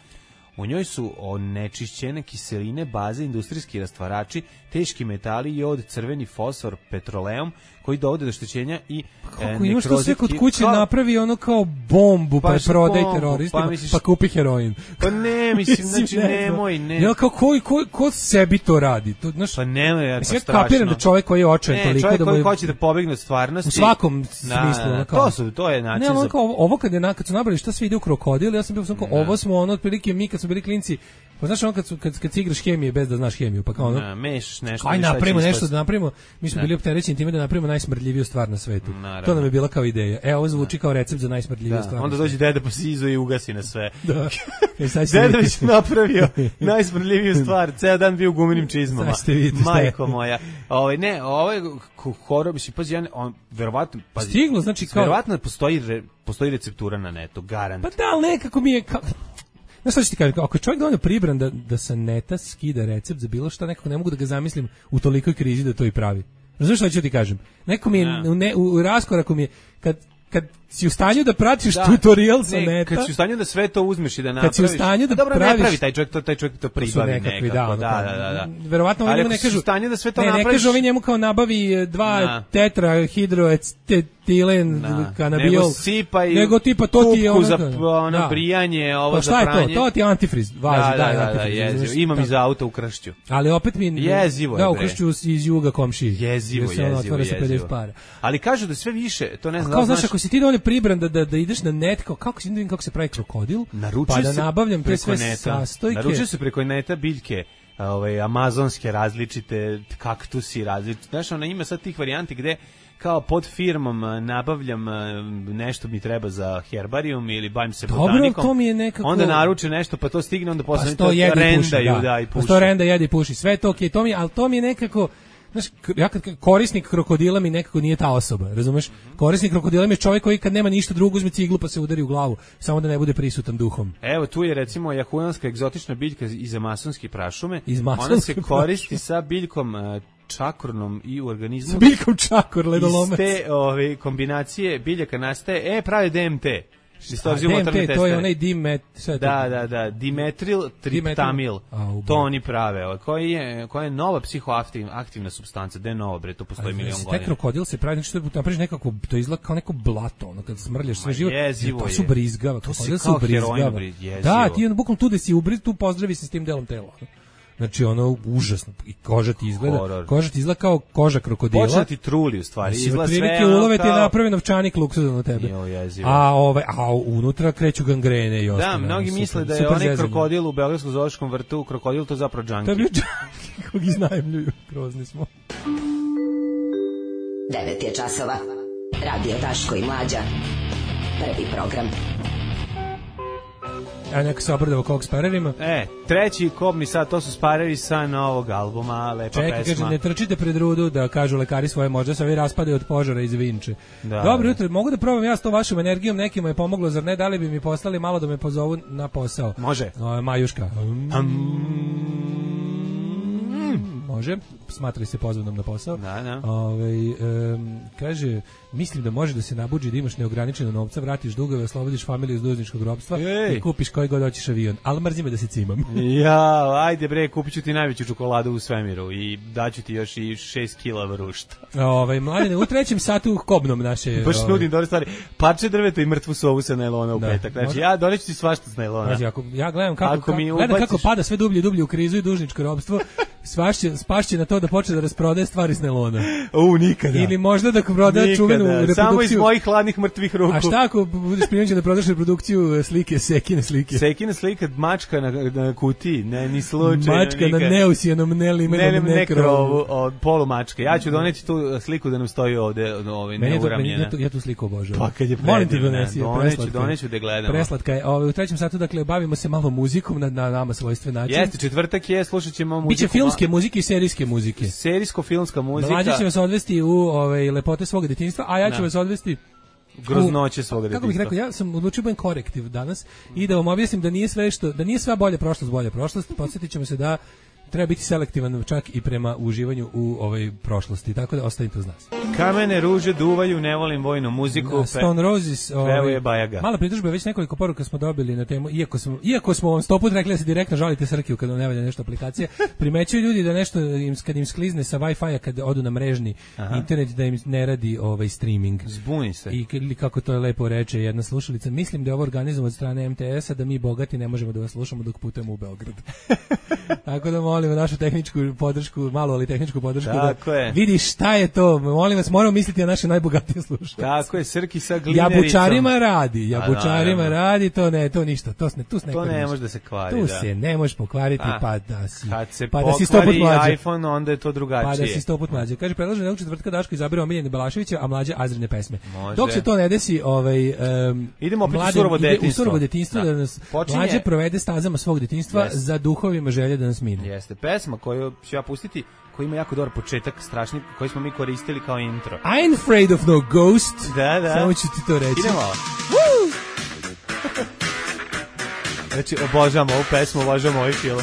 U njoj su onečišćene kiseline, baze, industrijski rastvarači, teški metali, jod, crveni fosfor, petroleum, koji dovode do oštećenja i kako imaš to sve kod kuće kao, napravi ono kao bombu pa, pa prodaje teroristima, pa, misliš, pa kupi heroin. Pa ne, mislim, znači nemoj, ne. Ja kao ko, ko, ko sebi to radi? To, znaš, pa nemoj, ja, pa strašno. Ja kapiram da čovjek koji je očajan toliko čovjek da koji hoće da pobegne od stvarnosti. U svakom smislu. Na, to, su, to je način. Ne, ono za... kao, ovo kad, je, kad su nabrali šta sve ide u krokodil, ja sam bio sam kao, ovo smo ono, otprilike mi kad smo bili klinci, pa znaš ono kad, su, kad, kad si igraš hemije bez da znaš hemiju, pa kao ono, na, meš, nešto, aj napravimo nešto da napravimo, mi smo bili opterećeni time da napravimo najsmrdljiviju stvar na svetu. Naravno. To nam je bila kao ideja. E, ovo zvuči kao recept za najsmrdljiviju stvar. Onda dođe deda po sizu i ugasi na sve. Da. E, deda već napravio najsmrdljiviju stvar, ceo dan bio u gumenim čizmama. Majko moja. Ovaj ne, ovaj horor bi se pazi, ja on verovatno pa stiglo, znači kao verovatno postoji re, postoji receptura na netu, garant. Pa da, ali nekako mi je kao znaš šta ću ti kažem, ako je čovjek dovoljno pribran da, da sa neta skida recept za bilo šta, nekako ne mogu da ga zamislim u tolikoj krizi da to i pravi. Razumiješ šta ću ti kažem? Neko mi je u, ne, u raskoraku mi je, kad, kad si u stanju da pratiš da, tutorial sa neta, kad si u stanju da sve to uzmeš i da napraviš, kad si u stanju da dobro, praviš, ne pravi taj čovjek to, taj čovjek to pribavi nekako, da, da, da, da, da. Verovatno oni mu ne kažu, da sve to ne, napraviš, ne kažu ovi njemu kao nabavi dva da. tetra hidroetilen kanabiol, nego sipaj, nego tipa to ti je ono, za ono da. brijanje, ovo pa, za pranje. Šta je to? To ti je antifriz, važi, da, daj da, antifriz. Da, jezivo. Imam iz auta u Kršću. Ali opet mi jezivo je. Da, u Kršću iz juga komšiji. Jezivo, jezivo, jezivo. Ali kažu da sve više, to ne znam. Kao znaš, ako si ti dovoljno pribran da da ideš na net, kao kako se vidim kako se pravi krokodil, pa da nabavljam te sve sastojke. Naručuje se preko neta biljke, ovaj amazonske različite, kaktusi različite. Znaš, ona ima sad tih varijanti gde kao pod firmom nabavljam nešto mi treba za herbarijum ili bavim se botanikom. Dobro, to mi je nekako... Onda naruče nešto, pa to stigne, onda posle pa to rendaju, da, da i puši. Pa to renda, jede i puši. Sve to okej, okay, to mi, ali to mi je nekako... Znaš, ja kad korisnik krokodila mi nekako nije ta osoba, razumeš? Korisnik krokodila mi je čovjek koji kad nema ništa drugo uzme ciglu pa se udari u glavu, samo da ne bude prisutan duhom. Evo tu je recimo jahujanska egzotična biljka iz amazonske prašume. Iz ona se koristi prašume. Sa biljkom čakornom i u organizmu. Sa biljkom čakor, ledolomac. Iz te ove, kombinacije biljaka nastaje, e, pravi D M T. A, D M T, to je onaj dimet... Da, da, da, dimetril triptamil, to oni prave, koji je, koja je nova psihoaktivna supstanca, da je nova, bre, to postoji milion godina. Taj krokodil se pravi, znači što napraviš nekako, to izgleda kao neko blato, ono, kad smrljaš sve živo, to su brizgava, krokodil su brizgava. Da, ti ono, bukvalno tu da si ubriz, tu pozdravi se s tim delom tela. Znači ono užasno i koža ti izgleda, horror. Koža ti izgleda kao koža krokodila. Počne ti truli u stvari, izgleda sve. Prilike ulove ti napravi novčanik luksuzan na tebe. Jo, a ovaj a unutra kreću gangrene i ostalo. Da, mnogi misle da je onaj krokodil u Beogradskom zoološkom vrtu, krokodil to zapravo džanki. To je bio džanki, kog iznajmljuju, grozni smo. devet je časova. Radio Daško i Mlađa. Prvi program. a neka se obradava kog sparerima. E, treći kobni sad, to su spareri sa novog albuma, lepa Čekaj, pesma. kaže, ne trčite pred rudu da kažu lekari svoje, možda se ovi raspadaju od požara iz Vinče. Da, dobro jutro, mogu da probam ja s tom vašom energijom, nekima je pomoglo, zar ne, da li bi mi poslali malo da me pozovu na posao? Može. O, Majuška. Um. Može, smatrali se pozvanom na posao. Da, da. Ove, um, kaže, mislim da može da se nabuđi da imaš neograničeno novca, vratiš dugove, oslobodiš familiju iz dužničkog ropstva Ej. i kupiš koji god hoćeš avion. Ali mrzim me da se cimam. Ja, ajde bre, kupit ću ti najveću čokoladu u svemiru i daću ti još i šest kila vrušta. Ove, mladine, u trećem satu kobnom naše... Baš nudim dobre stvari. Parče drveta i mrtvu sovu sa najlona u da, petak. Znači, može... ja doneću ti svašta s najlona. Znači, ako, ja gledam kako, kako, mi ubaciš... kako pada sve dublje i dublje u krizu i dužničko ropstvo, svašće, spašće na to da počne da rasprodaje stvari s najlona. U, nikada. Ili možda da prodaje čuvenu reprodukciju. Samo iz mojih hladnih mrtvih ruku. A šta ako budeš prinuđen da prodaš reprodukciju slike, Sekine slike? Sekine slike, mačka na, na kutiji, ne, ni slučajno. Mačka nikad. Na neusijanom, nelimenom ne, nekrovu. Polu mačke. Ja ću doneti tu sliku da nam stoji ovde, ovaj, neuramljena. Ja, ja tu sliku obožavam. Pa kad je predivna. Molim ti donesi, doneću, doneću da gledamo. Preslatka je. Ovaj, u trećem satu, dakle, bavimo se malo muzikom na, na nama svojstven način. Jeste, četvrtak je, slušat ćemo muziku. Biće filmske muzike i serijske muzike. Serijsko-filmska muzika. Mlađe će vas odvesti u ovaj, lepote svog detinjstva, a ja ću vas odvesti groznoće svog detinjstva. Kako bih rekao, ja sam odlučio budem korektiv danas i da vam objasnim da nije sve što, da nije sva bolja prošlost bolja prošlost. Podsjetićemo se da treba biti selektivan čak i prema uživanju u ovoj prošlosti, tako da ostavite uz nas. Kamene ruže duvaju, ne volim vojnu muziku. Da, Stone Roses, ovaj, je Bajaga. Mala pritužba, već nekoliko poruka smo dobili na temu, iako smo, iako smo vam sto put rekli da se direktno žalite Srkiju kad vam ne valja nešto aplikacije, primećuju ljudi da nešto im, kad im sklizne sa Wi-Fi-a kad odu na mrežni Aha. internet da im ne radi ovaj streaming. Zbuni se. I ili kako to lepo reče jedna slušalica, mislim da je ovo organizovano od strane em te es-a da mi bogati ne možemo da vas slušamo dok putujemo u Beograd. Tako da molimo našu tehničku podršku, malo ali tehničku podršku tako da je. vidi šta je to. Molim vas, moramo misliti na naše najbogatije slušalce. Tako je, Srki sa glinericom. Jabučarima radi, jabučarima A, radi, to ne, to ništa, to ne, tu se ne To ne može da se kvari, tu da. se ne može pokvariti, A, pa da si. Kad se pa da si sto put mlađe. iPhone, onda je to drugačije. Pa da si sto put mlađe. Kaže, predlažem da u četvrtka Daško izabere omiljene Balaševića, a mlađe Azrine pesme. Može. Dok se to ne desi, ovaj um, idemo opet u surovo detinjstvo. U surovo detinjstvo da, da nas Počinje... mlađe provede stazama svog detinjstva yes. za duhovima želje da nas mine. Jeste pesma koju ću ja pustiti, koji ima jako dobar početak, strašni, koji smo mi koristili kao intro. I'm afraid of no ghost. Da, da. Samo ću ti to reći. Idemo. Woo! Znači, obožavam ovu pesmu, obožavam ovaj film.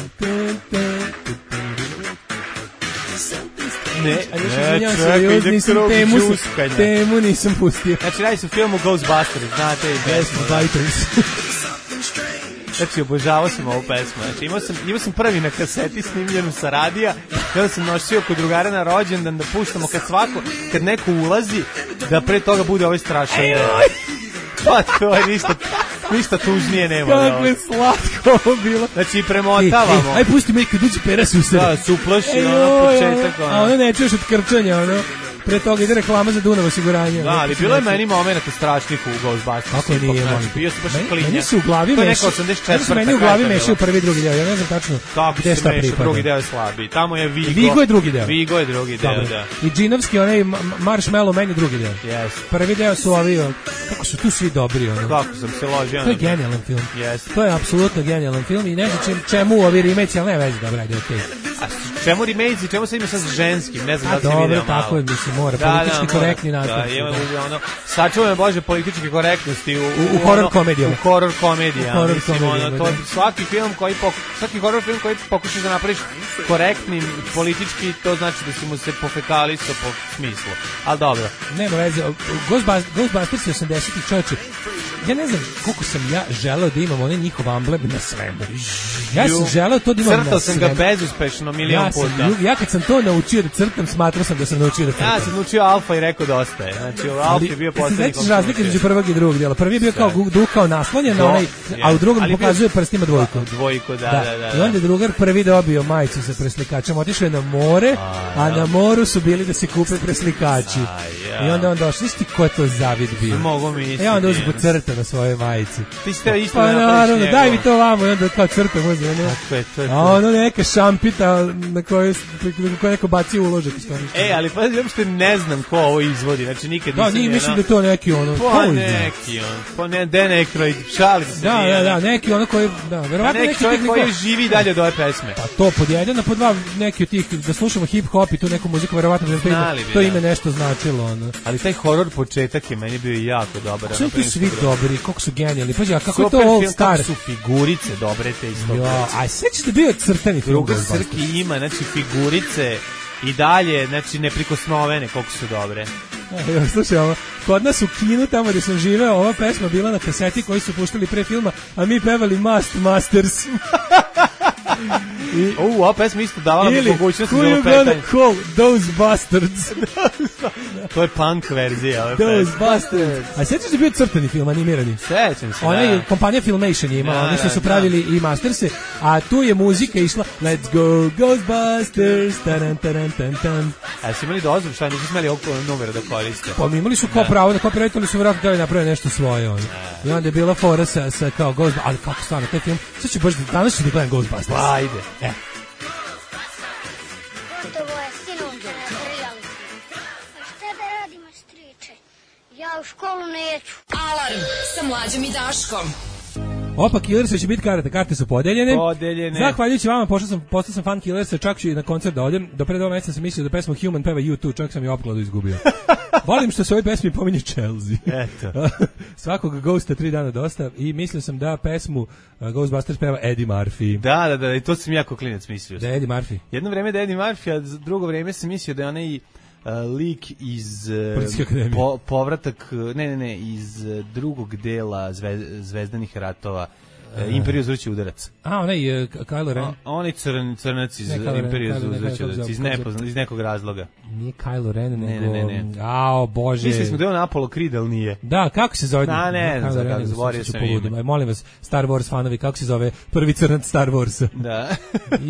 Ne, ne, čekaj, nisam temu, temu nisam pustio. Znači, radi se u filmu Ghostbusters, znate i pesmu. Ghostbusters. Znači, obožavao sam ovu pesmu. Znači, imao sam, imao sam prvi na kaseti snimljenu sa radija, kada sam nosio kod drugara na rođendan da puštamo kad svako, kad neko ulazi, da pre toga bude ovaj strašan. Pa to je ništa, ništa tužnije nema. Kako je slatko ovo bilo. Znači, premotavamo. Aj, pusti me kad uđe pera suseda. Da, su uplaši, ono, početak. A ono ne čuješ od krčanja, ono. Pre toga ide reklama za Dunav osiguranje. Da, ali bilo je meni momenata strašnih u Ghostbusters. Kako nije, molim. Bio sam baš klinja. Meni su u glavi meši. To je osamdeset četvrta. Meni u glavi mešaju prvi i drugi deo. Ja ne znam tačno gde šta pripada. Drugi deo je slabiji. Tamo je Vigo. Vigo je drugi deo. Vigo je drugi deo, da. I džinovski, onaj Marshmallow meni drugi deo. Yes. Prvi deo su ovi, kako su tu svi dobri. Ono. Kako sam se ložio. To je genijalan film. Yes. To je apsolutno genijalan film i ne znam čemu ovi remake, ali ne veze, dobro, ajde, okej. A čemu remake, čemu se ima sad ženskim, ne znam da li si vidio malo. Dobro, tako je, mislim, mora, politički korektni nastup. Da, ima ono, sačuvaj me Bože političke korektnosti u, u, u, u horror komedijama. U horror komedijama. Horror mislim, komedijama, ono, to, svaki film koji, poku, svaki horror film koji pokušaš da napraviš korektnim politički, to znači da si mu se pofekalisao po smislu. Ali dobro. Nema veze, Ghostbusters, Ghostbusters je osamdesetih čovječe. Ja ne znam koliko sam ja želeo da imam onaj njihov amblem na svemu. Ja sam želeo to da imam Crtao na sam ga bezuspešno milion ja puta. Sam, ja kad sam to naučio da crtam, smatrao sam da sam naučio da crtam. Ja sam naučio Alfa i rekao dosta je. Znači, Alfa je bio poslednji. Znači, razlika između prvog i drugog dela. Prvi je bio kao duh kao naslonjen, no, onaj, a u drugom pokazuje prstima dvojku. Dvojku, da, da, da, da. I onda je drugar prvi dobio majicu sa preslikačem. Otišao je na more, a na moru su bili da se kupe preslikači. I onda on došao, isti ko je to zavid bio. Mogu misliti. E onda uzme crtam na svojoj majici. Ti ste isto pa naravno, njegov. daj mi to vamo i onda kao crta može. Ono, tako je, to je to. A ono neka šampita na kojoj ko neko baci uložak. E, ali pa uopšte ne znam ko ovo izvodi, znači nikad da, nisam... Da, mislim da je to neki ono... Pa neki on, pa ne, Dan Aykroyd, šalim se. Da, da, da, neki ono koji... Da, verovatno neki, neki čovjek neko... koji živi dalje od ove pesme. Pa to pod jedan, a pod dva neki od tih, da slušamo hip-hop i tu neku muziku, verovatno da to ime, to ime nešto značilo. Ono. Ali taj horor početak je meni bio jako dobar. Su ti svi dobri, koliko su genijalni. Pazi, a kako super je to All film, Star? Kako su figurice dobre te isto. Jo, a sećaš da bio crtani film? Druga Srki ima, znači figurice i dalje, znači neprikosnovene koliko su dobre. Evo, slušaj, ovo, kod nas u kinu, tamo gde sam živeo, ova pesma bila na kaseti koji su puštali pre filma, a mi pevali Must Masters. I, o, ova pesma isto davala ili, mogućnost za opetanje. Ili, who you gonna call those bastards? To je punk verzija ove Those pesme. Bastards. A sjećaš da je bio crtani film, animirani? Sećam se, ona je, da. kompanija Filmation je imala, da, oni su da, su pravili da. I Masterse, a tu je muzika išla Let's go Ghostbusters, taran, taran, taran, taran. A su imali dozvol, šta nisu smeli ovog numera da koriste? Pa mi imali su kao pravo da copyright, su vjerojatno da naprave nešto svoje. Ono. I onda je bila fora sa, sa kao Ghostbusters, ali kako stvarno, taj film, sad ću baš, danas ću da gledam Ghostbusters. Pa, ajde. E. Ja u školu neću. Alarm sa Mlađom i Daškom. Opa, Killersa će biti karte, karte su podeljene. Podeljene. Zahvaljujući vama, pošto sam, postao sam fan Killersa, čak ću i na koncert da odem. Do pre dva meseca sam mislio da pesmu Human peva U dva, čak sam i opkladu izgubio. Volim što se ovoj pesmi pominje Chelsea. Eto. Svakog Ghosta tri dana dosta i mislio sam da pesmu uh, Ghostbusters peva Eddie Murphy. Da, da, da, i to sam jako klinac mislio. Da je Eddie Murphy. Jedno vreme da je Eddie Murphy, a drugo vreme sam mislio da je onaj Uh, lik iz uh, po, povratak, ne, ne, ne, iz uh, drugog dela zve, Zvezdanih ratova, uh, Imperiju zvrće udarac. A, onaj uh, Kylo Ren. Onaj crn, crnac iz Imperiju zvrće udarac, iz, nepozna, iz nekog razloga. Nije Kylo Ren, ne, nego... Ne, ne, ne. Ao, Bože. Mislili smo da je on Apollo Creed, ali nije. Da, kako se zove? Da, ne, ne, znam kako, zavorio sam ime. Molim vas, Star Wars fanovi, kako se zove prvi crnac Star Warsa? Da.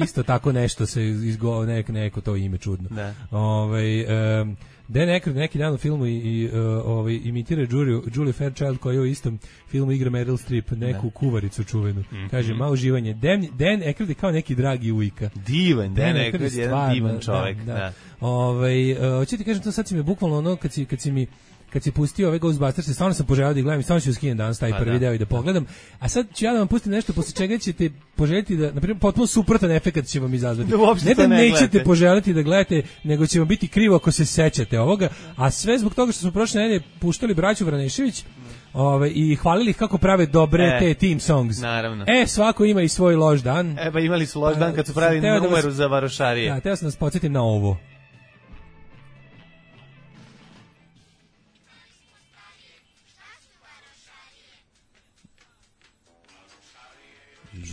Isto tako nešto se izgo, nek, neko to ime čudno. Da. Ovaj... Um, Dan Aykroyd neki dan u filmu i, i uh, ovaj, imitira Julie, Julie Fairchild koja je u istom filmu igra Meryl Streep, neku ne. kuvaricu čuvenu. Mm-hmm. Kaže, malo uživanje. Dan, Dan Aykroyd je kao neki dragi ujka. Divan, Dan, Dan Aykroyd je jedan divan čovjek. Da, da. Da. Ovaj, uh, hoću ti kažem, to sad si mi bukvalno ono, kad si, kad si mi kad si pustio ove Ghostbusters, stvarno sam poželio da ih gledam i stvarno ću skinem danas taj pa prvi da. deo i da pogledam. A sad ću ja da vam pustim nešto posle čega ćete poželjeti da, na primjer, potpuno suprotan efekat će vam izazvati. Da ne da ne nećete gledate. poželiti da gledate, nego će vam biti krivo ako se sećate ovoga. A sve zbog toga što smo prošle nedelje puštali braću Vranešević ove, i hvalili ih kako prave dobre e, te team songs. Naravno. E, svako ima i svoj loš dan. E, pa imali su loš dan kad su pravili numeru da vas, za varošarije. Da, teo sam nas podsjetim na ovo.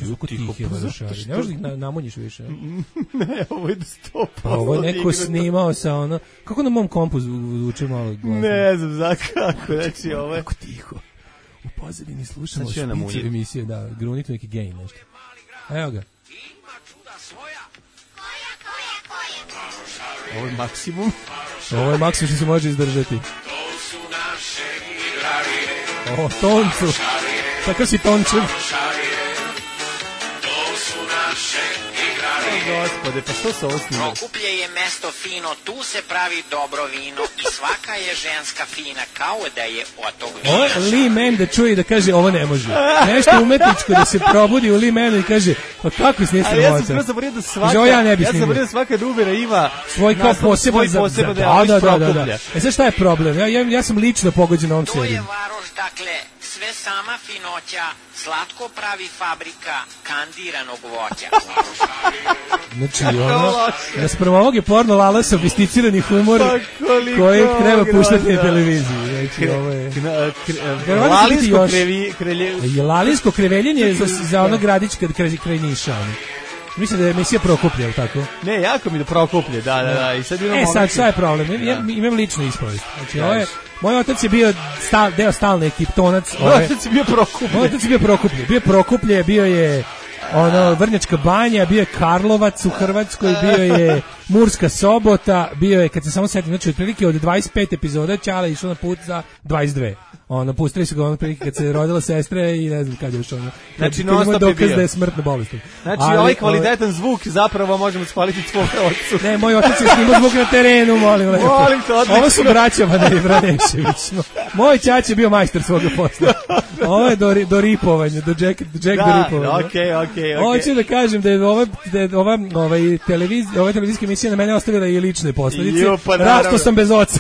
Zvuko tih je varošari. Ne možeš da ih na, namonjiš više. Ne, ovo je sto posto. Ovo je neko snimao sa ono... Kako na mom kompu zvuči malo glasno? Ne znam za kako. Znači, ovo je... Kako tiho. U pozadini slušamo špice emisije, da, grunite neki gain nešto. Evo ga. Ovo je maksimum. Ovo je maksimum što se može izdržati. O, toncu. Tako si tončev. Gospode, pa što se ovo snima? Prokuplje je mesto fino, tu se pravi dobro vino i svaka je ženska fina kao da je od tog vina. Ovo je Lee Man da čuje i da kaže ovo ne može. Nešto umetničko da se probudi u Lee Manu i kaže pa kako snije sramota. Ali ja sam zaborio da svaka, ja, ne ja sam zaborio da svaka numera ima svoj kao poseban za, za, za, da, da, da, da, da. E sad šta je problem? Ja, ja, ja sam lično pogođen ovom serijom. To je varoš, dakle, sve sama finoća, slatko pravi fabrika kandiranog voća. Znači, ono, nasprem ovog je porno lala sofisticirani humor koji treba puštati na televiziji. Znači, ovo je... Lalinsko kreveljenje. Lalinsko kreveljenje za, za ono gradić kad kraj, kraj Niša. Ono. Mislim da je emisija Prokuplje, ili tako? Ne, jako mi da Prokuplje, da, da, da. I sad imamo e, sad, šta je problem? Ja, ja, imam ličnu ispovest. Znači, ovo je... Moj otac je bio stal, deo stalne ekiptonac. Moj otac je bio Prokuplje. Moj otac je bio Prokuplje. Bio je Prokuplje, bio je ono Vrnjačka banja, bio je Karlovac u Hrvatskoj, bio je Murska Sobota, bio je, kad se samo setim, znači otprilike od dvadeset pet epizoda Ćale išao na put za dvadeset dve. Ono, pustili su ga ono prilike kad se rodila sestra i ne znam kad je još ono. Znači, non stop je bio. Da je smrtno bolestan. Znači, ali, ovaj kvalitetan ovaj... zvuk zapravo možemo shvaliti tvoj ocu. Ne, moj otac je snimao zvuk na terenu, molim lepo. Molim te, odlično. Ovo su braća Madej Vranešević. Moj ćać je bio majstor svoga posla. Ovo je do, do ripovanja, do Jack, do Jack da, do ripovanja. okej, okej, okej. Hoću da kažem da je ova, da je ova ovaj, televiz, ova televizijska emisija na mene ostavila i lične posledice. Pa Rasto sam bez oca.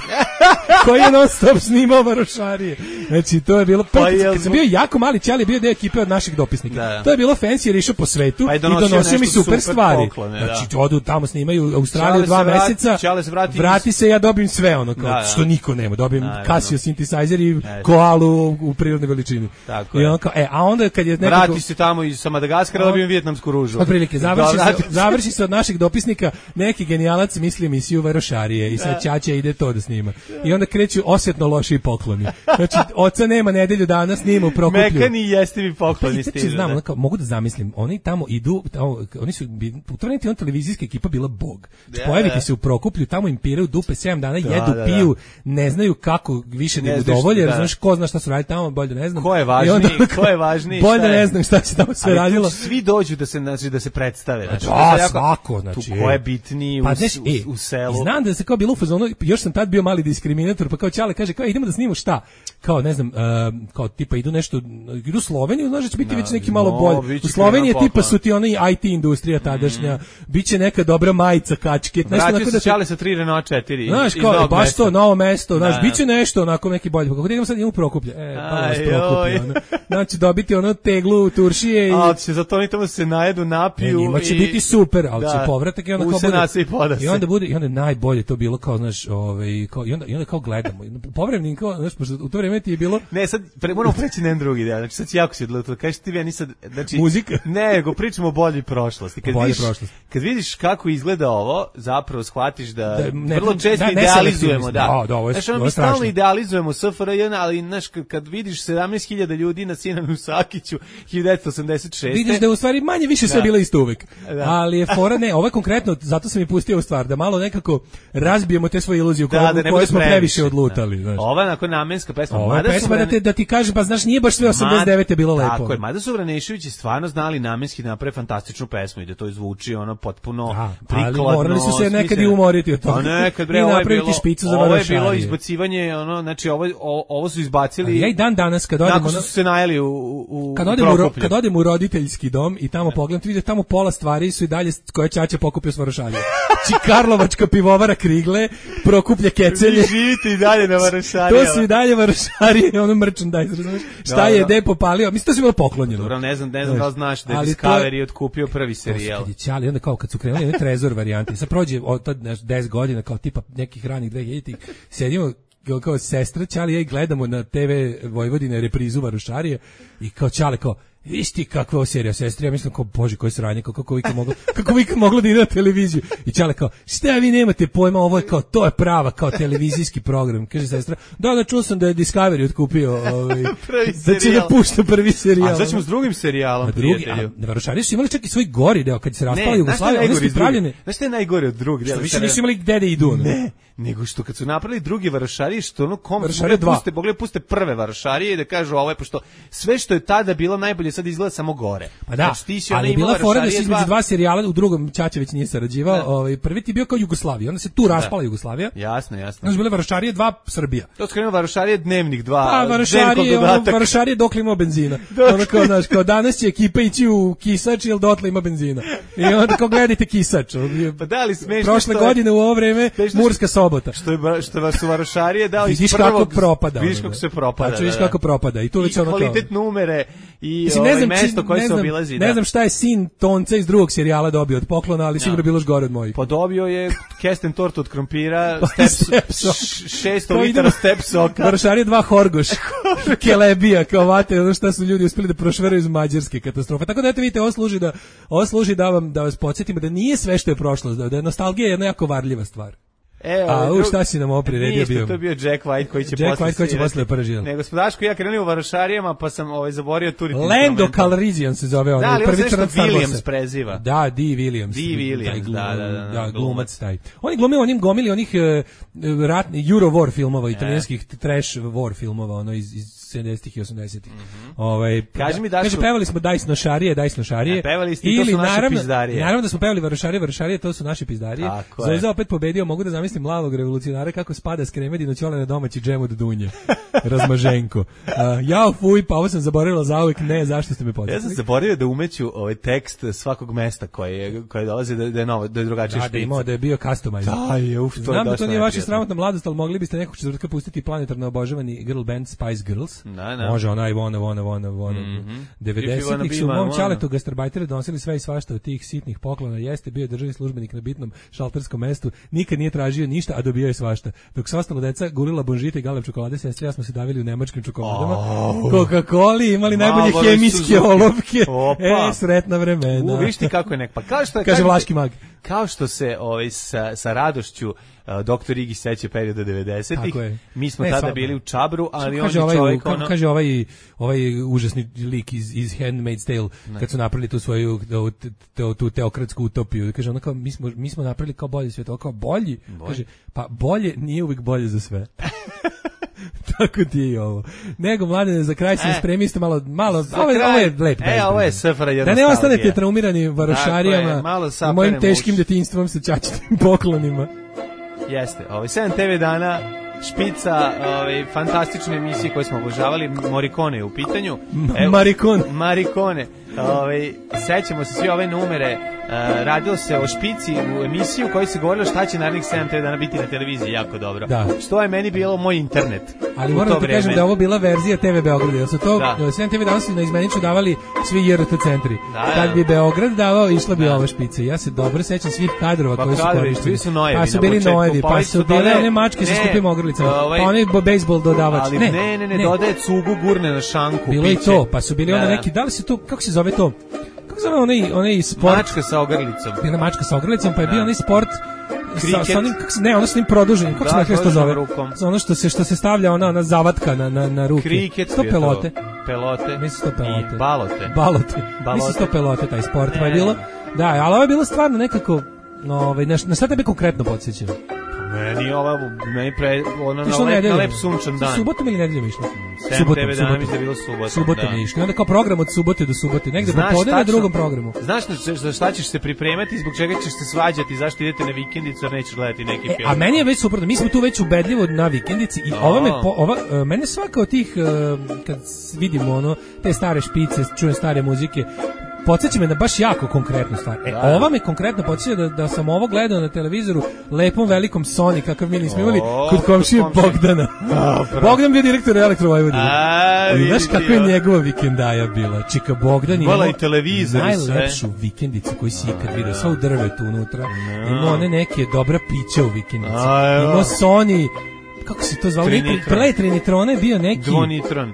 Koji je non stop snimao varošarije. Znači, to je bilo... Pa kad sam bio jako mali, Ćali bio deo ekipe od naših dopisnika. Da. To je bilo fancy jer išao po svetu pa i donosio, i donosio mi super, super stvari. Poklone, znači, da. Odu tamo, snimaju u Australiju dva vrati, meseca, se vrati, vrati se, ja dobijem sve ono, kao, da, da. Što niko nema. Dobijem da, Casio synthesizer i da, koalu u prirodnoj veličini. Tako I on kao, e, a onda kad je nekako... Vrati se tamo iz Madagaskara, dobijem vijetnamsku ružu. Otprilike, završi, se, završi se od naših dopisnika, neki genijalac misli emisiju varošarije i sad Ćaća ide to da snima. I onda kreću osjetno loši pokloni. Znači, oca nema nedelju dana, snima u Prokuplju. Mekani i jestivi pokloni stižu. Znači, znam, da? Kao, mogu da zamislim, oni tamo idu, tamo, oni su, u to vremena on televizijska ekipa bila bog. Znači, pojaviti se u Prokuplju, tamo im piraju dupe sedam dana, da, jedu, da, piju, da. Ne znaju kako više ne udovolje, jer znaš ko zna šta su radili tamo, bolje da ne znam. Ko je važniji, onda, ko je važniji, bolje da ne znam šta se tamo sve radilo. Svi dođu da se, znači, da se predstave. Znači, da, jako, svako, znači. Tu ko je bitniji u, pa, znaš, u, u, u selu. Znam da se kao bilo u fazonu, još sam tad bio mali diskriminator, pa kao Ćale kaže, kao idemo da snimamo šta? Kao ne znam, uh, kao tipa idu nešto, idu u Sloveniju, znaš da će biti no, već neki malo no, bolje. U Sloveniji je tipa su ti ona i te industrija tadašnja, mm. biće neka dobra majica, kačket, nešto onako da Ćale sa tri Renault četiri. Znaš kao, baš mesta. To, novo mesto, znaš, biće nešto onako neki bolje. Kako da idemo sad idemo u Prokuplje? E, pa vas Prokuplje. Ono. Znači dobiti ono teglu turšije i... A, će zato oni tamo se najedu, napiju. Njima će i... biti super, ali da. Će povratak i onda kao bude... I onda bude, i onda najbolje to bilo kao, znaš, ovaj, kao, i onda, i onda kao gledamo. Povremeno kao, znaš, pošto u to vreme ti je bilo... Ne, sad pre, moramo preći na jedan drugi deo. Znači sad si jako si odletao. Kažeš ti ja nisam, znači muzika. Ne, nego pričamo o boljoj prošlosti. Kad bolje vidiš prošlosti. Kad vidiš kako izgleda ovo, zapravo shvatiš da, da ne, vrlo često da, idealizujemo, da. Da, da, ovo je, znači, ono, mi stalno idealizujemo S F R J, ali znaš kad vidiš sedamnaest hiljada ljudi na Sinanu Sakiću hiljadu devetsto osamdeset šeste vidiš da u stvari manje više sve da. Bilo isto uvek. Da. Ali je fora ne, ovo je konkretno, zato sam i pustio u stvar da malo nekako razbijemo te svoje iluzije u da, koje, da koje smo previše odlutali, znaš. Ova je onako namenska pesma. Ova je pesma vrane... da, te, da ti kaže, pa znaš, nije baš sve osamdeset devete bilo lepo. Tako je, mada su Vraneševići stvarno znali namenski naprave fantastičnu pesmu i da to zvuči ono potpuno da, prikladno. Ali morali su se nekad i umoriti od toga. A nekad, bre, ovo je bilo, špicu za ovo je bilo izbacivanje, ono, znači ovo, ovo su izbacili... Ali ja i dan danas kad odemo... Nakon su se najeli u, u, kad odem u, kad odem u roditeljski dom i tamo pogledam, ti vidiš tamo pola stvari su i dalje koje Ćaća pokupio s Varošarije. Či Karlovačka pivovara Krigle, Prokuplje kecelje. Vi živite i dalje na Varošarije. To su i dalje Varošarije, ono merchandise, razumiješ? Šta je de popalio? Mislim, to si bilo poklonjeno. Dobro, ne znam, ne znam da li znaš da je Discovery je otkupio prvi serijal. Kad je Ćali, onda kao kad su krenuli one trezor varijante, sad prođe od tad deset godina, kao tipa nekih ranih dve hiljaditih, sedimo kao sestra Ćali ja i gledamo na te ve Vojvodine reprizu Varošarije i kao Ćale kao isti kakva je serija, sestra, ja mislim kao, bože, koji sranje, kako, kako vi kad moglo, kako vi kad moglo da ide na televiziju. I Ćale kao, šta vi nemate pojma, ovo je kao, to je prava, kao televizijski program. Kaže sestra, da, da, čuo sam da je Discovery otkupio, ovaj, da će da pušta prvi serijal. A sad ćemo s drugim serijalom, prijatelju. A Varošarije su imali čak i svoj gori deo, kad se raspala Jugoslavija, one su pravljene. Znaš šta je najgore od drugog dela? Više nisu imali gde da idu. Ne, nego što kad su napravili drugi Varošarije, što ono kom puste, mogli puste prve Varošarije i da kažu ovo je, pošto sve što je tada bilo najbolje sad izgleda samo gore. Pa da, znači, ali je bila fora da se između dva serijala, u drugom Ćaća već nije sarađivao, ovaj, prvi ti bio kao Jugoslavija, onda se tu raspala da. Jugoslavija. Jasno, jasno. Onda su bile Varošarije dva Srbija. To skrenuo Varošarije dnevnik dva. Pa Varošarije, ono, Varošarije dokle ima benzina. Ono kao, znaš, kao danas će ekipa ići u Kisač ili dotle ima benzina. I onda kao gledajte Kisač. Pa da li smešno prošle godine u ovo vreme Murska sobota. Što je što vas su Varošarije dao iz prvog. Vidiš kako propada. Vidiš kako se propada. Pa vidiš kako propada. I tu već ono kao kvalitet numere i ovaj mesto koje se obilazi. Ne znam šta je sin Tonca iz drugog serijala dobio od poklona, ali sigurno bilo još gore od mojih. Pa dobio je kesten tortu od krompira, šesto litara step soka. Varošarije dva Horgoš, Kelebija, kao vate, ono šta su ljudi uspeli da prošveraju iz Mađarske katastrofe. Tako da eto vidite, ovo služi da, ovo služi da vam, da vas podsjetimo da nije sve što je prošlost, da je nostalgija jedna jako varljiva stvar. E, a u šta si nam ovo priredio bio? To je bio Jack White koji će Jack posle White koji će posle paražirati. Ne, gospodaško, ja krenuo u Varošarijama, pa sam ovaj zaborio turiti. Lando Calrissian se zove, da, on je prvi crnac Star Williams preziva. Da, D. Williams. D. Williams, glum, da, da, da, da, glumac taj. On je glumio onim gomili onih uh, ratni Euro war filmova, italijanskih trash war filmova, ono iz, iz sedamdesetih i osamdesetih. Mm-hmm. Ovaj Kaži mi da kaže pevali smo Dajs nošarije, Dajs nošarije. Ja, pevali ste, to su naše naravno, pizdarije. Naravno da smo pevali Varošarije, Varošarije, to su naše pizdarije. Zvezda opet pobedio, mogu da zamislim mladog revolucionara kako spada s kremedino ćole na domaći džem od dunje. Razmaženko. Uh, jao fuj, pa ovo sam zaboravila zauvek, ne, zašto ste me podsjetili? Ja sam zaboravio da umeću ovaj tekst svakog mesta koje koje dolazi da, da je novo, da je drugačije špica. Da, da ima, da je bio customizer. Da, je, uf, to Znam je da to nije vaša sramotna mladost, ali mogli biste nekog četvrtka pustiti planetarno obožavani girl band Spice Girls. Da, da. Može onaj Vona, Vona, Vona, Vona. Mm-hmm. devedesetih su mom čaletu gastarbajtere donosili sve i svašta od tih sitnih poklona. Jeste bio državni službenik na bitnom šalterskom mestu, nikad nije tražio ništa, a dobio je svašta. Dok su ostalo deca gulila bonžite i galeb čokolade, sestre ja smo se davili u nemačkim čokoladama. Oh. Coca-Coli, imali najbolje Malo hemijske olovke. E, sretna vremena. U, viš ti kako je nek, pa kao što je, kaže Vlaški mag. Kao što se ovaj sa, sa radošću uh, doktor Igi seća perioda devedesetih. Mi smo ne, tada sva, bili u Čabru, ali on je ovaj, čovjek ono... Ono... Kaže ovaj, ovaj užasni lik iz, iz Handmaid's Tale, ne. Kad su napravili tu svoju tu, tu, tu teokratsku utopiju. Kaže, ono kao, mi smo, mi smo napravili kao bolji svijet, kao bolji. bolji. Kaže, pa bolje nije uvijek bolje za sve. Tako ti je i ovo. Nego, mladene, za kraj se e, spremiste malo, malo ovo, je, ovo je lep. E, ovo je sefra jednostavno. Da ne ostanete traumirani Varošarijama, mojim teškim detinjstvom sa čačitim poklonima. Jeste, ovaj sedam te ve dana, špica, ovaj fantastične emisije koje smo obožavali, Morricone je u pitanju. Evo, Marikone. Marikone. Ovaj sećamo se svi ove numere. Uh, radilo se o špici u emisiju u kojoj se govorilo šta će narednih sedam te ve dana biti na televiziji, jako dobro. Da. Što je meni bilo moj internet. Ali moram da kažem da je ovo bila verzija te ve Beograda. Jer su to da. sedam te ve dana su na izmeniču davali svi J R T centri. Da, Kad da. bi Beograd davao, išla bi da. ova špica. Ja se dobro sećam svih kadrova pa koji su koristili. Su nojevi, pa su bili nojevi, pa su bile one mačke sa skupim ogrlicama, ovaj, pa onaj bejsbol dodavač. Ali ne, ne, ne, ne, ne. dodaje cugu, gurne na šanku. Bilo i to, pa su bili da. ono neki, da li se to, kako se zove to? Kako se zove onaj, onaj sport? Mačka sa ogrlicom. Bila mačka sa ogrlicom, pa je bio onaj sport sa, sa onim, ne, ono s njim produženim, kako da, se nekako to zove? Za ono što se, što se stavlja ona, ona zavatka na, na, na ruke. Kriket. Sto pelote. Pelote. Mislim sto pelote. I balote. Balote. Mislim sto pelote, taj sport. Pa je bilo, da, ali ovo je bilo stvarno nekako, no, ovaj, na, na šta tebe konkretno podsjećam? Meni ova, meni pre, ono na lep, na lep sunčan dan. Subotom ili nedeljom išlo? sedam te ve dana mislim da je bilo subotom. Subotom je išlo. I onda kao program od subote do subote. Negde popodne na drugom programu. Znaš za šta ćeš se pripremati, zbog čega ćeš se svađati, zašto idete na vikendicu, jer nećeš gledati neki e, film. A meni je već suprotno. Mi smo tu već ubedljivo na vikendici i ova me, po, ova, uh, mene svaka od tih, uh, kad vidimo ono, te stare špice, čujem stare muzike, podsjeća me na baš jako konkretnu stvar. E, da. Ova me konkretno podsjeća da, da sam ovo gledao na televizoru lepom velikom Sony, kakav mi nismo imali kod komšije Bogdana. A, Bogdan bio direktor Elektro Vojvodine. I znaš kakva je njegova vikendaja bila? Čika Bogdan imao i televizor najlepšu sve. Vikendicu koju si ikad vidio. Sva u drvetu unutra. No. Imao one neke dobra pića u vikendici. Imao Sony, kako se to zvalo? Pre Trinitrona je bio neki... Dvonitron.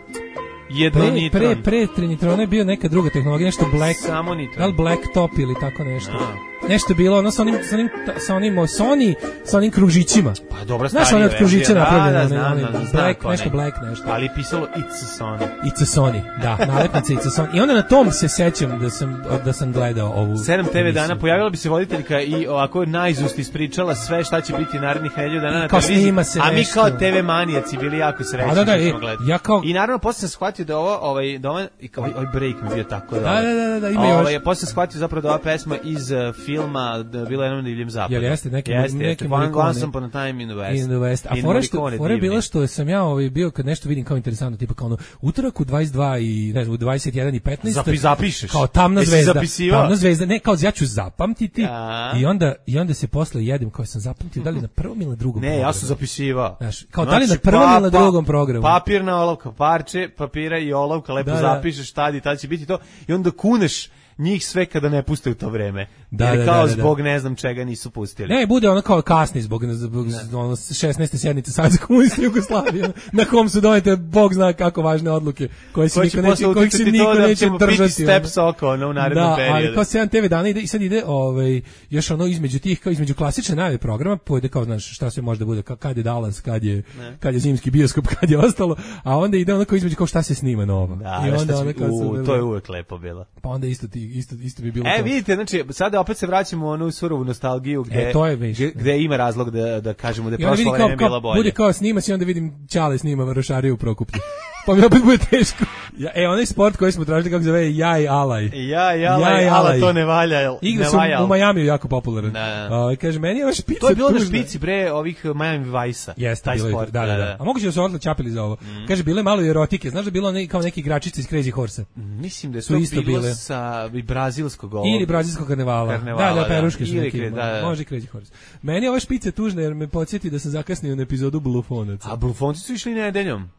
Pre, pre, pre Trinitrona je bio neka druga tehnologija, nešto Black, samo nitron. Da li Black Top ili tako nešto. A. Nešto bilo, ono sa onim, sa onim, sa onim Sony, sa onim kružićima. Pa dobro, znaš one od kružića napravljene, da, da, znam, oni, znam, Black, znam, nešto Black, nešto. Ali je pisalo It's a Sony. It's a Sony, da, nalepnica It's a Sony. I onda na tom se sećam da sam, da sam gledao ovu sedam te ve dana, pojavila bi se voditeljka i ovako najzust ispričala sve šta će biti narednih nedelju dana na televiziji. A mi kao te ve manijaci bili jako srećni. Da, da, e, ja kao... I naravno, posle sam shvatio da ovo, ovaj, da ovaj, ovaj break mi bio tako da... Da, da, da, da, ima još. Ovaj, posle sam shvatio zapravo da ova pesma iz uh, filma da bila jednom divljem zapadu. Jel jeste, neki, jeste, neki jeste. Once upon a time in the West. In the West. A fora što, fora je bila što sam ja ovaj, bio kad nešto vidim kao interesantno, tipa kao ono, utorak u dvadeset dva i, ne znam, u dvadeset jedan i petnaest. Zapi, zapišeš. Kao tamna zvezda. Tamna zvezda, ne, kao ja ću zapamtiti ja. i onda, i onda se posle jedem kao sam zapamtio, da li na prvom ili na drugom ne, programu. ja sam zapisivao. Znaš, kao znači, da li na prvom pa, ili na drugom programu. Papirna olovka, parče, papira i olovka, lepo da, zapišeš tad i tad će biti to i onda kuneš njih sve kada ne puste u to vreme. Da, jer da, kao da, da, zbog ne znam čega nisu pustili. Ne, bude ono kao kasni zbog, zbog ono šesnaeste sjednice Saveza komunista Jugoslavije, na kom su donete bog zna kako važne odluke koje se niko neće, kojih se niko da neće držati. Steps oko ono, u narednom da, periodu. ali kao sedam te ve dana ide i sad ide ovaj, još ono između tih, kao između klasične najave programa, pojede kao, znaš, šta sve može da bude, kad je Dallas, kad je, kad je zimski bioskop, kad je ostalo, a onda ide ono kao između kao šta se snima novo. Da, I onda ono kao u, to je uvek lepo bilo. Pa onda isto ti isto isto bi bilo. E, to. vidite, znači sada opet se vraćamo u onu surovu nostalgiju gde e, to je već, gde, gde ima razlog da da kažemo da je prošlo vreme kao, kao, bilo bolje. Bude kao snima se, onda vidim Ćale snima Varošariju u Prokuplju. Pa mi opet bude teško. Ja, e, onaj sport koji smo tražili, kako zove, Jaj Alaj. Jaj Alaj, ja, ala to ne valja. Igra su u Majamiju jako popularan. Uh, kaže, meni je ova špica to je bilo tužna. Na špici, bre, ovih Miami Vice-a. Jeste, taj bilo sport. Da, da, da. A moguće da su odla čapili za ovo. Mm. Kaže, bile malo i erotike. Znaš da bilo ne, kao neki igračice iz Crazy Horse? Mislim da su to isto bilo bile. Sa brazilskog ovog. Ili brazilskog karnevala. karnevala da, da, peruške da. su neki. Da, da. Može Crazy Horse. Meni je ova špica tužna jer me podsjeti da sam zakasnio na epizodu Blufonaca. A Blufonci su išli nedeljom.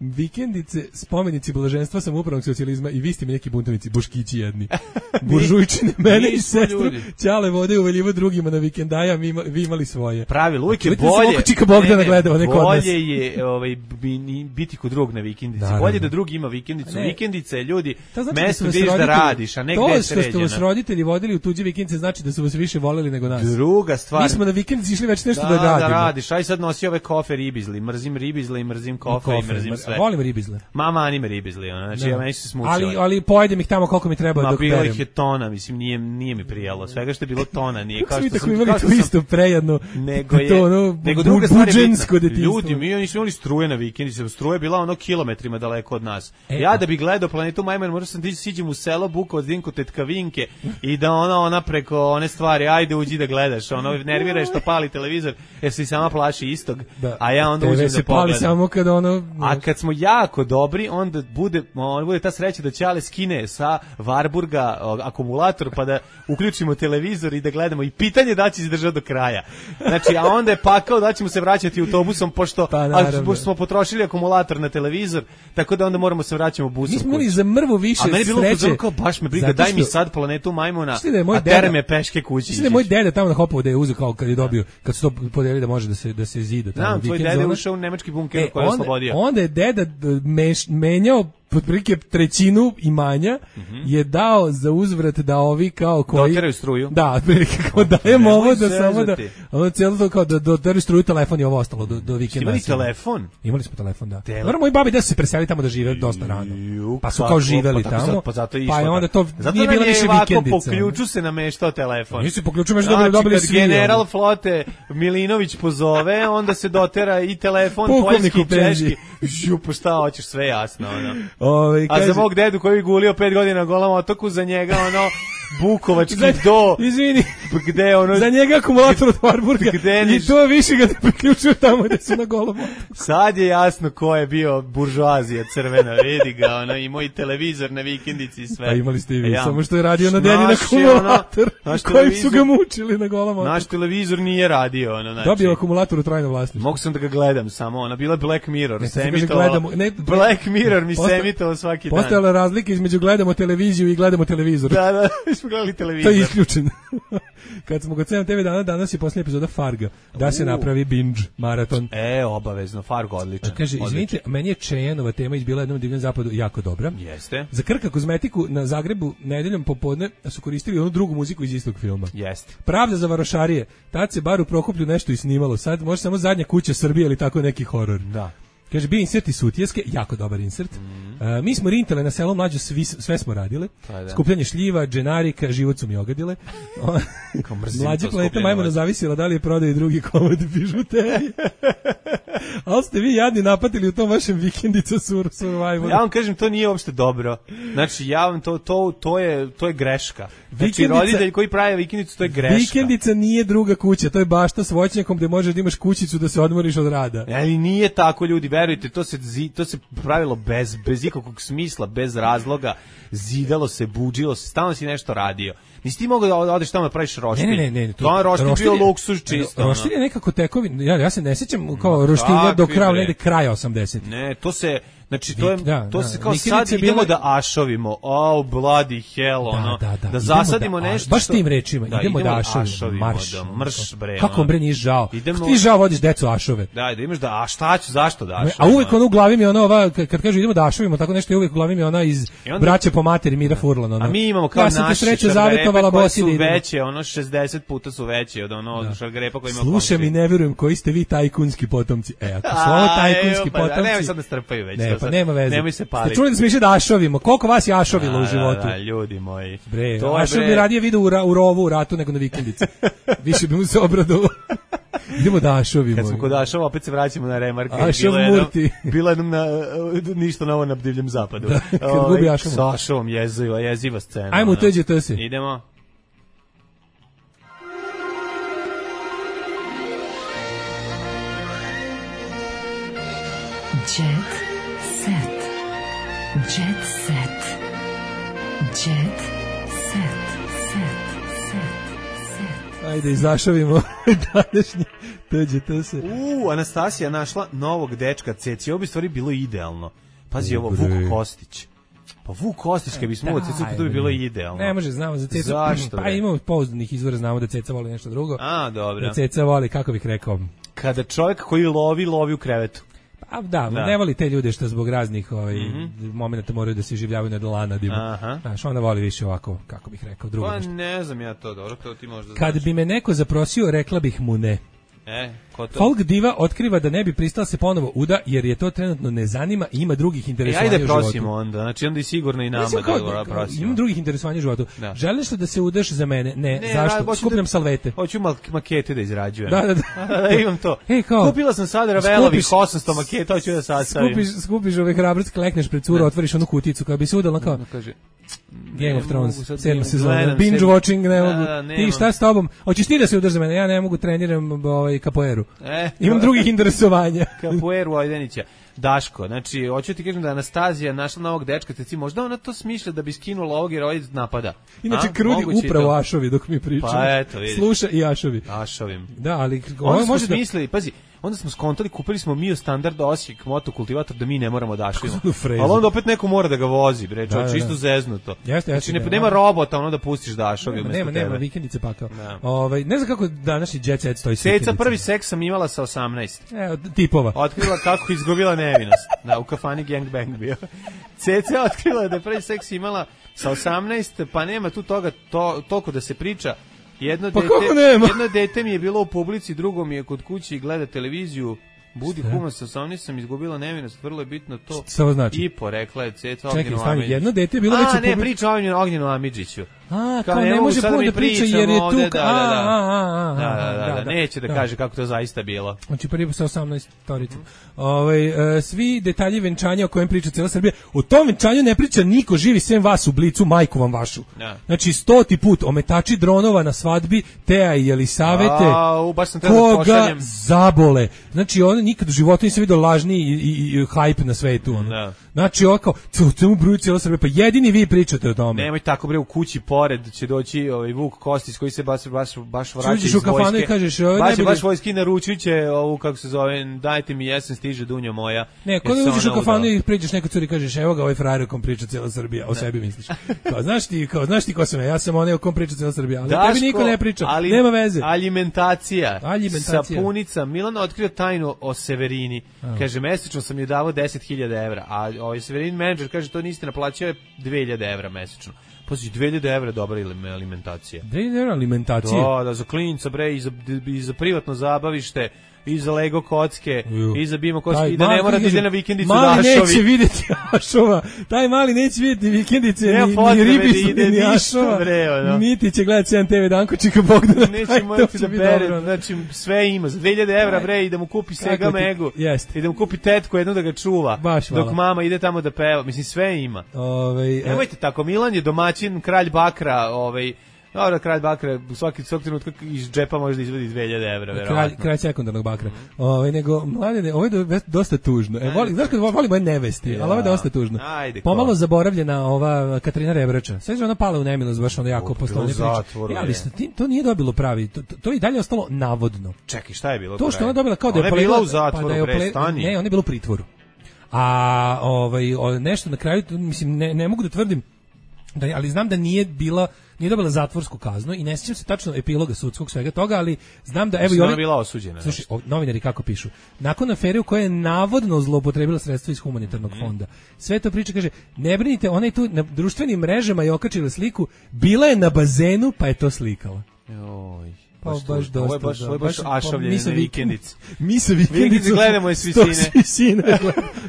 Vikendice, spomenici blaženstva samoupravnog socijalizma i vi ste mi neki buntovnici, buškići jedni. Buržujčine, mene i sestru, Ćale vode uveljivo drugima na vikendaja, mi ima, vi imali svoje. Pravilo, uvijek je bolje. bolje. Čika Bogdana gledao, neko od nas. Bolje je ovaj, biti kod drugog na vikendici. Da, bolje da drugi ima vikendicu. Ne. Vikendice, ljudi, znači mesto gdje da radiš, a ne gdje je sređena. To što ste vas roditelji vodili u tuđe vikendice znači da su vas više voleli nego nas. Druga stvar. Mi smo na vikendici išli već nešto da, da radimo. Da radiš, aj sad nosi ove kofe ribizli, mrzim ribizle i mrzim kofe i mrzim sve. Volim ribizle. Mama anime ribizli, ona, znači ja meni se smučila. Ali ali pojedem ih tamo koliko mi treba dok berem. Ma bilo ih je tona, mislim nije nije mi prijalo. Svega što je bilo tona, nije kao što sam imali to isto prejedno. Nego je ono, nego druga stvar je ljudi, mi nismo imali struje na vikendici, struje je bila ono kilometrima daleko od nas. E, ja da bi gledao Planetu Majmuna, možda sam ti siđem u selo Bukovac, Dinko Tetkavinke i da ona ona preko one stvari, ajde uđi da gledaš, ono nervira što pali televizor, jer se i sama plaši istog. Da. A ja onda uđem da pogledam. Samo kad ono, a kad smo jako dobri, onda bude on bude ta sreća da Ćale skine sa Varburga akumulator pa da uključimo televizor i da gledamo i pitanje da će izdržati do kraja. Znači, a onda je pakao da ćemo se vraćati autobusom pošto, pa, a, pošto smo potrošili akumulator na televizor, tako da onda moramo se vraćamo busom. Mi smo imali za mrvu više sreće. A meni je bilo pozor kao baš me briga, daj mi sad Planetu Majmuna, a tere me peške kući. Mislim da je moj deda tamo na Hopovu da je uzeo kao kad je dobio, kad su to podelili da može da se, da se zida. Tamo, tvoj deda je ušao u nemački bunker e, koji je oslobodio. Onda je deda meš, menjao otprilike trećinu imanja mm -hmm. je dao za uzvrat da ovi kao koji doteraju struju. Da, otprilike kao dajemo ovo da samo da ono celo to kao da doteraju struju, telefon i ovo ostalo do do vikenda. Imali telefon? Imali smo telefon, da. Dobro, moji babi da su se preselili tamo da žive dosta rano. Pa su kao živeli pa, tamo. Pa zato je pa je onda to zato nije bilo više vikendica. Po ključu se nameštao telefon. Nisu po ključu, znači dobili dobili svi. General flote Milinović pozove, onda se dotera i telefon poljski, češki. Žup, šta hoćeš, sve jasno, ono. Ovaj kaže mog dedu koji je gulio pet godina na Golom otoku, za njega ono Bukovački do izvini gde ono za njega akumulator od Varburga i to više ga ne priključio tamo gde su na Golom otoku. Sad je jasno ko je bio buržoazija crvena, vidi ga ono, i moj televizor na vikendici i sve. Pa imali ste i vi, ja, samo što je radio na dedin akumulator ono, kojim su ga mučili na Golom otoku. Naš televizor nije radio ono, znači. Dobio akumulator u trajno vlasništvo. Mogu sam da ga gledam samo, ona bila Black Mirror, se emitovalo. Black Mirror mi se emitovalo svaki dan. Postojala razlika između gledamo televiziju i gledamo televizor. Da, da, mi smo gledali televizor. To je isključeno. Kad smo kod sedam te ve dana, danas je posljednja epizoda Farga. Da se napravi binge, maraton. E, obavezno, Fargo, odličan. Kaže, izvinite, meni je Čejanova tema izbila jednom divnom zapadu jako dobra. Jeste. Za Krka kozmetiku na Zagrebu nedeljom popodne su koristili onu drugu muziku iz istog filma. Jeste. Pravda za varošarije. Tad se bar u Prokuplju nešto i snimalo. Sad može samo Zadnja kuća Srbije ili tako neki horor. Da. Kaže, bio insert iz Sutjeske, jako dobar insert. Mm. Uh, mi smo rintale na selu mlađo, svi, sve smo radile. Pa, skupljanje šljiva, dženarika, život su mi ogadile. Mlađa Planeta Majmuna zavisila da li je prodaju drugi komad bižuterije. Ali ste vi jadni napatili u tom vašem vikendica sur, survivalu. Ja vam kažem, to nije uopšte dobro. Znači, ja vam to, to, to, je, to je greška. Znači, roditelj koji pravi vikendicu, to je greška. Vikendica nije druga kuća, to je bašta s voćnjakom gde možeš da imaš kućicu da se odmoriš od rada. Ali nije tako, ljudi, verujte, to se, to se pravilo bez, bez ikakvog smisla, bez razloga, zidalo se, buđilo se, stalno si nešto radio. Nisi ti mogao da odeš tamo da praviš roštilj. Ne, ne, ne, ne. To je roštilj bio luksuz čisto. Roštilj je nekako tekovin, ja, ja se ne sjećam kao roštilja do kraja, negde kraja osamdesetih. Ne, to se, Znači, to je, da, to da, se kao vikendice sad idemo bile... da ašovimo, oh, bloody hell, ono, da, da, da. da zasadimo da, nešto. baš što... tim rečima, da, idemo, idemo da ašovimo, ašovimo, marš. da, mrš, bre. Kako vam bre nije žao? Idemo... Kako ti žao vodiš decu ašove? Da, da imaš da, a šta ću, zašto da ašovimo? A uvek ono u glavi mi je ona ova, kad kažu idemo da ašovimo, tako nešto je uvek u glavi mi je ona iz onda... Braće po materi Mira Furlan. Ono. A mi imamo kao ja naše šargarepe koje su veće, ono šezdeset puta su veće od ono da. Šargarepa koji ima. Slušaj mi, ne vjerujem koji ste vi tajkunski potomci. E, ako su ovo tajkunski pa, potomci... Nemoj sad da strpaju već. Ne, pa nema veze. Nemoj se paliti. Ste čuli da smo išli da ašovimo? Koliko vas je ašovilo da, u životu? Da, da, ljudi moji. Bre, to ašov bi radije vidio u, u rovu, u ratu nego na vikendici. Više bi mu se obradovao. Idemo da ašovimo. Kad smo kod ašova, opet se vraćamo na remarke. Ašov Murti. Bilo jednom na, ništa novo na divljem zapadu. Da, kad gubi ašovom. Sa ašovom jeziva, jeziva scena. Ajmo u T T S. Idemo. Jet set. Jet set. Jet set. Set. Set. Set. Ajde, izašavimo današnji T T S. U, Anastasija našla novog dečka Ceci. Ovo bi stvari bilo idealno. Pazi ovo, Vuk Kostić. Pa Vuk Kostić, kad bi smo ovo Cecu, to bi bilo idealno. Ne može, znamo za Cecu. Zašto? Pa imamo pouzdanih izvora, znamo da Ceca voli nešto drugo. A, dobro. Da Ceca voli, kako bih rekao... Kada čovjek koji lovi, lovi u krevetu. Pa da, da, ne voli te ljude što zbog raznih ovaj, mm-hmm. momenta moraju da se življavaju na dolanadima. Znaš, onda voli više ovako, kako bih rekao, drugo. Pa nešto. ne znam ja to, dobro, to ti možda Kad znaš. bi me neko zaprosio, rekla bih mu ne. E, ko to? Folk diva otkriva da ne bi pristala se ponovo uda, jer je to trenutno ne zanima i ima drugih interesovanja e, ajde u životu. prosimo onda, znači onda i sigurno i nama da ga prosimo. Imam drugih interesovanja u životu. Da. Želiš li da se udaš za mene? Ne, ne zašto? Skupljam da, salvete. Hoću makete da izrađujem. Da, da, da. da imam to. Hey, kao, kupila sam sad Ravelovih osamsto maketa, hoću da sastavim. Skupiš, skupiš ove hrabrost, klekneš pred curu, otvoriš onu kuticu, kada bi se udala kao... Kaže, Game of Thrones, sedma sezona, binge watching, ne mogu. Ti šta s tobom? Hoćeš ti da se udaš za mene? Ja ne mogu, treniram ovaj kapoeru. E, imam drugih interesovanja. Kapoeru Ajdenića. Daško, znači, hoću ti kažem da Anastazija našla novog dečka, te možda ona to smišlja da bi skinula ovog jer ovaj napada. Inače, krudi upravo Ašovi dok mi pričamo. Pa eto, vidiš. Sluša i Ašovi. Ašovim. Da, ali... Onda smo smislili, da... pazi, onda smo skontali, kupili smo Mio Standard Osijek motokultivator da mi ne moramo da ašvimo. Ali onda opet neko mora da ga vozi, bre, da, da, čisto zeznuto. Jeste, znači, jeste, ne, nema robota, ono da pustiš da ašovi umesto nema, tebe. nema, vikendice pakao. Ovaj, ne znam kako današnji jet set stoji s Ceca prvi seks sam imala sa osamnaest. Evo, tipova. Otkrila kako izgubila nevinost. Da, u kafani gangbang bio. Ceca otkrila da je prvi seks imala sa osamnaest, pa nema tu toga to, toliko da se priča. Jedno, pa dete, nema? jedno dete mi je bilo u publici, drugo mi je kod kuće i gleda televiziju. Budi kuma sa osamnaest sam izgubila nevinost, vrlo je bitno to. Šta znači? I porekla je Ceca Ognjenu Amidžiću. Čekaj, jedno dete je bilo već u publici. A, ne, priča o Ognjenu Amidžiću. A, kao, kao ne može puno da priča jer je tu... Da, da, da, da, da, neće da kaže kako to zaista bilo. Znači, prvi sa osamnaest storicom. Ovaj, svi detalji venčanja o kojem priča cijela Srbija, o tom venčanju ne priča niko živi sem vas u Blicu, majku vam vašu. Znači, stoti put, ometači dronova na svadbi, Teja i Jelisavete, koga zabole. Znači, on nikad u životu nisam vidio lažni i, i, i hype na svetu. Ono. Znači, ovako, cemu bruju cijela Srbija, pa jedini vi pričate o tome. Nemoj tako, bre, u kući pored će doći ovaj Vuk Kostić koji se baš baš baš vraća iz u kafanu i kažeš, ovaj baš baš vojski naručiće ovu kako se zove, dajte mi jesen stiže dunjo moja. Ne, kad uđeš u kafanu i priđeš nekoj curi kažeš, evo ga ovaj frajer o kom priča cijela Srbija, o sebi misliš. Kao znaš ti, kao znaš ti ko sam ja, ja sam onaj o kom priča cijela Srbija, ali tebi niko ne priča, ali, nema veze. Alimentacija. Alimentacija. Sapunica, Milan otkrio tajnu o Severini. A. Kaže mesečno sam joj davao deset hiljada evra, a ovaj Severin menadžer kaže to niste naplaćao je dve hiljade evra mesečno. Pazi, dve hiljade evra dobra alimentacija. dve hiljade evra alimentacija? Da, da, za klinca, bre, i za, i za privatno zabavište, i za Lego kocke, Ju. i za Bimo kocke, taj, i da ne mora da ide na vikendicu da Ašovi. Mali neće vidjeti Ašova, taj mali neće vidjeti vikendice, ni, ni ribicu, ni, ni Ašova, bre, no. Niti će gledati sedam te ve Dankočika Bogdana. Neće morati da bere, znači sve ima, za dve hiljade evra, bre, i da mu kupi Sega Megu, i da mu kupi tetku jednu da ga čuva, baš, dok mama ide tamo da peva, mislim sve ima. Ove, Nemojte tako, Milan je domaćin, kralj bakra, ovaj, dobro, kralj bakra, svaki svaki trenutak iz džepa može da izvadi dve hiljade evra, verovatno. Kralj, kralj sekundarnog bakra. Mm -hmm. Ovaj nego mladene, ovo je dosta tužno. E, voli, znaš kad volimo je nevesti, ja. Ali ovo je dosta tužno. Ajde, pomalo zaboravljena ova Katarina Rebrača. Sve je ona pala u nemilost, baš ono jako poslovne priče. Ja, ali to nije dobilo pravi, to, to je i dalje ostalo navodno. Čekaj, šta je bilo? To što ona dobila kao da je bila u zatvoru, pa da je ople... Ne, ona je bila u pritvoru. A ovaj, o, nešto na kraju, mislim, ne, ne mogu da tvrdim, da, ali znam da nije bila nije dobila zatvorsku kaznu i ne sjećam se tačno epiloga sudskog svega toga, ali znam da evo i ona bila osuđena. Slušaj, novinari kako pišu. Nakon afere u kojoj je navodno zloupotrebila sredstva iz humanitarnog mm. fonda. Sve to priča kaže, ne brinite, ona je tu na društvenim mrežama je okačila sliku, bila je na bazenu, pa je to slikala. Joj. Pa baš, baš dosta. Ovo je baš, ovo je baš ašavljenje na vikendici. Mi sa vikendicu gledamo je svi sine. Svi sine.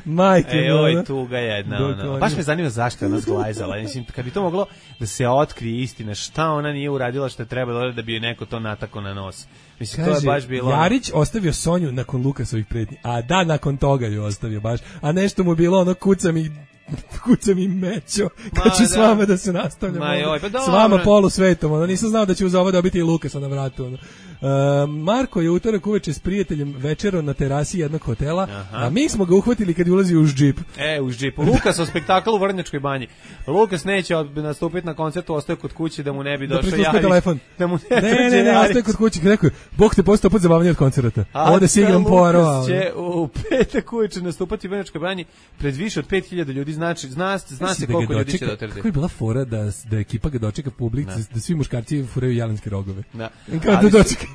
Majke. E, oj, tuga jedna. Ono. Baš me zanima zašto je ona zglajzala. Mislim, kad bi to moglo da se otkrije istina, šta ona nije uradila što je trebalo da bi joj neko to natako na nos. Mislim, kaže, to je baš bilo... Jarić ostavio Sonju nakon Lukasovih pretnji, a da, nakon toga ju ostavio baš. A nešto mu bilo ono kucam i kucam i mećo, kad ću da. s vama da se nastavljam. Ma joj, pa s vama polu svetom, ono, nisam znao da će uz ovo dobiti i Lukasa na vratu. Ono. Uh, Marko je utorak uveče s prijateljem večero na terasi jednog hotela, aha. a mi smo ga uhvatili kad je ulazio uz džip. E, uz džip. Lukas o spektaklu u Vrnjačkoj banji. Lukas neće nastupiti na koncertu, ostaje kod kuće da mu ne bi došao da Jarić. Telefon. Da mu ne, ne, ne, ne, ostaje kod kuće. Rekao je, Bog te postao put zabavnije od koncerta. Ovde si igram poarova. Lukas će u petak uveče nastupati u Vrnjačkoj banji pred više od pet hiljada ljudi, znači, zna, zna se koliko ljudi će dotrti. Kako je bila fora da, da ekipa ga dočeka publik, da. da svi muškarci furaju jelenske rogove. Da. Kao da dočeka.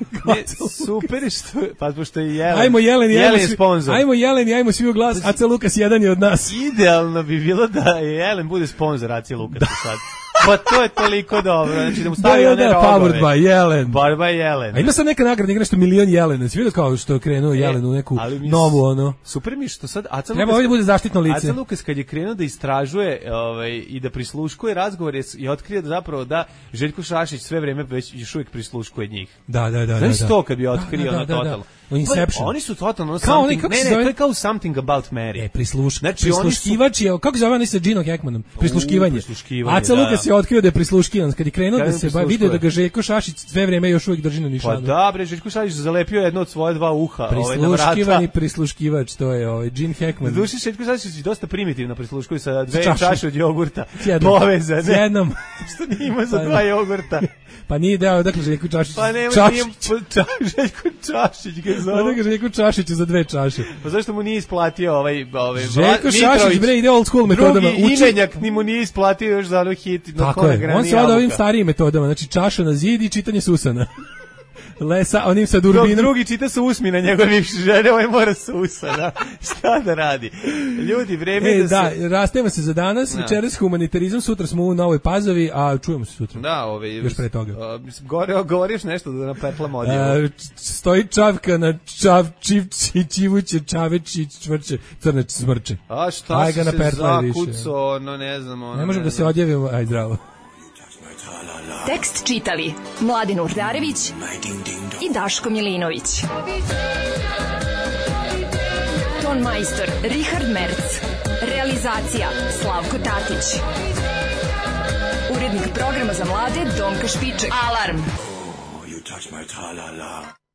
Super je što, pa pošto je Jelen. Ajmo Jelen, Jelen ajmo je svi, sponsor. Ajmo Jelen i ajmo svi u glas, A C Lukas jedan je od nas. Idealno bi bilo da Jelen bude sponsor A C Lukasa sad. Pa to je toliko dobro, znači da mu stavi da, one da, rogove. Powered by Jelen. Powered by Jelen. A ima sad neka nagrada, igra nešto milion Jelena. Svi vidio kao što je krenuo e, Jelen u neku novu, ono. Super mi što sad A C Lukas... Treba ovdje bude zaštitno lice. A C Lukas kad je krenuo da istražuje ovaj, i da prisluškuje razgovore i otkrije da zapravo da Željko Šašić sve vreme već još uvijek prisluškuje njih. Da, da, da. Znaš da, to kad bi otkrio da, da, ono da, totalno. Da. Inception. Pa, oni su totalno kao something, oni, ne, ne, to je kao Something About Mary. E, prisluš, znači, prisluškivač je, kako zove oni sa Gino Hackmanom? Prisluškivanje. prisluškivanje A C Lukas da. je otkrio da je prisluškivan, kad je krenuo da se vidio da ga Željko Šašić sve vrijeme još uvijek drži na nišanu. Pa da, bre, Željko Šašić zalepio jedno od svoje dva uha, ovaj na vrata. Prisluškivani prisluškivač, to je ovaj Gene Hackman. Duši Željko Šašić dosta primitivno prisluškuje sa dve čaše od jogurta. Povezane. S jednom. Što nije ima za dva jogurta. Pa nije dao, dakle Željko Čašić. Pa nema, nije Željko Čašić ga zove. Pa dakle Željko Čašić za dve čaše. Pa zašto mu nije isplatio ovaj... ovaj Željko Šašić, bre, ide old school metodama. Drugi imenjak ni mu nije isplatio još za ono hit. Tako je, on se vada ovim starijim metodama, znači čaša na zid i čitanje Susana. Lesa, onim sa durbinom. Dok drugi čita sa usmina njegove bivše žene, ovaj mora sa usana. Šta da radi? Ljudi, vreme e, da, da se... Da, rastemo se za danas, da. Večeras humanitarizam, sutra smo u Novoj Pazovi, a čujemo se sutra. Da, ove... Još pre toga. A, gore, govoriš nešto da napetlam odjevo. Stoji čavka na čav, čivči, čivuće, čaveći, čvrće, crne smrče. A šta aj si se zakuco, no ne znam. Ono, ne možemo da se odjevimo, aj zdravo. Tekst čitali Mladin Urdarević i Daško Milinović. Ton majstor Richard Merc. Realizacija Slavko Tatić. Urednik programa za mlade Donka Špiček. Alarm! Oh, you touch my tra-la-la.